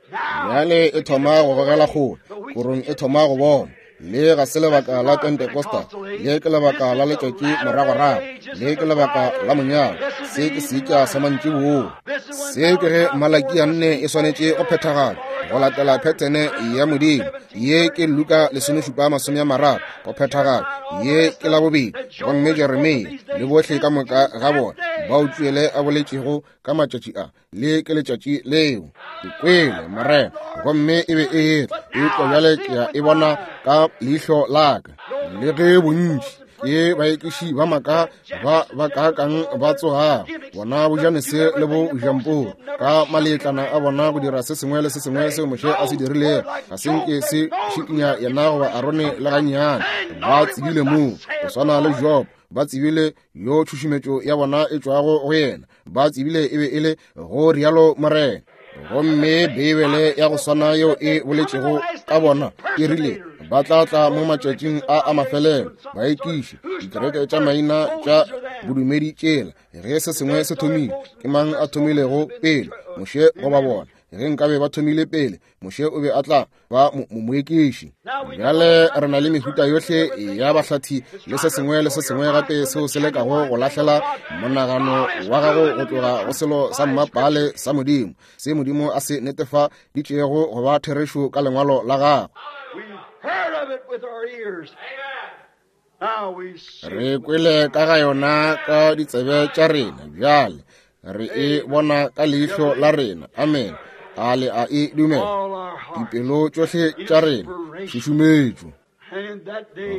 Bjale e thoma go gogela kgole, korong e thoma go bona. Le ga se lebaka la Pentecostal, le ke lebaka la letšatši moragorago, le ke lebaka la monyalo. Se ke seetša sa mantšiboa. Se ke ge Malaki a 4 e swanetše go phethagala go latela phethene ya Modimo. Ye ke Luka 17:30 go phethagala. Ye ke la bobedi. Gomme Jeremia le bohle ka moka ga bona bao Tšwele a boletšego ka matšatši a, le ke letšatši leo. Ke kwele Morena, gomme e be e etla, eupša bjale ke a e bona ka leihlo la ka. Le ge bontši ke baekiši ba maaka ba ba kaakang ba tsogago, bona boJanese le boJamporo ka maletlana a bona go dira se sengwe le se sengwe seo Moshe a se dirilego, ga se nke se šikinya yena goba Arone le gannyane. Ba tsebile moo, go swana le Job, ba tsebile yo tšhušumetšo ya bona e tšwago go yena, ba tsebile e be e le go rialo Morena. Gomme Beibele ya go swana yeo e boletšego ka bona e rile ba tla tla mo matšatšing a a mafelelo, baekiši, dikereke tša maina tša bodumedi tšela. Ge se sengwe se thomile, ke mang a thomilego pele, Moshe goba bona? Ge nkabe ba thomile pele, Moshe o be a tla ba moekiši. Bjale re na le mehuta yohle ya bahlathi le se sengwe le se sengwe gape seo se lekago go lahlela monagano wa gago go tloga go selo sa mmapale sa Modimo, se Modimo a se netefaditšego go ba therešo ka Lengwalo la gagwe. Re kwele ka ga yona ka ditsebe tša rena, bjale re e bona ka leihlo la rena. Amen. A le a e dumela? Dipelo tšohle tša rena, šušumetšo.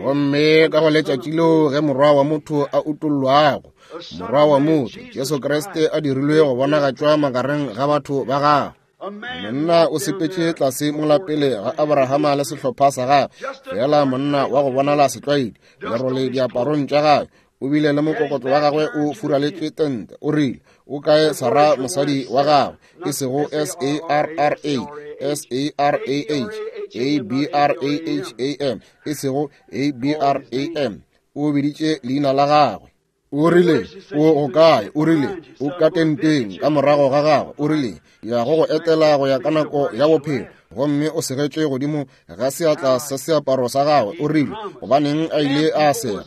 Gomme ka go letšatši leo ge Morwa wa motho a utollwago, Morwa wa motho, Jesu Kriste, a dirilwe go bonagatšwa magareng ga batho ba gagwe. Monna o sepetše tlase mola pele ga Abrahama le sehlopha sa gagwe, fela monna wa go bonala setlwaedi, lerole diaparong tša gagwe, o bile le mokokotlo wa gagwe o furaletše tente. O rile, O kae Sara mosadi wa gagwe? E sego S-A-R-R-A, S-A-R-A-H, A-B-R-A-H-A-M, e sego A-B-R-A-M. O biditše leina la gagwe. O rile, O go kae? O rile, O ka tenteng ka morago ga gagwe. O rile, Ya go go etela go ya ka nako ya bophelo. Gomme o segetše godimo ga seatla sa seaparo sa gagwe. O rile, Gobaneng a ile a sega?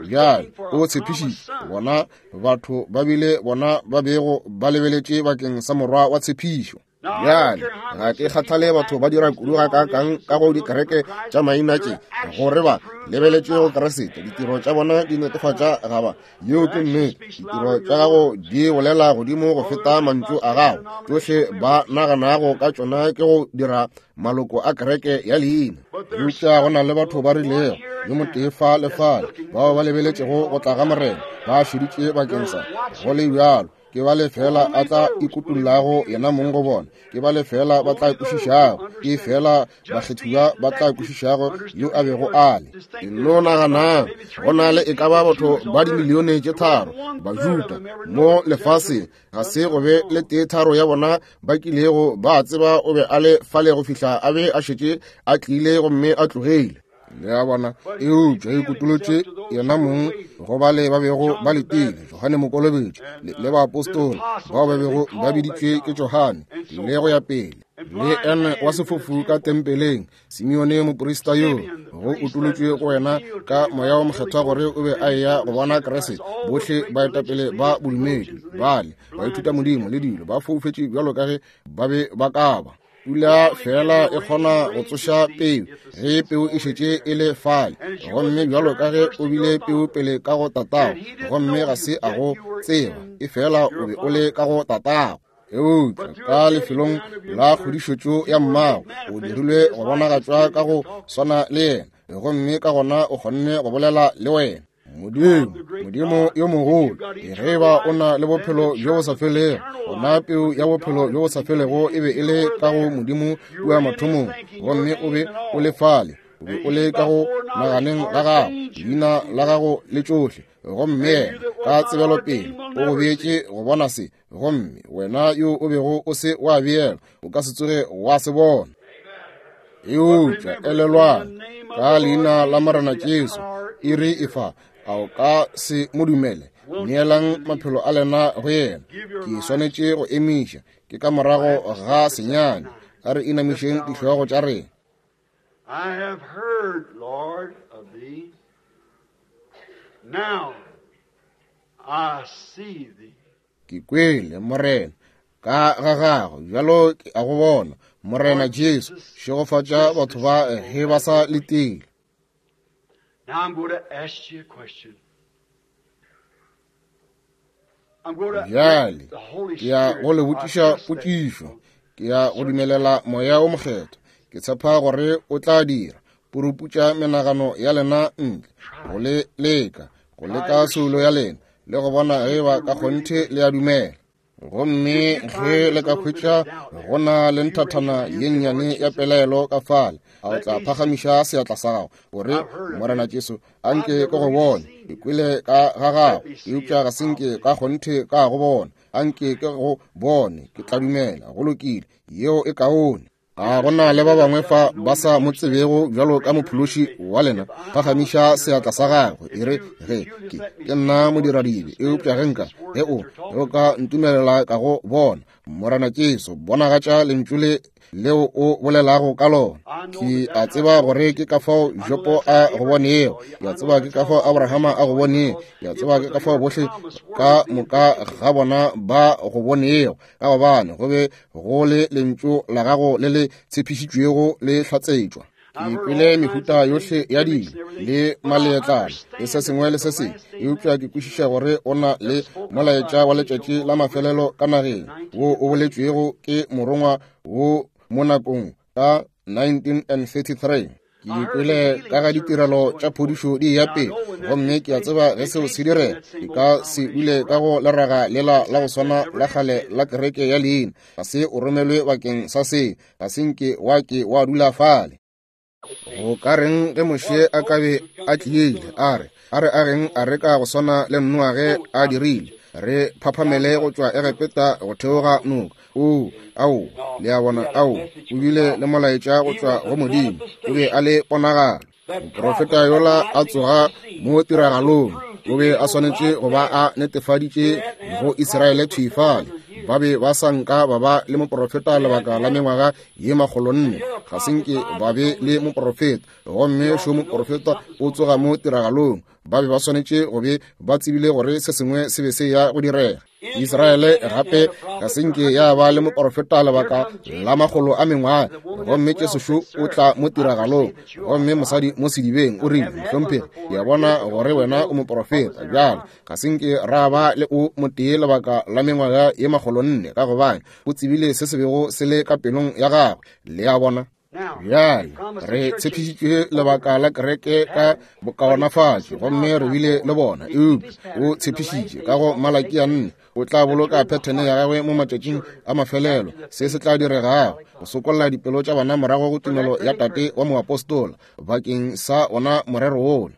Bjale, o tshepišitše. Bona batho ba bile bona ba bego ba lebeletše bakeng sa morwa wa tshepišo. Bjale, ga ke kgathale batho ba dira kudu gakaakang ka go dikereke tša maina tše, gore ba lebeletše go Kriste. Ditiro tša bona di netefatša ga ba. Yeo ke nnete. Ditiro tša gago di bolela godimo go feta mantšu a gago. Tšohle ba naganago ka tšona ke go dira maloko a kereke ya leina. Eupša go na le batho ba rilego, yo motee fa le fale, bao ba lebeletšego go tla ga Morena, ba šeditše bakeng sa go le bjalo. Ke ba lefela a tla ikutullago yena mong go bona, ke ba lefela ba tla kwešišago, ke fela bakgethiwa ba tla kwešišago yo a bego a le. Nno naganang, go na le e ka ba batho ba dimilione tše tharo Bajuda mo lefaseng, ga se go be le tee tharo ya bona ba kilego ba tseba o be a le fale go fihla a be a šetše a tlile gomme a tlogile. Le a bona? Eupša e kutolotše yena mong go bale ba bego ba letile, Johane Mokolobetši le, le baapostola bao ba bego ba biditšwe ke Johane, le go ya pele. Le ene wa sefofu ka tempeleng, Simeone moprista yo, go utolotšwe go wena ka Moya wo Mokgethwa gore o be a eya go bona Kriste. Bohle baetapele ba bodumedi bale, baithutamodimo le dilo, ba foufetše bjalo ka ge ba be ba ka ba. Pula fela e kgona go tsoša peu ge peu e šetše e le fale. Gomme bjalo ka ge o bile peu pele ka go tatago, gomme ga se a go tseba, e fela o be o le ka go tatago. Eupša ka lefelong la kgodišetšo ya mmago, o dirilwe go bonagatšwa ka go swana le yena, gomme ka gona o kgonne go bolela le wena. Modimo, Modimo yo mogolo, ge ba o na le bophelo bjo bo sa felego, gona peu ya bophelo bjo bo sa felego e be e le ka go Modimo kua mathomong, gomme o be o le fale, o be o le ka go naganeng ga gago, leina la gago le tšohle, gomme yena ka tsebelopele o go beetše go bona se, gomme wena yo o bego o se wa beelwa o ka se tsoge wa se bona. Eupša elelwang, ka leina la Morena Jesu, iri e fa, a o ka se mo dumele? Neelang maphelo a lena go yena. Ke swanetše go emiša, ke ka morago ga senyane. A re inamišeng dihlogo tša rena. I have heard, Lord, of thee. Now I see thee. Ke kwele, Morena, ka ga gago, bjalo ke a go bona. Morena Jesu, šegofatša batho ba ge ba sa letile. Now I'm going to ask you a question. I'm going to Bjale let the Holy ke ya Spirit go le botšiša I trust that potšišo. Ke ya go dumelela Moya wo Mokgethwa. Ke tshepa gore o tla dira. Puruputša menagano ya lena ntle, go le leka, go leka soulo ya lena, le go bona ge ba ka kgonthe le a dumela. Gomme ge le ka hwetša go na le nthathana ye nnyane ya pelaelo ka fale, a o tla phagamiša seatla sa gago, o re, Morena Jesu, a nke ke go bone. Ke kwele ka ga gago, eupša ga se nke ka kgonthe ka go bona. A nke ke go bone, ke tla dumela. Go lokile, yeo e kaone. A go na le ba bangwe fa ba sa mo tsebego bjalo ka mophološi wa lena? Phagamiša seatla sa gago, e re, Ge ke, ke nna modiradibe, eupša ge nka, ge o, ge o ka ntumelela ka go bona, Morena Jesu, bonagatša lentšu le leo o bolelago ka lona. Ke a tseba gore ke ka fao Jopo a go bonego, ke a tseba ke ka fao Abrahama a go bonego, ke a tseba ke ka fao bohle ka moka ga bona ba go bonego, ka gobane go be go le lentšu la gago le le tshepišitšwego le hlatsetšwa. Ke kwele mehuta yohle ya dilo le maleetlana le se sengwe le se sengwe, eupša ke kwešiša gore o na le molaetša wa letšatši la mafelelo ka nageng wo o boletšwego ke morongwa wo mo nakong ka 1933. Ke kwele ka ga ditirelo tša phodišo di eya pele, gomme ke a tseba ge seo se direga, ke ka se dule ka go leraga lela la go swana la kgale la kereke ya leina. Ga se o romelwe bakeng sa se, ga se nke wa ke wa dula fale. Go ka reng ge Moshe a ka be a tlile, a re, a re ageng areka go swana le Noa ge a dirile, re phaphamele go tšwa Egepeta go theoga noka. O, ao, le a bona, ao, o bile le molaetša go tšwa go Modimo, o be a le ponagalo. Moprofeta yola a tsoga mo tiragalong, o be a swanetše go ba a netefaditše go Israele thwi fale. Ba be ba sa nka ba ba le moprofeta lebaka la mengwaga ye makgolonne, ga se nke ba be le moprofeta, gomme šo moprofeta o tsoga mo tiragalong. Ba be ba swanetše go be ba tsebile gore se sengwe se be se ya go direga. Israele gape ga se nke ya ba le moporofeta lebaka la makgolo a mengwaga, gomme Jesu šo o tla mo tiragalong, gomme mosadi mo sedibeng o rile, Mohlomphegi, ke a bona gore wena o moporofeta. Bjale ga se nke ra ba le o motee lebaka la mengwaga ye makgolonne, ka gobane o tsebile se se bego se le ka pelong ya gagwe. Le a bona? Bjale re tshepišitšwe lebaka la kereke ka bokaonafatšo, gomme re bile le bona, eupša o tshepišitše ka go Malakia 4 o tla boloka phethene ya gagwe mo matšatšing a mafelelo, se se tla diregago go sokolla dipelo tša bana morago go tumelo ya tate wa moapostola bakeng sa ona morero wola.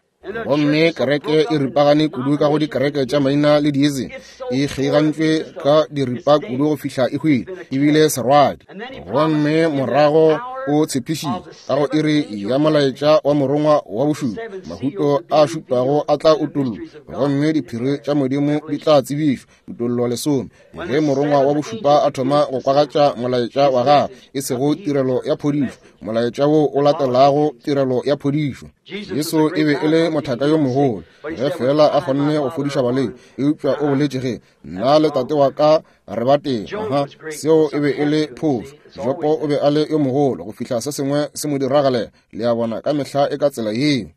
Gomme kereke e ripagane kudu ka go dikereke tša maina le diizi, e kgeigantšwe ka diripa kudu go fihla e hwile, ebile serwadi. Gomme morago o tshepišitše ka go iri ya molaetša wa morongwa wa bošupa, mahuto a šupago a tla utollwa, gomme diphiri tša Modimo di tla tsebišwa. Kutollo lesome, ge morongwa wa bošupa a thoma go kwagatša molaetša wa gagwe, e sego tirelo ya phodišo, molaetša wo o latelago tirelo ya phodišo. Jesu e be e le mothaka yo mogolo, ge feela a kgonne go fodiša balwetši, eupša o boletše ge nna le tate wa ka re ba tee. Aha, seo e be e le phošo. Jopo o be a le yo mogolo go fihla se sengwe se mo diragalela. Le a bona, ka mehla e ka tsela yeo.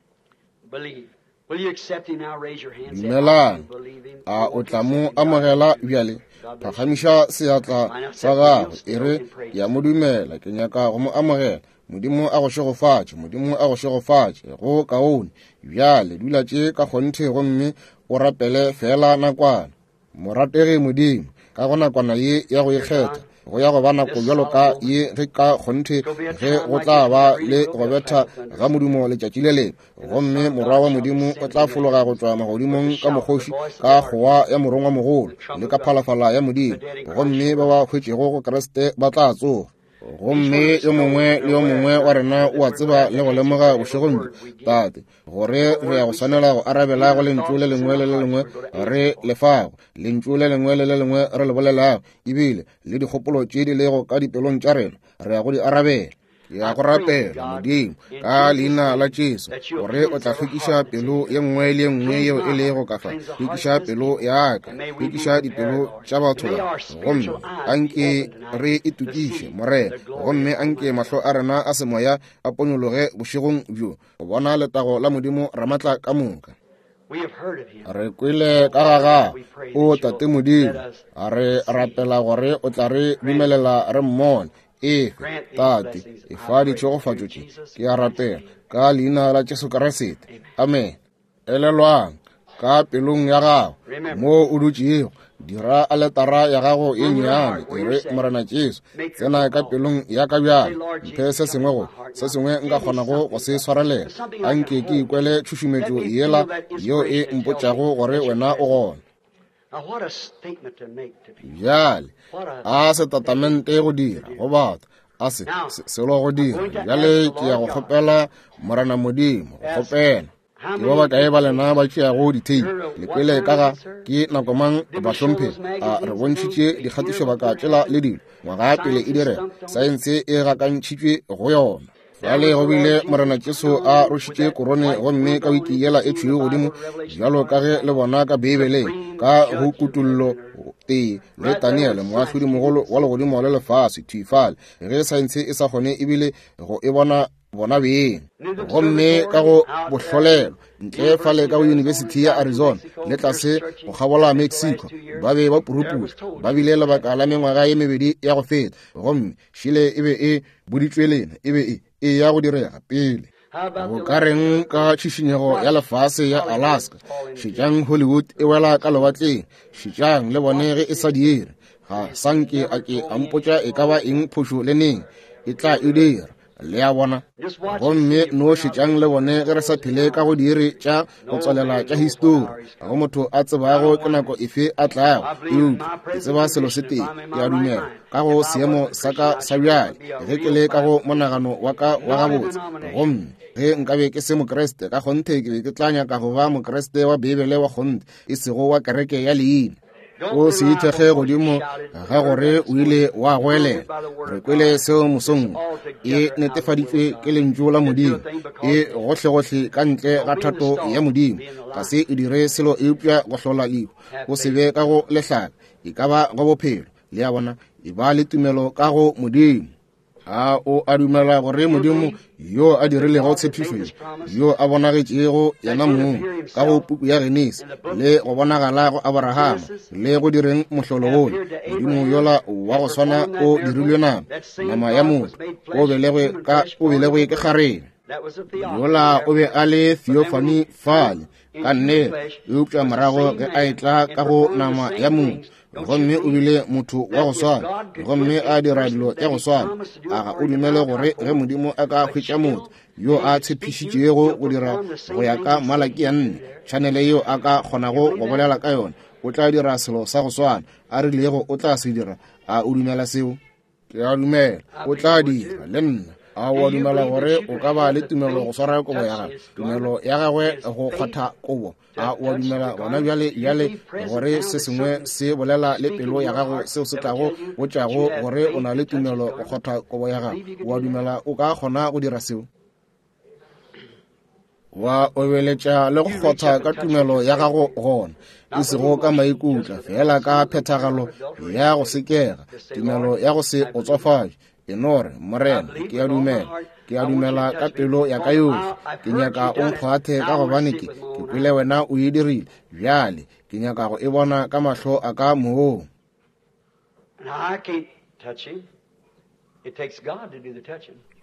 Dumelang. A o tla mo amogela bjale? Phagamiša seatla sa gago, e re, Ke a mo dumela, ke nyaka go mo amogela. Modimo a go šegofatše, Modimo a go šegofatše. Go kaone. Bjale dula tše ka kgonthe gomme o rapele feela nakwana. Morategi Modimo, ka go nakwana ye ya go ikgetha, go ya go ba nako bjalo ka ye ge ka kgonthe ge go tla ba le go betha ga modumo letšatši le lengwe, gomme Morwa wa Modimo o tla fologa go tšwa magodimong ka mokgoši, ka kgowa ya morongwamogolo le ka phalafala ya Modimo, gomme ba ba hwetšego go Kriste ba tla tsoga. Gomme yo mongwe le yo mongwe wa rena o a tseba le go lemoga bošegong bjo, Tate, gore re ya go swanela go arabela go lentšu le lengwe le le lengwe re le fago, lentšu le lengwe le le lengwe re le bolelago, ebile le dikgopolo tše di lego ka dipelong tša rena, re ya go di arabela. Ke ya go rapela, Modimo, ka leina la Jesu, gore o tla hlwekiša pelo ye nngwe le ye nngwe yeo e lego ka fa, hlwekiša pelo ya ka, hlwekiša dipelo tša batho ba, gomme anke re itokiše, Morena, gomme anke mahlo a rena a semoya a ponyologe bošegong bjo, go bona letago la Modimo Ramatla ka moka. Re kwele ka ga gago, o Tate Modimo, a re rapela gore o tla re dumelela re mmone. Efe, Tate, efa ditšhegofatšo tše, ke a rapela, ka leina la Jesu Kriste. Amen. Elelwang, ka pelong ya gago, mo o dutšego, dira aletara ya gago ye nnyane, e re, Morena Jesu, tsena ka pelong ya ka bjale, mphe se sengwe go se sengwe nka kgonago go se swarelela. Anke ke ikwele tšhušumetšo yela yeo e mpotšago gore wena o gona. Bjale, a setatamente go dira go batho, A se selo go dira. Bjale ke ya go kgopela Morena Modimo, go kgopela. Ke ba bakae ba lena ba tšeago ditheipi? Le kwele ka ga ke nako mang bahlomphegi a re bontšhitše dikgatišobaka tšela le dilo ngwaga pele e direga. Saense e gakantšhitšwe go yona. Bjale go bile Morena Jesu a rošitše korone gomme ka wiki yela e tšhweu godimo bjalo ka ge le bona ka Beibeleng ka go Kutollo tee le Daniele moahlodi mogolo wa legodimo le lefase thwi fale ge saense e sa kgone ebile go e bona bona beng gomme ka go bohlolelo ntle fale ka go University ya Arizona le tlase go kgabola Mexico ba be ba purupula ba bile lebaka la mengwaga ye mebedi ya go feta gomme šile e be e boditšwe lena e be e e ya go direga pele. Go ka reng ka tšhišinyego ya lefase ya Alaska? Šetšang Hollywood e wela ka lewatleng. Šetšang le bone ge e sa dire. Ga sanke a ke a mpotša e ka ba eng phošo le neng. E tla e dira. Le a bona? Gomme no šetšang le bone ge re sa phele ka go diiri tša go tswalela tša histori. Ga go motho a tsebago ke nako efe a tlago. Eupša ke tseba selo se tee, ke a dumela, ka go seemo sa ka sa bjale, ge ke le ka go monagano wa ka wa gabotse, gomme ge nkabe ke se Mokriste, ka kgonthe ke be ke tla nyaka go ba Mokriste wa Beibele wa kgonthe, e sego wa kereke ya leina. O se ithekge godimo ga gore o ile wa goelela. Re kwele seo mosong. E netefaditšwe ke Lentšu la Modimo. E gohlegohle ka ntle ga thato ya Modimo. Ga se e dire selo eupša go hlola lehu. O se be ka go lehlaka, e ka ba go bophelo. Le a bona, e ba le tumelo ka go Modimo. A o a dumela gore Modimo yo a dirilego tshepišo ye, yo a bonagetšego yena mong ka go puku ya Genesi le go bonagala go Aborahama le go direng mohlolo wola, Modimo yola wa go swana o dirilwe nama, nama ya motho, o belegwe ke kgarebe. Yola o be a le theophany fale, ka nnete, eupša morago ge a etla ka go nama ya motho, gomme o bile motho wa go swana gomme a dira dilo tša go swana, a ga o dumele gore ge Modimo a ka hwetša motho yo a tshepišitšego go dira go ya ka Malaki ya 4, tšhanele yeo a ka kgonago go bolela ka yona, o tla dira selo sa go swana a rilego o tla se dira? A o dumela seo? Ke a dumela o tla dira le nna. A o a dumela gore o ka ba le tumelo go swara kobo ya gagwe, tumelo ya gagwe go kgwatha kobo? A o a dumela gona bjale bjale gore se sengwe se bolela le pelo ya gago seo se tlago botšago gore o na le tumelo go kgwatha kobo ya gago? O a dumela o ka kgona go dira seo? Wa obeletša le go kgotha ka tumelo ya gago gona, e sego ka maikutla, fela ka phethagalo ya go sekega, tumelo ya go se otswafatše. E no re, Morena, ke a dumela, ke a dumela ka pelo ya ka yohle. Ke nyaka o nkgwathe ka gobane ke kwele wena o e dirile. Bjale ke nyaka go e bona ka mahlo a ka mong.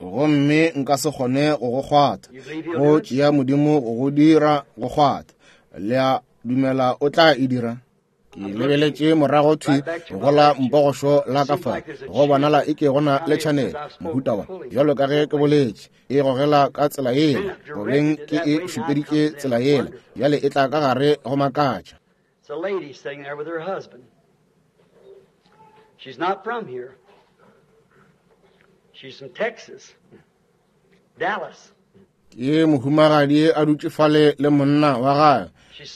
Gomme nka se kgone go go kgwatha, go tšea Modimo go go dira go kgwatha. Le a dumela o tla e dira? Ke lebeletše morago thwi go la mpogošo la ka fa, go bonala e ke go na le tšhanele mohuta wa, bjalo ka ge ke boletše, e gogela ka tsela yela, gobeng ke e šupeditše tsela yela, bjale e tla ka gare go makatša. She's not from here. She's from Texas, Dallas. Ke mohumagadi a dutše fale le monna wa gagwe.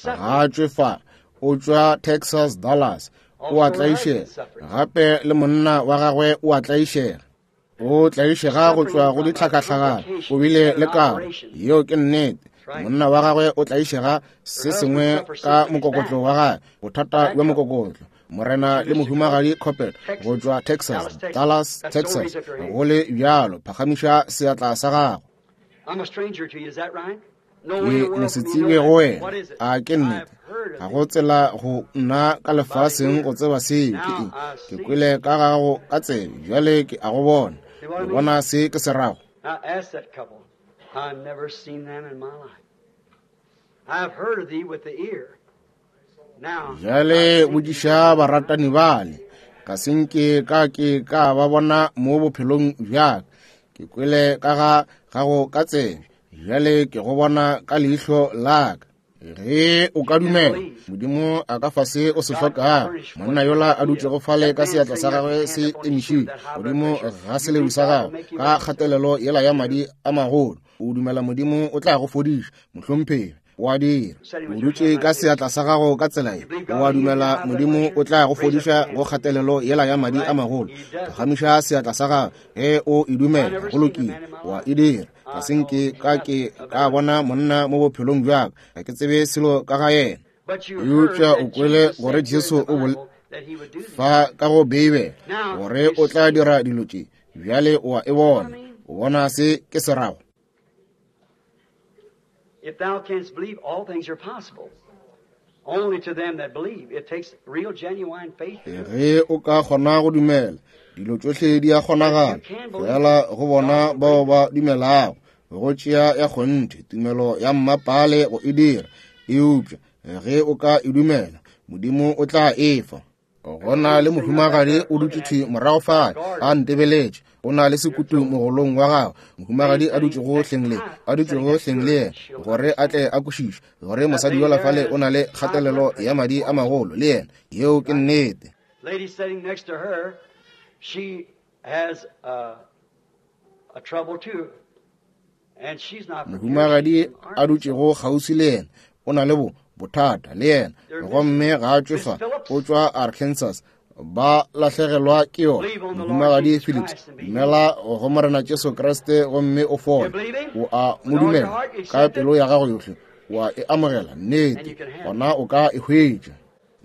Ga a tšwe fa, o tšwa Texas, Dallas. O a tlaišega. Gape le monna wa gagwe o a tlaišega. O tlaišega go tšwa go ditlhakahlakano. O bile le karo. Yeo ke nnete. Monna wa gagwe o tlaišega se sengwe ka mokokotlo wa gagwe, bothata bja mokokotlo. Morena le mohumagadi Coppet go tšwa Texas, Dallas, Texas. Go le bjalo, phagamiša seatla sa gago. Ke mosetsebje go wena. A ke nnete? Ga go tsela go nna ka lefaseng go tseba seo ke eng. Ke kwele ka gago ka tsebe, bjale ke a go bona. Le bona se ke se rago? Bjale botšiša baratani bale, ga se nke ka ke ka ba bona mo bophelong bja ka. Ke kwele ka ga gago ka tsebe, bjale ke go bona ka leihlo la ka. Ge o ka dumela, Modimo a ka fa se o se hlokago. Monna yola a dutšego fale ka seatla sa gagwe se emišitšwe godimo ga seledu sa gagwe ka kgatelelo yela ya madi a magolo, o dumela Modimo o tla go fodiša, mohlomphegi? O a dira. O dutše ka seatla sa gago ka tsela ye, o a dumela Modimo o tla go fodiša go kgatelelo yela ya madi a magolo? Phagamiša seatla sa gago ge o e dumela. Go lokile, o a e dira. Ga se nke ka ke ka bona monna mo bophelong bja ka, ga ke tsebe selo ka ga yena. Eupša o kwele gore Jesu o bol fa ka go Beibele gore o tla dira dilo tše. Bjale o a e bona. O bona se ke se rago? If thou canst believe, all things are possible. Only to them that believe. It takes real, genuine faith. Ge o ka kgona go dumela, dilo tšohle di a kgonagala. Fela go bona bao ba dumelago, go tšea ya kgonthe tumelo ya mmapale go e dira. Eupša ge o ka e dumela, Modimo o tla e fa. Go na le mohumagadi o dutše thwi morago fale a ntebeletše, o na le sekutu mogolong wa gagwe. Mohumagadi a dutšego hleng le, a dutšego hleng le yena, gore a tle a kwešiše gore mosadi yola fale o na le kgatelelo ya madi a magolo le yena. Yeo ke nnete. Lady sitting next to her, she has a trouble too. And she's not from here, Mohumagadi she's from a dutšego kgauswi le yena o na le bo bothata le yena, gomme ga a tšwe fa, o tšwa Arkansas. Ba lahlegelwa ke yona. Mohumagadi Phillips, dumela go Morena Jesu Kriste gomme o fole. O a mo dumela ka pelo ya gago yohle, o a e amogela, nnete, gona o ka e hwetša.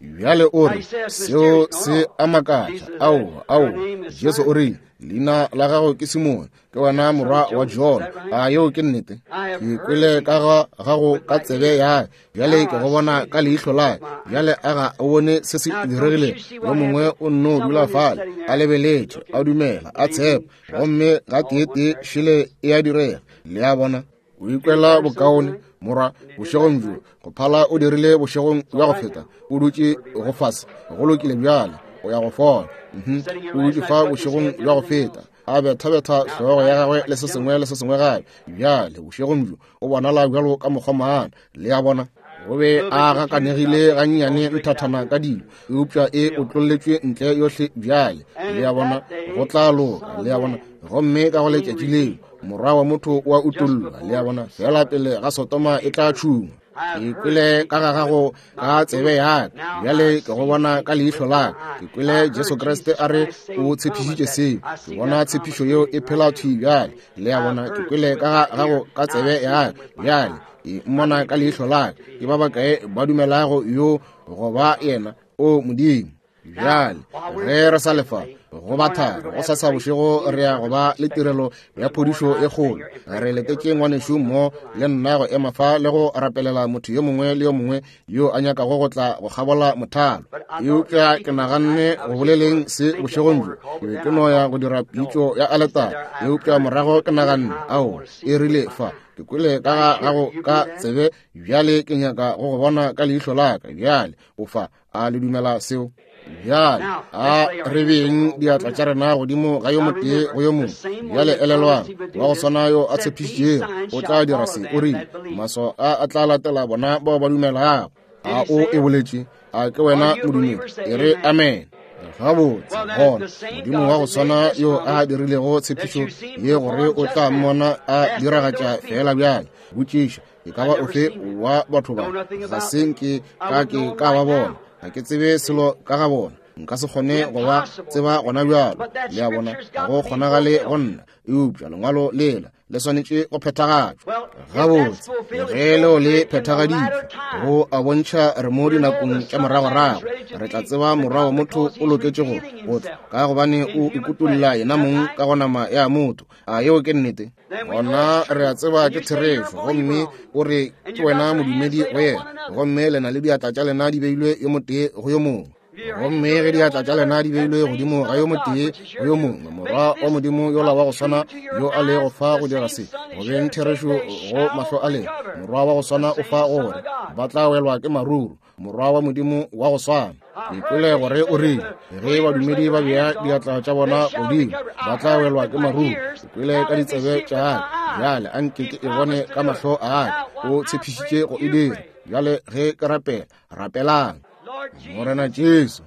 Bjale o re, seo se a makatša. Aowa, aowa. Jesu o rile, leina la gago ke Simone, ke wena morwa wa Jona. A yeo ke nnete? Ke kwele ka ga gago ka tsebe ya ka, bjale ke go bona ka leihlo la ka. Bjale a ga o bone se se diregilego? Yo mongwe o nno dula fale, a lebeletše, a dumela, a tshepa, gomme gateetee šele e a direga. Le a bona? O ikwela bokaone, morwa, bošegong bjo, go phala o dirile bošegong bja go feta. O dutše go fase. Go lokile bjale, o ya go fola. O dutše fa bošegong bja go feta, a bethabetha hlogo ya gagwe le se sengwe le se sengwe gape. Bjale bošegong bjo o bonala bjalo ka mokgomana. Le a bona? O be a gakanegile gannyane nthathana ka dilo, eupša e otlolletšwe ntle yohle bjale. Le a bona? Go tla loka. Le a bona? Gomme ka go letšatši leo Morwa wa motho wa utollwa. Le a bona? Fela pele ga Sodoma e tla tšhungwa. Ke kwele ka ga gago ka tsebe ya ka, bjale ke go bona ka leihlo la ka. Ke kwele Jesu Kriste a re o tshepišitše seo. Ke bona tshepišo yeo e phela thwi bjale. Le a bona? Ke kwele ka ga gago ka tsebe ya ka, bjale ke mmona ka leihlo la ka. Ke ba bakae ba dumelago yo go ba yena? O Modimo. Bjale ge re sa lefa go ba thari go sasa bošego, re ya go ba le tirelo ya phodišo e kgolo. Re letetše ngwanešu mo le nna go ema fa le go rapelela motho yo mongwe le yo mongwe yo a nyakago go tla go kgabola mothalo. Eupša ke naganne go boleleng se bošegong bjo, ke be ke no ya go dira pitšo ya aletare, eupša morago ke naganne, aowa, e rile fa, ke kwele ka ga gago ka tsebe, bjale ke nyaka go go bona ka leihlo la ka. Bjale o fa. A le dumela seo? Bjale a re beng diatla tša rena godimo ga yo motee go yo mongwe. Bjale elelwang, wa go swana yo a tshepišitšego o tla dira se. O rile, maswao a a tla latela bona bao ba dumelago. A o e boletše? A ke wena modumedi? E re amen. Gabotse, gona Modimo wa go swana yo a dirilego tshepišo ye gore o tla mmona a diragatša feela bjale. Botšiša e ka ba ofe wa batho ba, ga se nke ka ke ka ba bona, ga ke tsebe selo ka ga bona, nka se kgone go ba tseba gona bjalo. Le a bona, ga go kgonagale go nna, eupša lengwalo lela le swanetše go phethagatšwa. Gabotse, ge leo le phethagaditšwe, go a bontšha re mo dinakong tša moragorago, re tla tseba Morwa wa motho o loketše go tla, ka gobane o ikutolla yena mong ka go nama ya motho. A yeo ke nnete? Gona re a tseba ke therešo. Gomme o re ke wena modumedi go yena, gomme le na le diatla tša lena di beilwe yo motee go yo mongwe. Gomme ge diatla tša lena di beilwe godimo ga yo motee go yo mongwe, Morwa wa Modimo yola wa go swana yo a lego fa go dira se go beng therešo go mahlo a lena, Morwa wa go swana o fa gore ba tla welwa ke maruru, Morwa wa Modimo wa go swana. Ke kwele gore o rile, ge badumedi ba bea diatla tša bona godimo, ba tla welwa ke maruru. Ke kwele ka ditsebe tša ka, Bjale a nke ke e bone ka mahlo a ka. O tshepišitše go e dira. Bjale ge ke rapela, rapelang. Morena Jesu,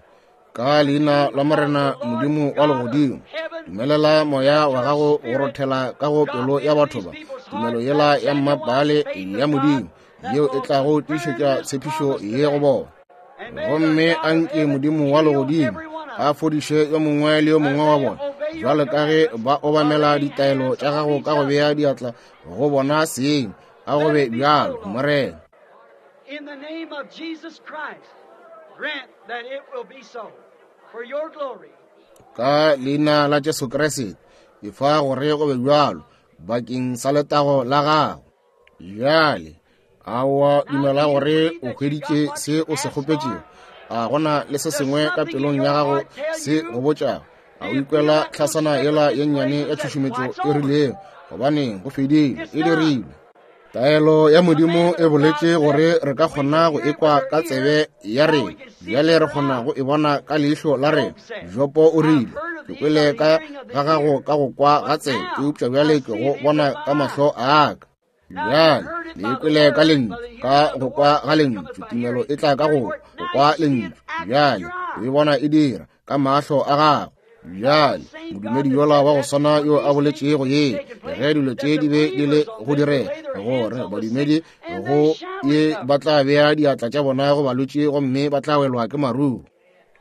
ka leina la Morena Modimo wa legodimo, dumelela moya wa gago go rothela ka go pelo ya batho ba, tumelo yela ya mmapale ya Modimo yeo e tlago tiišetša tshepišo ye go bona. Gomme a nke Modimo wa legodimo a fodiše yo mongwe le yo mongwe wa bona, bjalo ka ge ba obamela ditaelo tša gago ka go bea diatla go bona seng. A go be bjalo, Morena. In the name of Jesus Christ, grant that it will be so for your glory. Ka leina la Jesu Kriste, efa gore go be bjalo bakeng sa letago la gago. Bjale, a wa dumela gore o hweditše se o se kgopetšego? A gona le se sengwe ka pelong ya gago se go botšago? A o ikwela tlhasana yela ye nnyane ya tšhušumetšo e rilego? Gobaneng, go fedile, e dirilwe. Taelo ya Modimo e boletše gore re ka kgona go ekwa ka tsebe ya rena, bjale re kgona go e bona ka leihlo la rena. Jopo o rile, ke kwele ka ga gago ka go kwa ga tsebe, eupša bjale ke go bona ka mahlo a ka. Bjale le kwele ka lentšu, ka go kwa ga lentšu, tumelo e tla ka go kwa lentšu. Bjale o e bona e dira ka mahlo a gago. Bjale modumedi yola wa go swana yo a boletšego ye, ge dilo tše di be di le go direga, gore badumedi go ye ba tla bea diatla tša bona go balwetši gomme ba tla welwa ke maruo.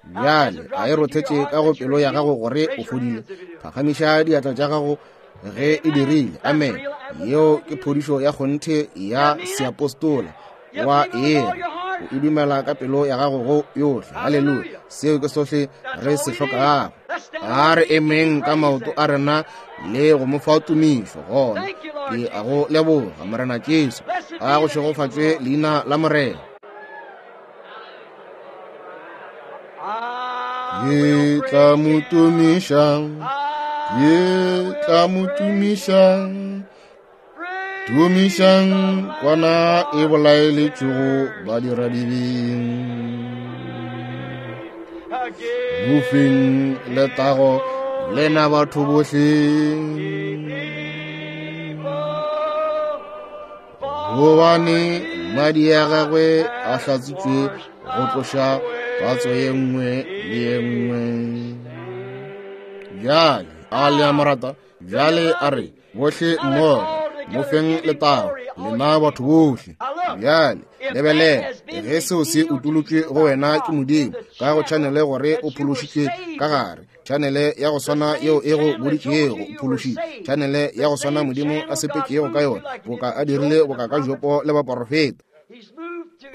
Bjale a e rothetše ka go pelo ya gago gore o fodile? Phagamiša diatla tša gago ge e dirile. Amen. Yeo ke phodišo ya kgonthe ya seapostola wa yena. O e dumela ka pelo ya gago go yohle. Haleluya. Seo ke sohle re se hlokago. A re emeng ka maoto a rena le go mo fa tumišo. Gona ke a go leboga, Morena Jesu. A go šegofatšwe leina la Morena. Ke tla mo tumiša, ke tla mo tumiša. Tumišang kwana e bolaeletšego badiradibeng. Mofeng letago lena batho bohle. Gobane madi a gagwe a hlatsitšwe go tloša patso ye nngwe le ye nngwe. Bjale a le a mo rata? Bjale a re bohle mmogo mo feng letago lena batho bohle. Bjale lebelela, ge seo se utolotšwe go wena ke Modimo ka go tšhanele gore o phološitšwe ka gare, tšhanele ya go swana yeo e go boditšego o phološitšwe, tšhanele ya go swana Modimo a sepetšego ka yona, boka a dirile boka ka Jopo le baporofeta.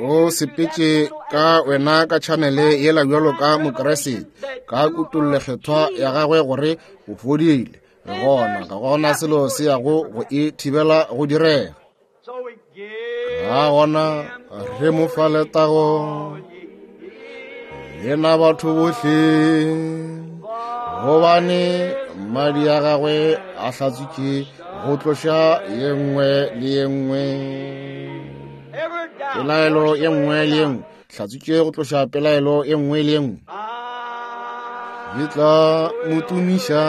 O sepetše ka wena ka tšhanele yela bjalo ka Mokriste, ka kutollo-kgethwa ya gagwe gore o fodile. Gona ga gona selo se yago go e thibela go direga. Ga gona re mo fa letago lena batho bohle, gobane madi a gagwe a hlatswitše go tloša ye nngwe le ye nngwe pelaelo, ye nngwe le ye nngwe hlatswitše go tloša pelaelo ye nngwe le ye nngwe. Ke tla mo tumiša,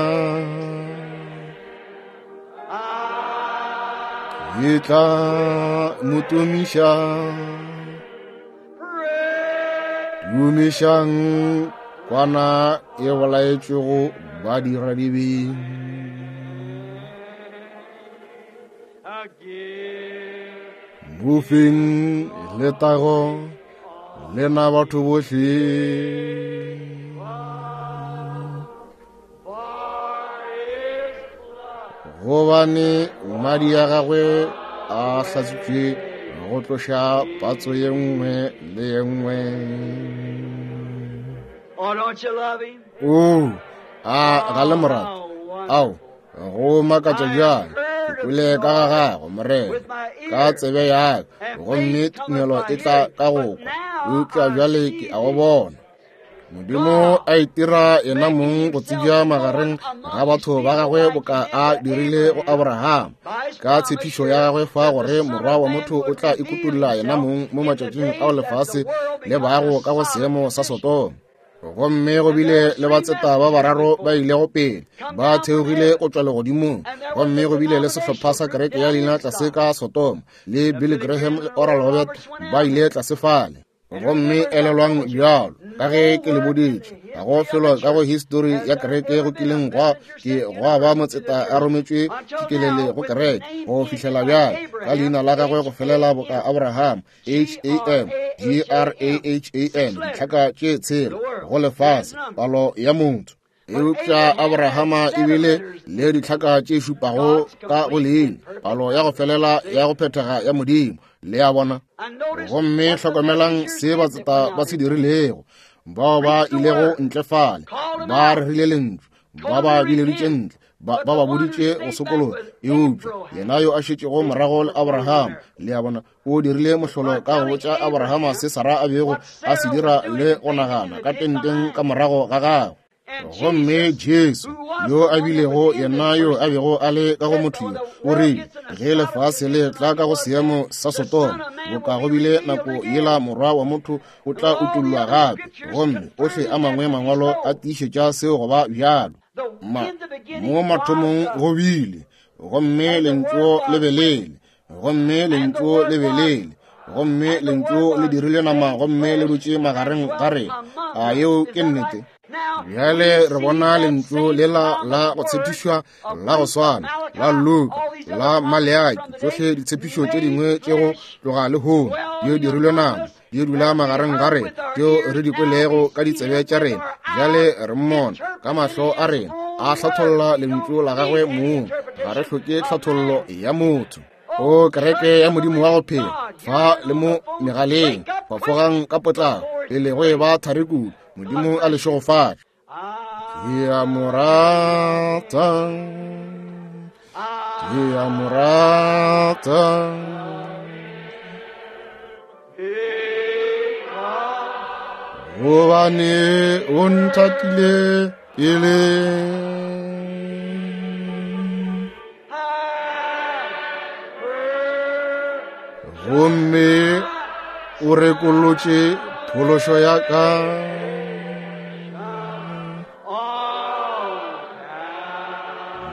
ke tla mo tumiša. Tumišang kwana e bolaetšwego badiradibeng. Mofeng letago lena batho bohle. Gobane madi a gagwe a hlatswitšwe go tloša patso ye nngwe le ye nngwe. Oh, don't you love him? O, a ga le morata? Ao, go makatša bjang. Ke kwele ka ga gago, Morena, ka tsebe ya ka, gomme tumelo e tla ka go kwa, eupša bjale ke a go bona. Modimo a itira yena mong go tsebja magareng ga batho ba gagwe boka a dirile go Abraham, ka tshepišo ya gagwe fa gore morwa wa motho o tla ikutolla yena mong mo matšatšing ao lefase le bago ka go seemo sa Sodoma. Gomme go bile le batseta ba bararo ba ilego pele, ba theogile go tšwa legodimong. Gomme go bile le sehlopha sa kereke ya leina tlase ka Sodoma, le Billy Graham le Oral Roberts ba ile tlase fale. Gomme elelwang bjalo ka ge ke le boditše, ga go felo ka go histori ya kereke go kileng gwa ke gwa ba motseta a rometšwe tšikelele go kereke go fihlela bjale, ka leina la gagwe go felela boka Abraham, H-A-M, G-R-A-H-A-M, ditlhaka tše tshela go lefase, palo ya motho. Eupša Abrahama e bile le ditlhaka tše šupago ka go leina, palo ya go felela ya go phethega ya Modimo. Le a bona? Gomme hlokomelang se batseta ba se dirilego, bao ba ilego ntle fale, ba rerile lentšu, ba ba bileditše ntle, ba ba boditše go sokologa. Eupša yena yo a šetšego morago le Abrahama, le a bona, o dirile mohlolo ka go botša Abrahama se Sara a bego a se dira le go nagana ka tenteng ka morago ga gagwe. Gomme Jesu, yo a bilego yena yo a bego a le ka go motho yo, o rile, ge lefase le tla ka go seemo sa Sodoma, boka go bile nako yela Morwa wa motho o tla utollwa gape. Gomme ohle a mangwe mangwalo a tiišetša seo go ba bjalo. Mo mathomong go bile, gomme lentšu le be lele, gomme lentšu le be lele, gomme lentšu le dirile nama gomme le dutše magareng ga rena. A yeo ke nnete? Bjale re bona lentšu lela la go tshepišwa la go swana la Luka, la Maleaki, tšohle ditshepišo tše dingwe tše go tloga lehono di dirilwe nama, di dula magareng ga rena, tšeo re di kwelego ka ditsebe tša rena. Bjale re mmona ka mahlo a rena a hlatholla lentšu la gagwe mong. Ga re hloke tlhathollo ya motho. O kereke ya Modimo wa go phela, fa le mo megaleng, fafogang ka potlako pele go e ba thari kudu. Modimo a le šegofatše. Ke a mo rata, ke a mo rata. Gobane o nthatile pele. Gomme o rekolotše phološo ya ka.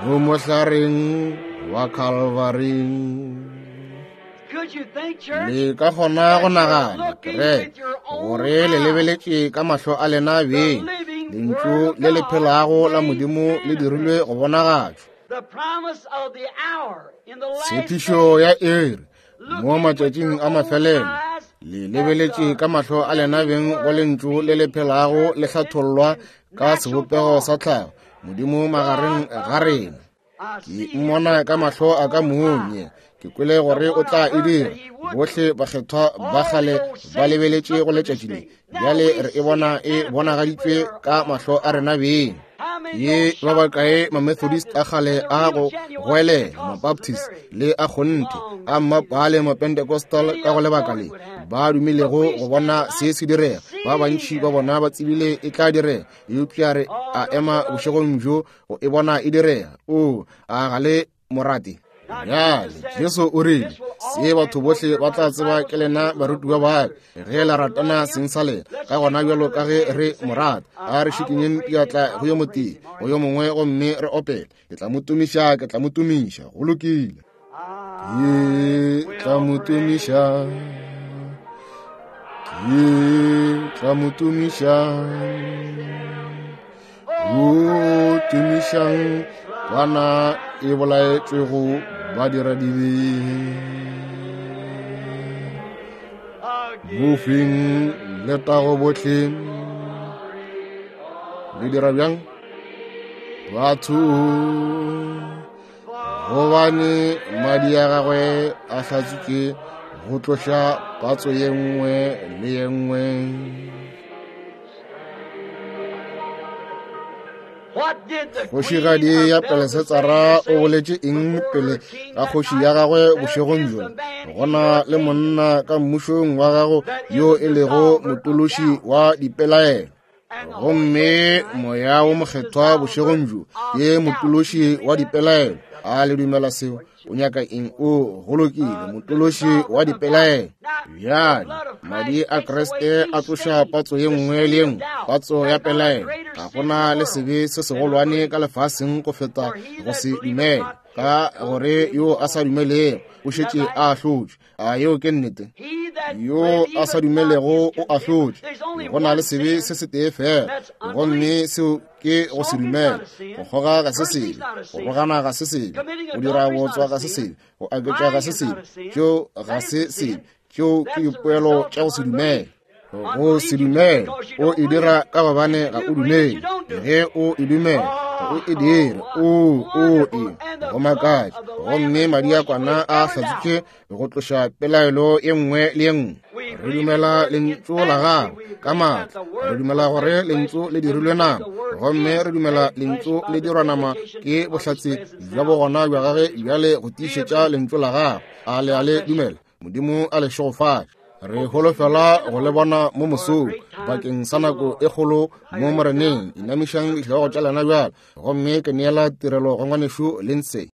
Mo mohlareng wa Calvary. Le ka kgona go nagana, kereke, gore le lebeletše ka mahlo a lena beng lentšu le le phelago la Modimo le dirilwe go bonagatšwa. Tshepišo ya iri mo matšatšing a mafelelo, le lebeletše ka mahlo a lena beng go lentšu le le phelago le hlathollwa ka sebopego sa tlhago, Modimo magareng ga rena. Ke mmona ka mahlo a ka mong, ke kwele gore o tla e dira. Bohle bakgethwa ba kgale ba lebeletše go letšatši le. Bjale re e bona e bonagaditšwe ka mahlo a rena beng. Ye ba bakae ma-Methodist a kgale a go goelela, ma-Baptist le a kgonthe, a mmapale, ma-Pentecostal ka go lebaka le, ba dumilego go bona se se direga. Ba bantši ba bona ba tsebile e tla direga, eupša re a ema bošegong bjo go e bona e direga. O a ga le morate? Bjale Jesu o rile, se batho bohle ba tla tseba ke lena barutiwa ba ka, ge la ratana seng sa lena. Ka gona bjalo ka ge re mo rata, a re šikinyeng diatla go yo motee go yo mongwe gomme re opele, ke tla mo tumiša, ke tla mo tumiša. Go lokile. Ke tla mo tumiša, ke tla mo tumiša. O tumišang kwana e bolaetšwego badiradibe. Mofeng letago bohle. Le dira bjang? Batho, gobane madi a gagwe a hlatswitše go tloša patso ye nngwe le ye nngwe. Kgošigadi ya Pelesetsara o boletše eng pele ga kgoši ya gagwe bošegong bjola? Go na le monna ka mmušong wa gago yo e lego motološi wa dipelaelo. Gomme Moya wo Mokgethwa bošegong bjo ke motološi wa dipelaelo. A le dumela seo? O nyaka eng? O go lokile, motološi wa dipelaelo. Bjale, Madi a Kriste a tloša patso ye nngwe le ye nngwe, patso ya pelaelo. Ga go na le sebe se segolwane ka lefaseng go feta go se dumele, ka gore yo a sa dumelego o šetše a ahlotšwe. A yeo ke nnete? Yo a sa dumelego o ahlotšwe. Go na le sebe se setee fela, gomme seo ke go se dumele. Go kgoga ga se sebe, go rogana ga se sebe, go dira bootswa ga se sebe, go aketša ga se sebe, tšeo ga se sebe, tšeo ke dipoelo tša go se dumele. Go se dumele o e dira ka gobane ga o dumele. Ge o e dumela ga o e dire. O o e go makatša. Gomme madi a kwana a hlatswitše go tloša pelaelo e nngwe le e nngwe. Re dumela lentšu la gagwe ka maatla. Re dumela gore lentšu le dirilwe nama, gomme re dumela lentšu le dirwa nama ke bohlatse bja bogona bja gagwe bjale go tiišetša lentšu la gagwe. A le a le dumela? Modimo a le šegofatše. Re holofela go le bona mo mosong bakeng sa nako e kgolo mo Moreneng. Inamišang dihlogo tša lena bjale, gomme ke neela tirelo go ngwanešu Lindsay.